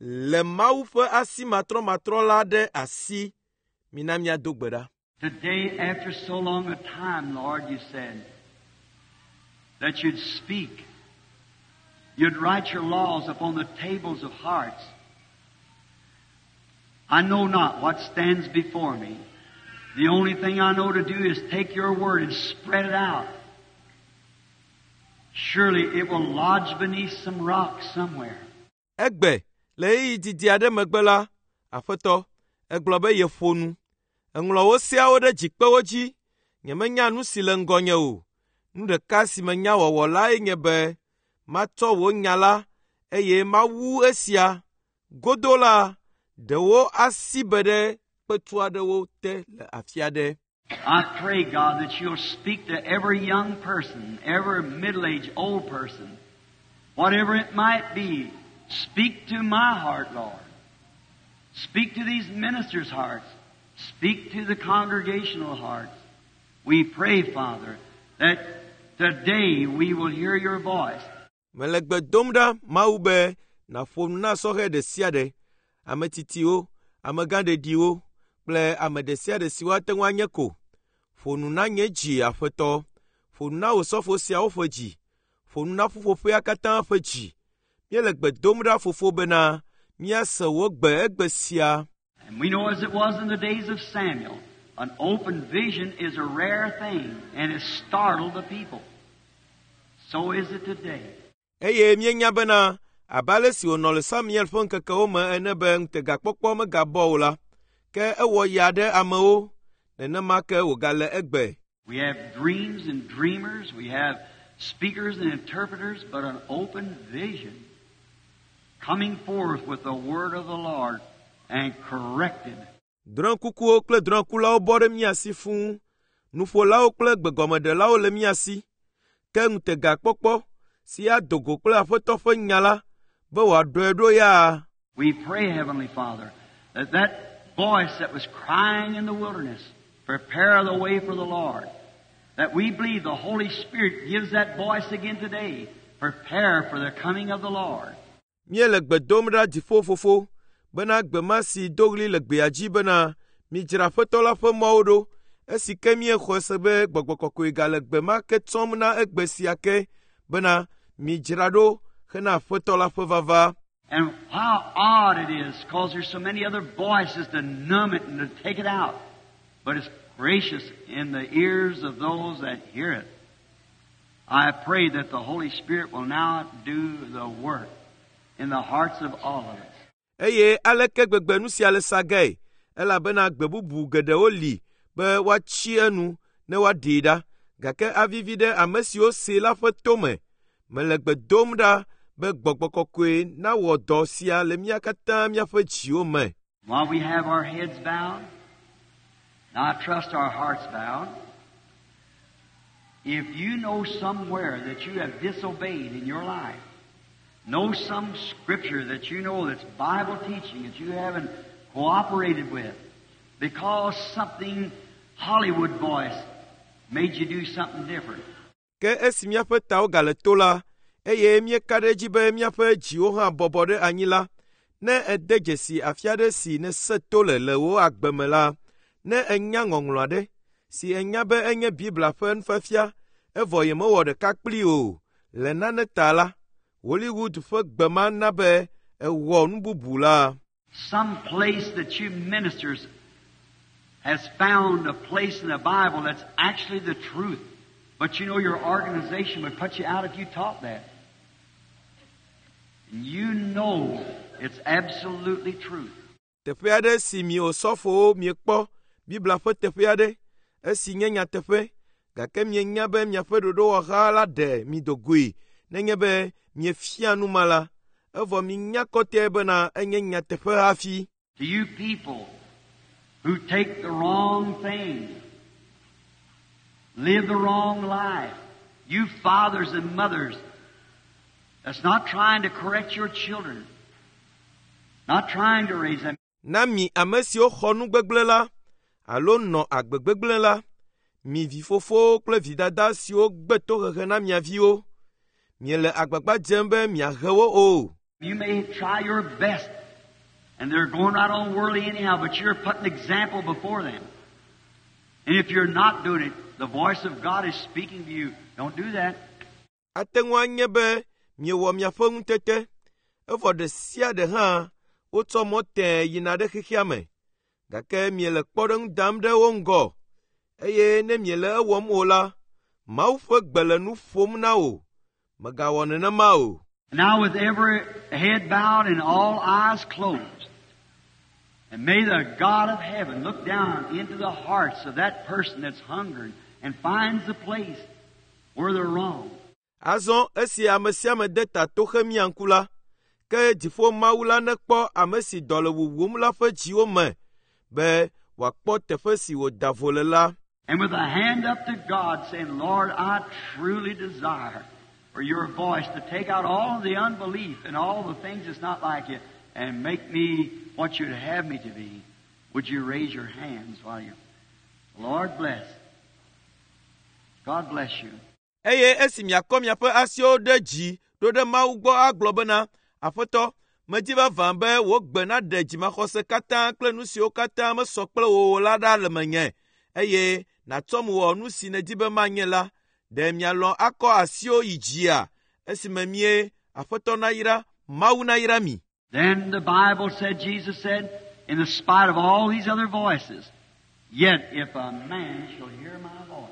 Le Mawu ƒe asi matrɔmatrɔ la ɖe asi. Mina míado gbe ɖa. Today, after so long a time, Lord, you said that you'd speak. You'd write your laws upon the tables of hearts. I know not what stands before me. The only thing I know to do is take your word and spread it out. Surely it will lodge beneath some rock somewhere. Egbe, le ɣeyiɣi didi aɖe megbe la, Aƒetɔ, ègblɔ be yeƒo nu. Èŋlɔ wò seawo ɖe dzikpewo dzi. Nyemenya nu si le ŋgɔnye o. Nu ɖeka si menya wɔwɔ lae nye be matsɔ wò nya la eye mawu esia. Godo la, ɖewo asi be ɖe kpetu aɖewo te le afi aɖe. I pray, God, that you'll speak to every young person, every middle-aged old person, whatever it might be. Speak to my heart, Lord. Speak to these ministers' hearts. Speak to the congregational hearts. We pray, Father, that today we will hear your voice. Mele gbe dom ɖa Mawu be nàƒo nu na sɔhɛ ɖe sia ɖe, ame tsitsiwo, amegãɖeɖiwo kple ame ɖe sia ɖe si woate ŋu anye ko. Ƒo nu na nye dzi, Aƒetɔ. Ƒo nu na wò sɔfo siawo ƒe dzi. Ƒo nu na ƒuƒoƒea katã ƒe dzi. Míele gbe dom ɖa fofo bena míase wò gbe egbe sia. And we know as it was in the days of Samuel, an open vision is a rare thing and it startled the people. So is it today. Eye míenya bena abe ale si wònɔ le Samuel ƒe ŋkekewo me ene be ŋutegakpɔkpɔ megabɔ o la, ke ewɔ ya ɖe amewo, nenema ke wògale egbe. We have dreams and dreamers, we have speakers and interpreters, but an open vision coming forth with the word of the Lord and corrected. Drɔ̃ekukuwo kple drɔ̃ekulawo bɔ ɖe mía si fũu. Nuƒolawo kple gbegɔmeɖelawo le mía si. Ke ŋutegakpɔkpɔ si ado go kple Aƒetɔ ƒe nya la be wòaɖɔe ɖo ya. We pray, Heavenly Father, that that voice that was crying in the wilderness, prepare the way for the Lord, that we believe the Holy Spirit gives that voice again today, prepare for the coming of the Lord. Míele gbe dom ɖa dziƒo fofo bena gbe ma si do ɣli le gbea dzi bena midzra Aƒetɔ la ƒe mɔwo ɖo esi ke míexɔe se be gbɔgbɔ kɔkɔe gale gbe ma ke tsɔm na egbe sia ke bena midzra ɖo hena Aƒetɔ la ƒe vava. And how odd it is, because there's so many other voices to numb it and to take it out. But it's gracious in the ears of those that hear it. I pray that the Holy Spirit will now do the work in the hearts of all of us. Eye aleke gbegbe nu sia le sagae elabena gbe bubu geɖewo li be woatsi enu ne woaɖee ɖa gake avivi ɖe ame siwo see la ƒe tome. Mele gbe dom ɖa be gbɔgbɔ kɔkɔe nawɔ dɔ sia le mía katã míaƒe dziwo me. While we have our heads bowed, now I trust our hearts bowed, if you know somewhere that you have disobeyed in your life, know some scripture that you know that's Bible teaching that you haven't cooperated with because something Hollywood voice made you do something different. Ke esi míaƒe tawo gale to la, eye míeka ɖe edzi be míaƒe dziwo hã bɔbɔ ɖe anyi la, ne ède dzesi afi aɖe si nèse to le le wò agbe me la, ne ènya ŋɔŋlɔ aɖe si ènya be enye Biblia ƒe nufiafia evɔ yemewɔ ɖeka kplii o le nane ta la, Hollywood ƒe gbe ma na be èwɔ nu bubu la. Some place that you ministers has found a place in the Bible that's actually the truth. But you know your organization would put you out if you taught that. And you know it's absolutely truth. Teƒe aɖe si mi osɔfowo miekpɔ Biblia ƒe teƒe aɖe esi nye nyateƒe gake mienya be miaƒe ɖoɖowɔha la ɖe mi do goe nenye be miefia nu ma la evɔ minya kɔtɛe bena enye nyateƒe hafi. To you people who take the wrong thing, live the wrong life, you fathers and mothers that's not trying to correct your children, not trying to raise them. Na mi ame siwo xɔ nu gbegblẽ la, alo nɔ agbe gbegblẽ la, mi vifofowo kple vidada siwo gbe tohehe na mia viwo, miele agbagba dzem be miahe wo o. You may try your best, and they're going right on worldly anyhow, but you're putting example before them. And if you're not doing it, the voice of God is speaking to you. Don't do that. Ate ŋu anye be miewɔ miaƒe ŋutete, evɔ ɖe sia ɖe hã wotsɔ mɔ tẽe yina ɖe xexea me, gake miele kpɔɖeŋu dam ɖe wo ŋgɔ, eye ne miele ewɔm o la, Mawu ƒe gbe le nu ƒom na wò. Mègawɔ nenema o. Now with every head bowed and all eyes closed, and may the God of heaven look down into the hearts of that person that's hungering and finds the place where they're wrong. Azɔ esi ame sia ame de ta toxe mia ŋku la, ke dziƒo Mawu la nekpɔ ame si dɔ le wuwum la ƒe dziwo me be wòakpɔ teƒe si wòda vo le la. And with a hand up to God saying, Lord, I truly desire for your voice to take out all the unbelief and all the things that's not like you and make me what you'd have me to be. Would you raise your hands while you... Lord bless. God bless you. Eye esi miakɔ miaƒe asiwo ɖe dzi ɖo ɖe Mawu gbɔ agblɔ bena, Aƒetɔ, medi vavã be wò gbe naɖe dzimaxɔse katã kple nu siwo katã mesɔ kple wò o la ɖa le menye, eye nàtsɔm wɔ nu si nèdi be manye la. Ɖe mialɔ̃ akɔ asiwo yi dzia esime mie Aƒetɔ nayra, Mawu nayra mi. Then the Bible said, Jesus said, in the spite of all these other voices, yet if a man shall hear my voice,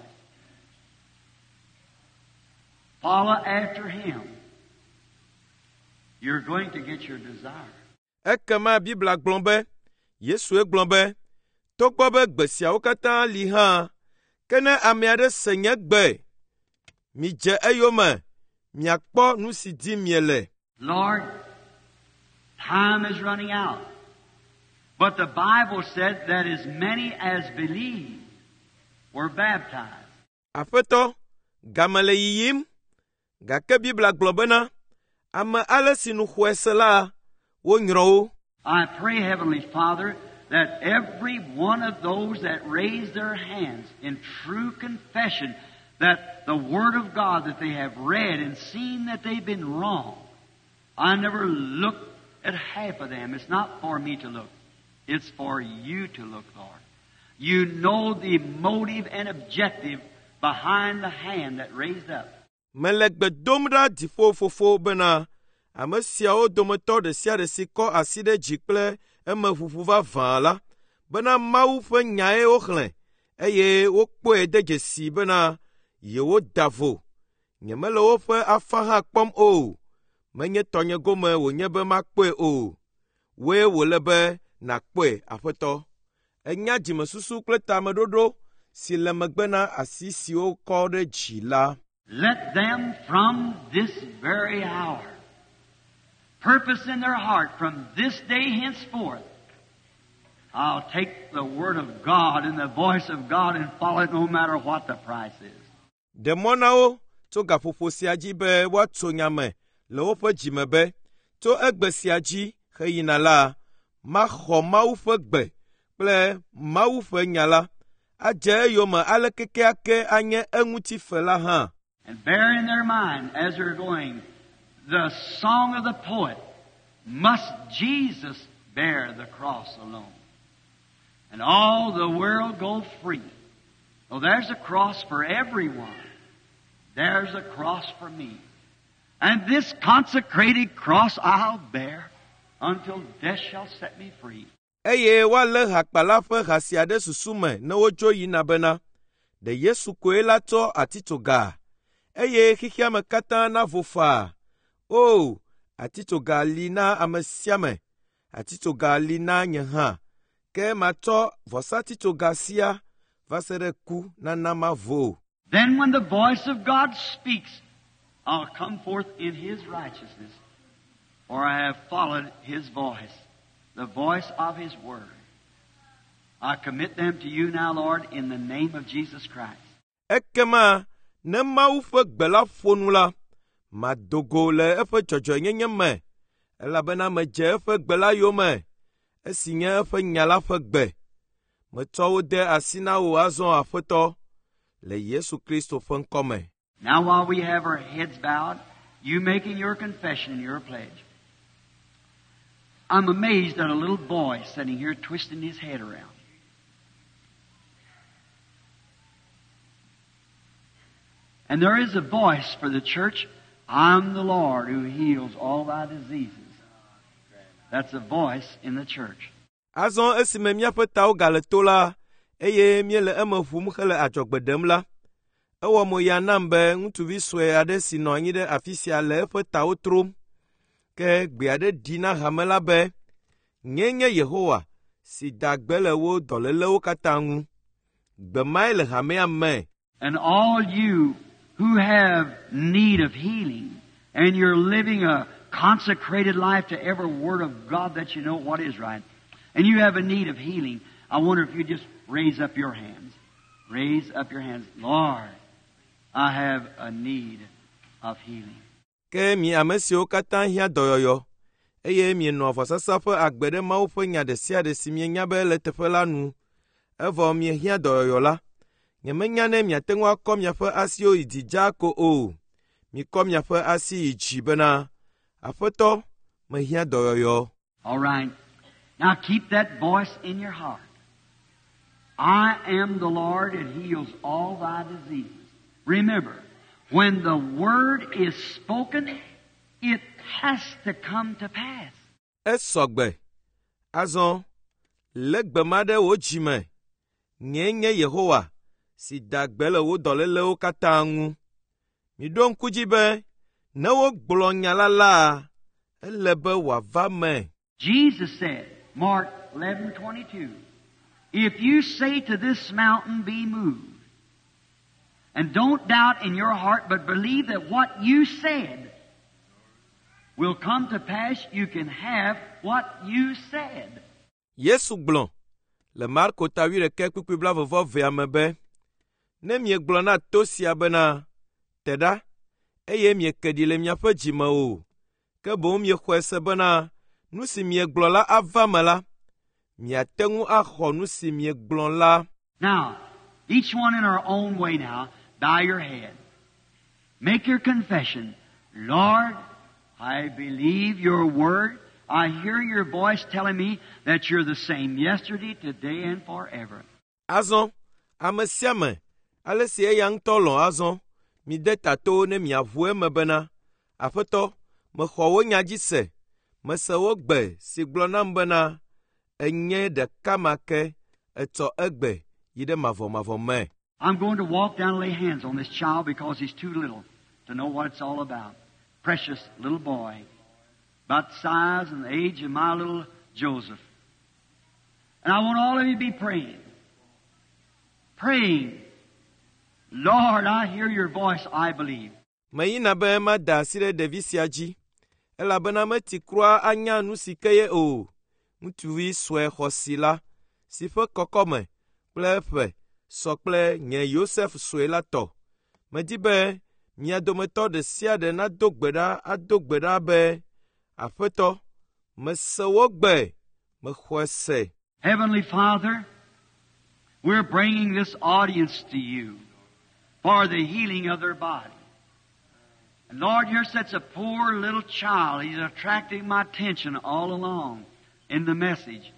follow after him, you're going to get your desire. Ekema Biblia gblɔ be, Yesue gblɔ be, togbɔ be gbe siawo katã li hã, ke ne ame aɖe se nye gbe, midze eyome, miakpɔ nu si dim miele. Lord, time is running out. But the Bible said that as many as believed were baptized. Aƒetɔ, game le yiyim, gake Biblia gblɔ bena, ame ale si nu xɔe se la, wonyrɔ wo. I pray, Heavenly Father, that every one of those that raise their hands in true confession that the Word of God that they have read and seen that they've been wrong. I never looked at half of them. It's not for me to look. It's for you to look, Lord. You know the motive and objective behind the hand that raised up. Mele gbe dom ɖa dziƒo fofo bena ame siawo dometɔ ɖe sia ɖe si kɔ asi ɖe dzi kple emeʋuʋu vavã la, bena Mawu ƒe nyae woxlẽ eye wokpɔe de dzesi bena yewoda vo. Nyemele woƒe afã hã kpɔm o. Menye tɔnye gome wònye be makpɔe o. Wòe wòle be nàkpɔe, Aƒetɔ. Ènya dzimesusu kple tameɖoɖo si le megbe na asi siwo kɔ ɖe dzi la. Let them from this very hour purpose in their heart from this day henceforth, I'll take the Word of God and the voice of God and follow it no matter what the price is. Ɖe mɔ na wo tso gaƒoƒo sia dzi be woatso nya me le woƒe dzime be, tso egbe sia dzi heyina la, maxɔ Mawu ƒe gbe kple Mawu ƒe nya la, adze eyome ale kekeake anye eŋuti fe la hã. And bear in their mind as they're going the song of the poet, must Jesus bear the cross alone? And all the world go free. Oh, there's a cross for everyone. There's a cross for me. And this consecrated cross I'll bear until death shall set me free. Eye woalé hakpala ƒe ha sia ɖe susu me ne wodzo yina bena, ɖe Yesu koe la tsɔ atitsoga, eye xexea me katã navo faa. O, atitsoga li na ame sia ame, atitsoga li na nye hã, ke matsɔ vɔsatitsoga sia va se ɖe ku nana mavo. Then when the voice of God speaks, I'll come forth in His righteousness, for I have followed His voice, the voice of His Word. I commit them to you now, Lord, in the name of Jesus Christ. Ekema ne Mawu ƒe gbe la ƒo nu la, mado go le eƒe dzɔdzɔenyenye me, elabena medze eƒe gbe la yome, esi nye eƒe nya la ƒe gbe. Metsɔ wo de asi na wò azɔ Aƒetɔ, le Yesu Kristo ƒe ŋkɔme. Now, while we have our heads bowed, you making your confession and your pledge. I'm amazed at a little boy sitting here twisting his head around. And there is a voice for the church I'm the Lord who heals all thy diseases. That's a voice in the church. Azɔ esime míaƒe tawo gale to la, eye míele eme ʋum hele adzɔgbe ɖem la, ewɔ mo ya nam be ŋutsuvi sue aɖe si nɔ anyi ɖe afi sia le eƒe tawo trom. Ke gbe aɖe ɖi na hame la be, Nyee nye Yehowa si da gbe le wò dɔlélewo katã ŋu. Gbe mae le hamea me. And all you who have need of healing, and you're living a consecrated life to every word of God that you know what is right, and you have a need of healing, I wonder if you just raise up your hands. Raise up your hands. Lord, I have a need of healing. Ke mi ame siwo katã hiã dɔyɔyɔ, eye mienɔa vɔsasa ƒe agbe ɖe Mawu ƒe nya ɖe sia ɖe si mienya be ele teƒe la nu, evɔ miehiã dɔyɔyɔ la, nyemenya ne miate ŋu akɔ miaƒe asiwo yi dzi dzaa ko o. Mikɔ miaƒe asi yi dzi bena, Aƒetɔ, mehiã dɔyɔyɔ. All right. Now keep that voice in your heart. I am the Lord that heals all thy diseases. Remember, when the word is spoken, it has to come to pass. Esɔ gbe. Azɔ, lé gbe ma ɖe wò dzi me. Nyee nye Yehowa si da gbe le wò dɔlélewo katã ŋu. Miɖo ŋku dzi be ne wogblɔ nya la la, ele be wòava me. Jesus said, Mark 11:22, if you say to this mountain, be moved, and don't doubt in your heart, but believe that what you said will come to pass, you can have what you said. Yesu gblɔ le Marko ta wuiɖekɛ kpukpui blaeve-vɔ-evea me be, ne miegblɔ na to sia bena, te ɖa, eye mieke ɖi le miaƒe dzi me o, ke boŋ miexɔe se bena nu si miegblɔ la ava me la, miate ŋu axɔ nu si miegblɔ la. Now, each one in our own way now, bow your head. Make your confession. Lord, I believe your word. I hear your voice telling me that you're the same yesterday, today, and forever. Azɔ, ame sia ame, ale si eya ŋutɔ lɔ̃ azɔ, mide ta to ne miaʋu eme bena, Aƒetɔ, mexɔ wò nya dzi se, mese wò gbe si gblɔ nam bena, enye ɖeka ma ke, etsɔ egbe yi ɖe mavɔmavɔ me. I'm going to walk down and lay hands on this child because he's too little to know what it's all about. Precious little boy, about the size and the age of my little Joseph. And I want all of you to be praying. Praying. Lord, I hear your voice, I believe. Meyina be mada asi ɖe ɖevi sia dzi, elabena meti kura anya nu si ke ye o. Ŋutsuvi sue xɔasi la, si ƒe kɔkɔme kple eƒe sɔ kple nye Yosef sue la tɔ. Medi be mia dometɔ ɖe sia ɖe nado gbe ɖa ado gbe ɖa be, Aƒetɔ, mese wò gbe, mexɔe se. Heavenly Father, we're bringing this audience to you for the healing of their body. And Lord, here sits a poor little child. He's attracting my attention all along in the message.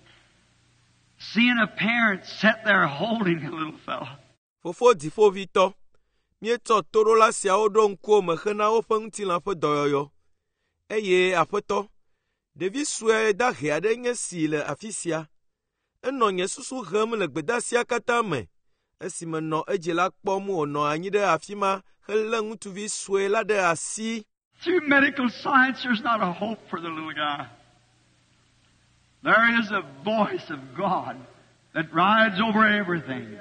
Seeing a parent sit there holding a little fellow. Fofo dziƒovitɔ, míetsɔ toɖola siawo ɖo ŋkuwò me hena woƒe ŋutilã ƒe dɔyɔyɔ. Eye Aƒetɔ, ɖevi sue dahe aɖe nye si le afi sia. Enɔ nye susu hem le gbedeasia katã me esime nɔ edzila kpɔm wònɔ anyi ɖe afi ma helé ŋutsuvi sue la ɖe asi. Through medical science, there's not a hope for the little guy. There is a voice of God that rides over everything.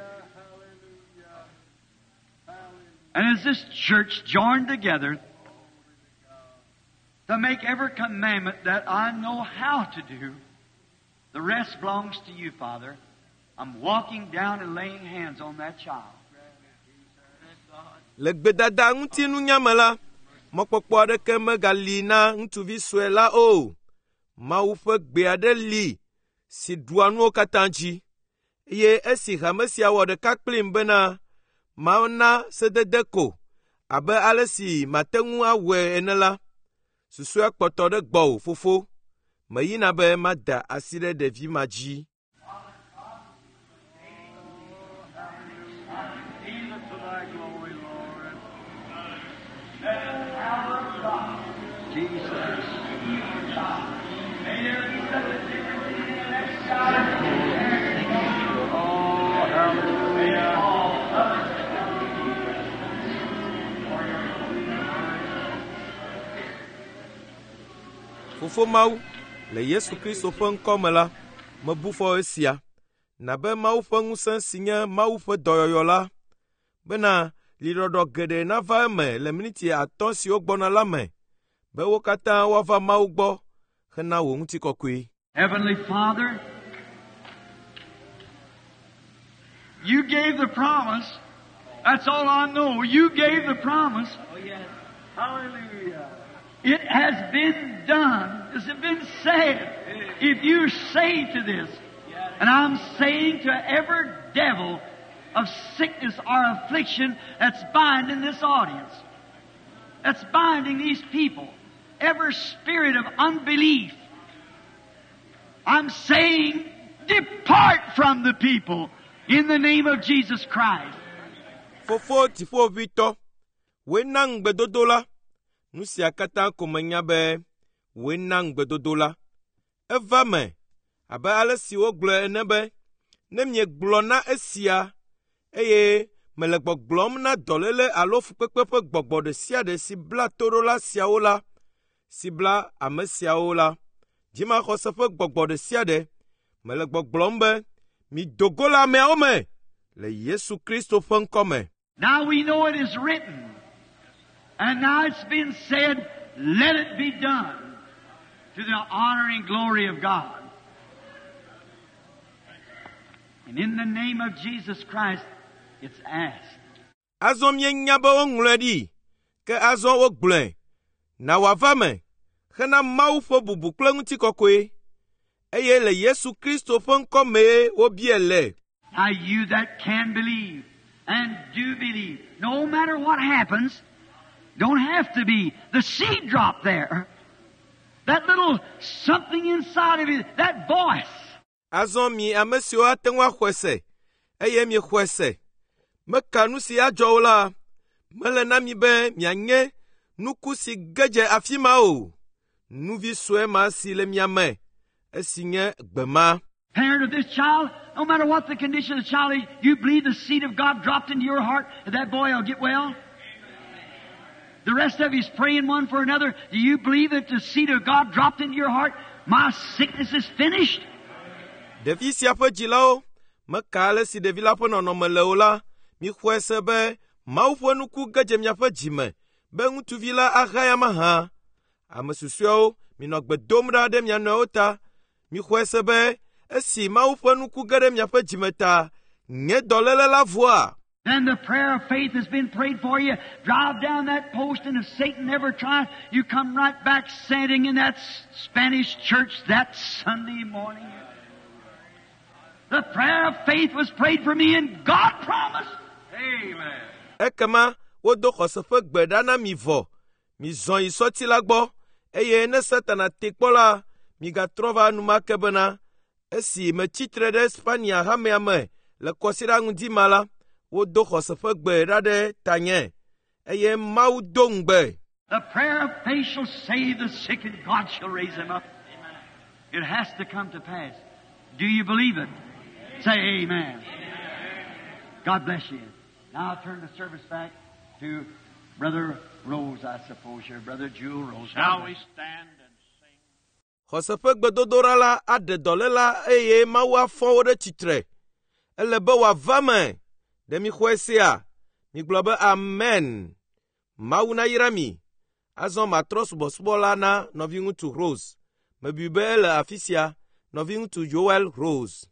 And as this church joined together to make every commandment that I know how to do, the rest belongs to you, Father. I'm walking down and laying hands on that child. Le gbedada ŋuti nunya me la, mɔkpɔkpɔ aɖeke megali na ŋutsuvi sue la o. Mawu ƒe gbe aɖe li si ɖua nuwo katã dzi. Eye esi hame sia wɔ ɖeka kplim bena mana sedede ko abe ale si mate ŋu awɔe ene la, susɔea kpɔtɔ ɖe gbɔwò fofo. Meyina be mada asi ɖe ɖevi ma dzi. Jesus. Oh, hallelujah. Fofo Mawu, le Yesu Kristo ƒe ŋkɔ me la, mebu fɔ esia. Na be Mawu ƒe ŋusẽ si nye Mawu ƒe dɔyɔyɔ la, bena liɖɔɖɔ geɖe nava eme le miniti atɔ̃ siwo gbɔna la me, be wo katã woava Mawu gbɔ hena wò ŋutikɔkɔe. Heavenly Father, you gave the promise. That's all I know. You gave the promise. Hallelujah. It has been done. It's been said. If you say to this, and I'm saying to every devil of sickness or affliction that's binding this audience, that's binding these people, every spirit of unbelief, I'm saying, depart from the people in the name of Jesus Christ. Fofo dziƒoʋĩtɔ, wòe na ŋugbedodo la. Nu sia katã ko menya be wòe na ŋugbedodo la. Eva me abe ale si wogblɔe ene be, ne miegblɔ na esia eye mele gbɔgblɔm na dɔléle alo fukpekpe ƒe gbɔgbɔ ɖe sia ɖe si bla toɖola siawo la, si bla ame siawo la, dzimaxɔse ƒe gbɔgbɔ ɖe sia ɖe, mele gbɔgblɔm be mido go le ameawo me le Yesu Kristo ƒe ŋkɔ me. Now we know it is written, and now it's been said, let it be done to the honor and glory of God. And in the name of Jesus Christ, it's asked. Azɔ míenya be woŋlɔe ɖi, ke azɔ wogblɔe. Na wòava me hena Mawu ƒe bubu kple ŋutikɔkɔe. Eye le Yesu Kristo ƒe ŋkɔ mee wobiae le. Now you that can believe and do believe, no matter what happens, don't have to be the seed drop there. That little something inside of you, that voice. Azɔ mi ame siwo ate ŋu axɔe se, eye miexɔe se. Meka nu si adzɔ o la, mele na mi be mianye nuku si ge dze afi ma o. Nuvi sue ma si le mia me, esi nye gbe ma. Parent of this child, no matter what the condition of the child is, you believe the seed of God dropped into your heart, that that boy will get well? The rest of you's praying one for another. Do you believe that the seed of God dropped into your heart? My sickness is finished. Ɖevi sia ƒe dzilawo, meka ale si ɖevi la ƒe nɔnɔme le o la, mixɔe se be Mawu ƒe nuku ge dze miaƒe dzime be ŋutsuvi la ahaya mahã. Ame susɔeawo, minɔ gbe dom ɖa ɖe mia nɔewo ta. Mixɔe se be esi Mawu ƒe nuku ge ɖe miaƒe dzime ta, nye dɔléle la vɔa. Then the prayer of faith has been prayed for you. Drive down that post, and if Satan ever tries, you come right back standing in that Spanish church that Sunday morning. The prayer of faith was prayed for me, and God promised. Amen. Ekema wodo xɔse ƒe gbe ɖa na mi vɔ. Mizɔ yi sɔti la gbɔ, eye ne Satana te kpɔ la, migatrɔ va enumake bena esi metsi tre ɖe Spania hamea me le kɔsiɖa ŋdi ma la, wodo xɔse ƒe gbe ɖa ɖe tanye eye Mawu do ŋugbe. The prayer of faith shall save the sick, and God shall raise them up. It has to come to pass. Do you believe it? Say amen. God bless you. Now I'll turn the service back to Brother Rose, I suppose, here. Brother Jewel Rose. Shall we stand and sing? Xɔse ƒe gbedodoɖa la aɖe dɔléla eye Mawu afɔ wo ɖe tsitre. Ele be wòava me. Ɖe mixɔe sea? Migblɔ be amen. Mawu nayra mi. Azɔ matrɔ subɔsubɔ la na nɔviŋutsu Rose. Mebui be ele afi sia. Nɔviŋutsu Joel Rose.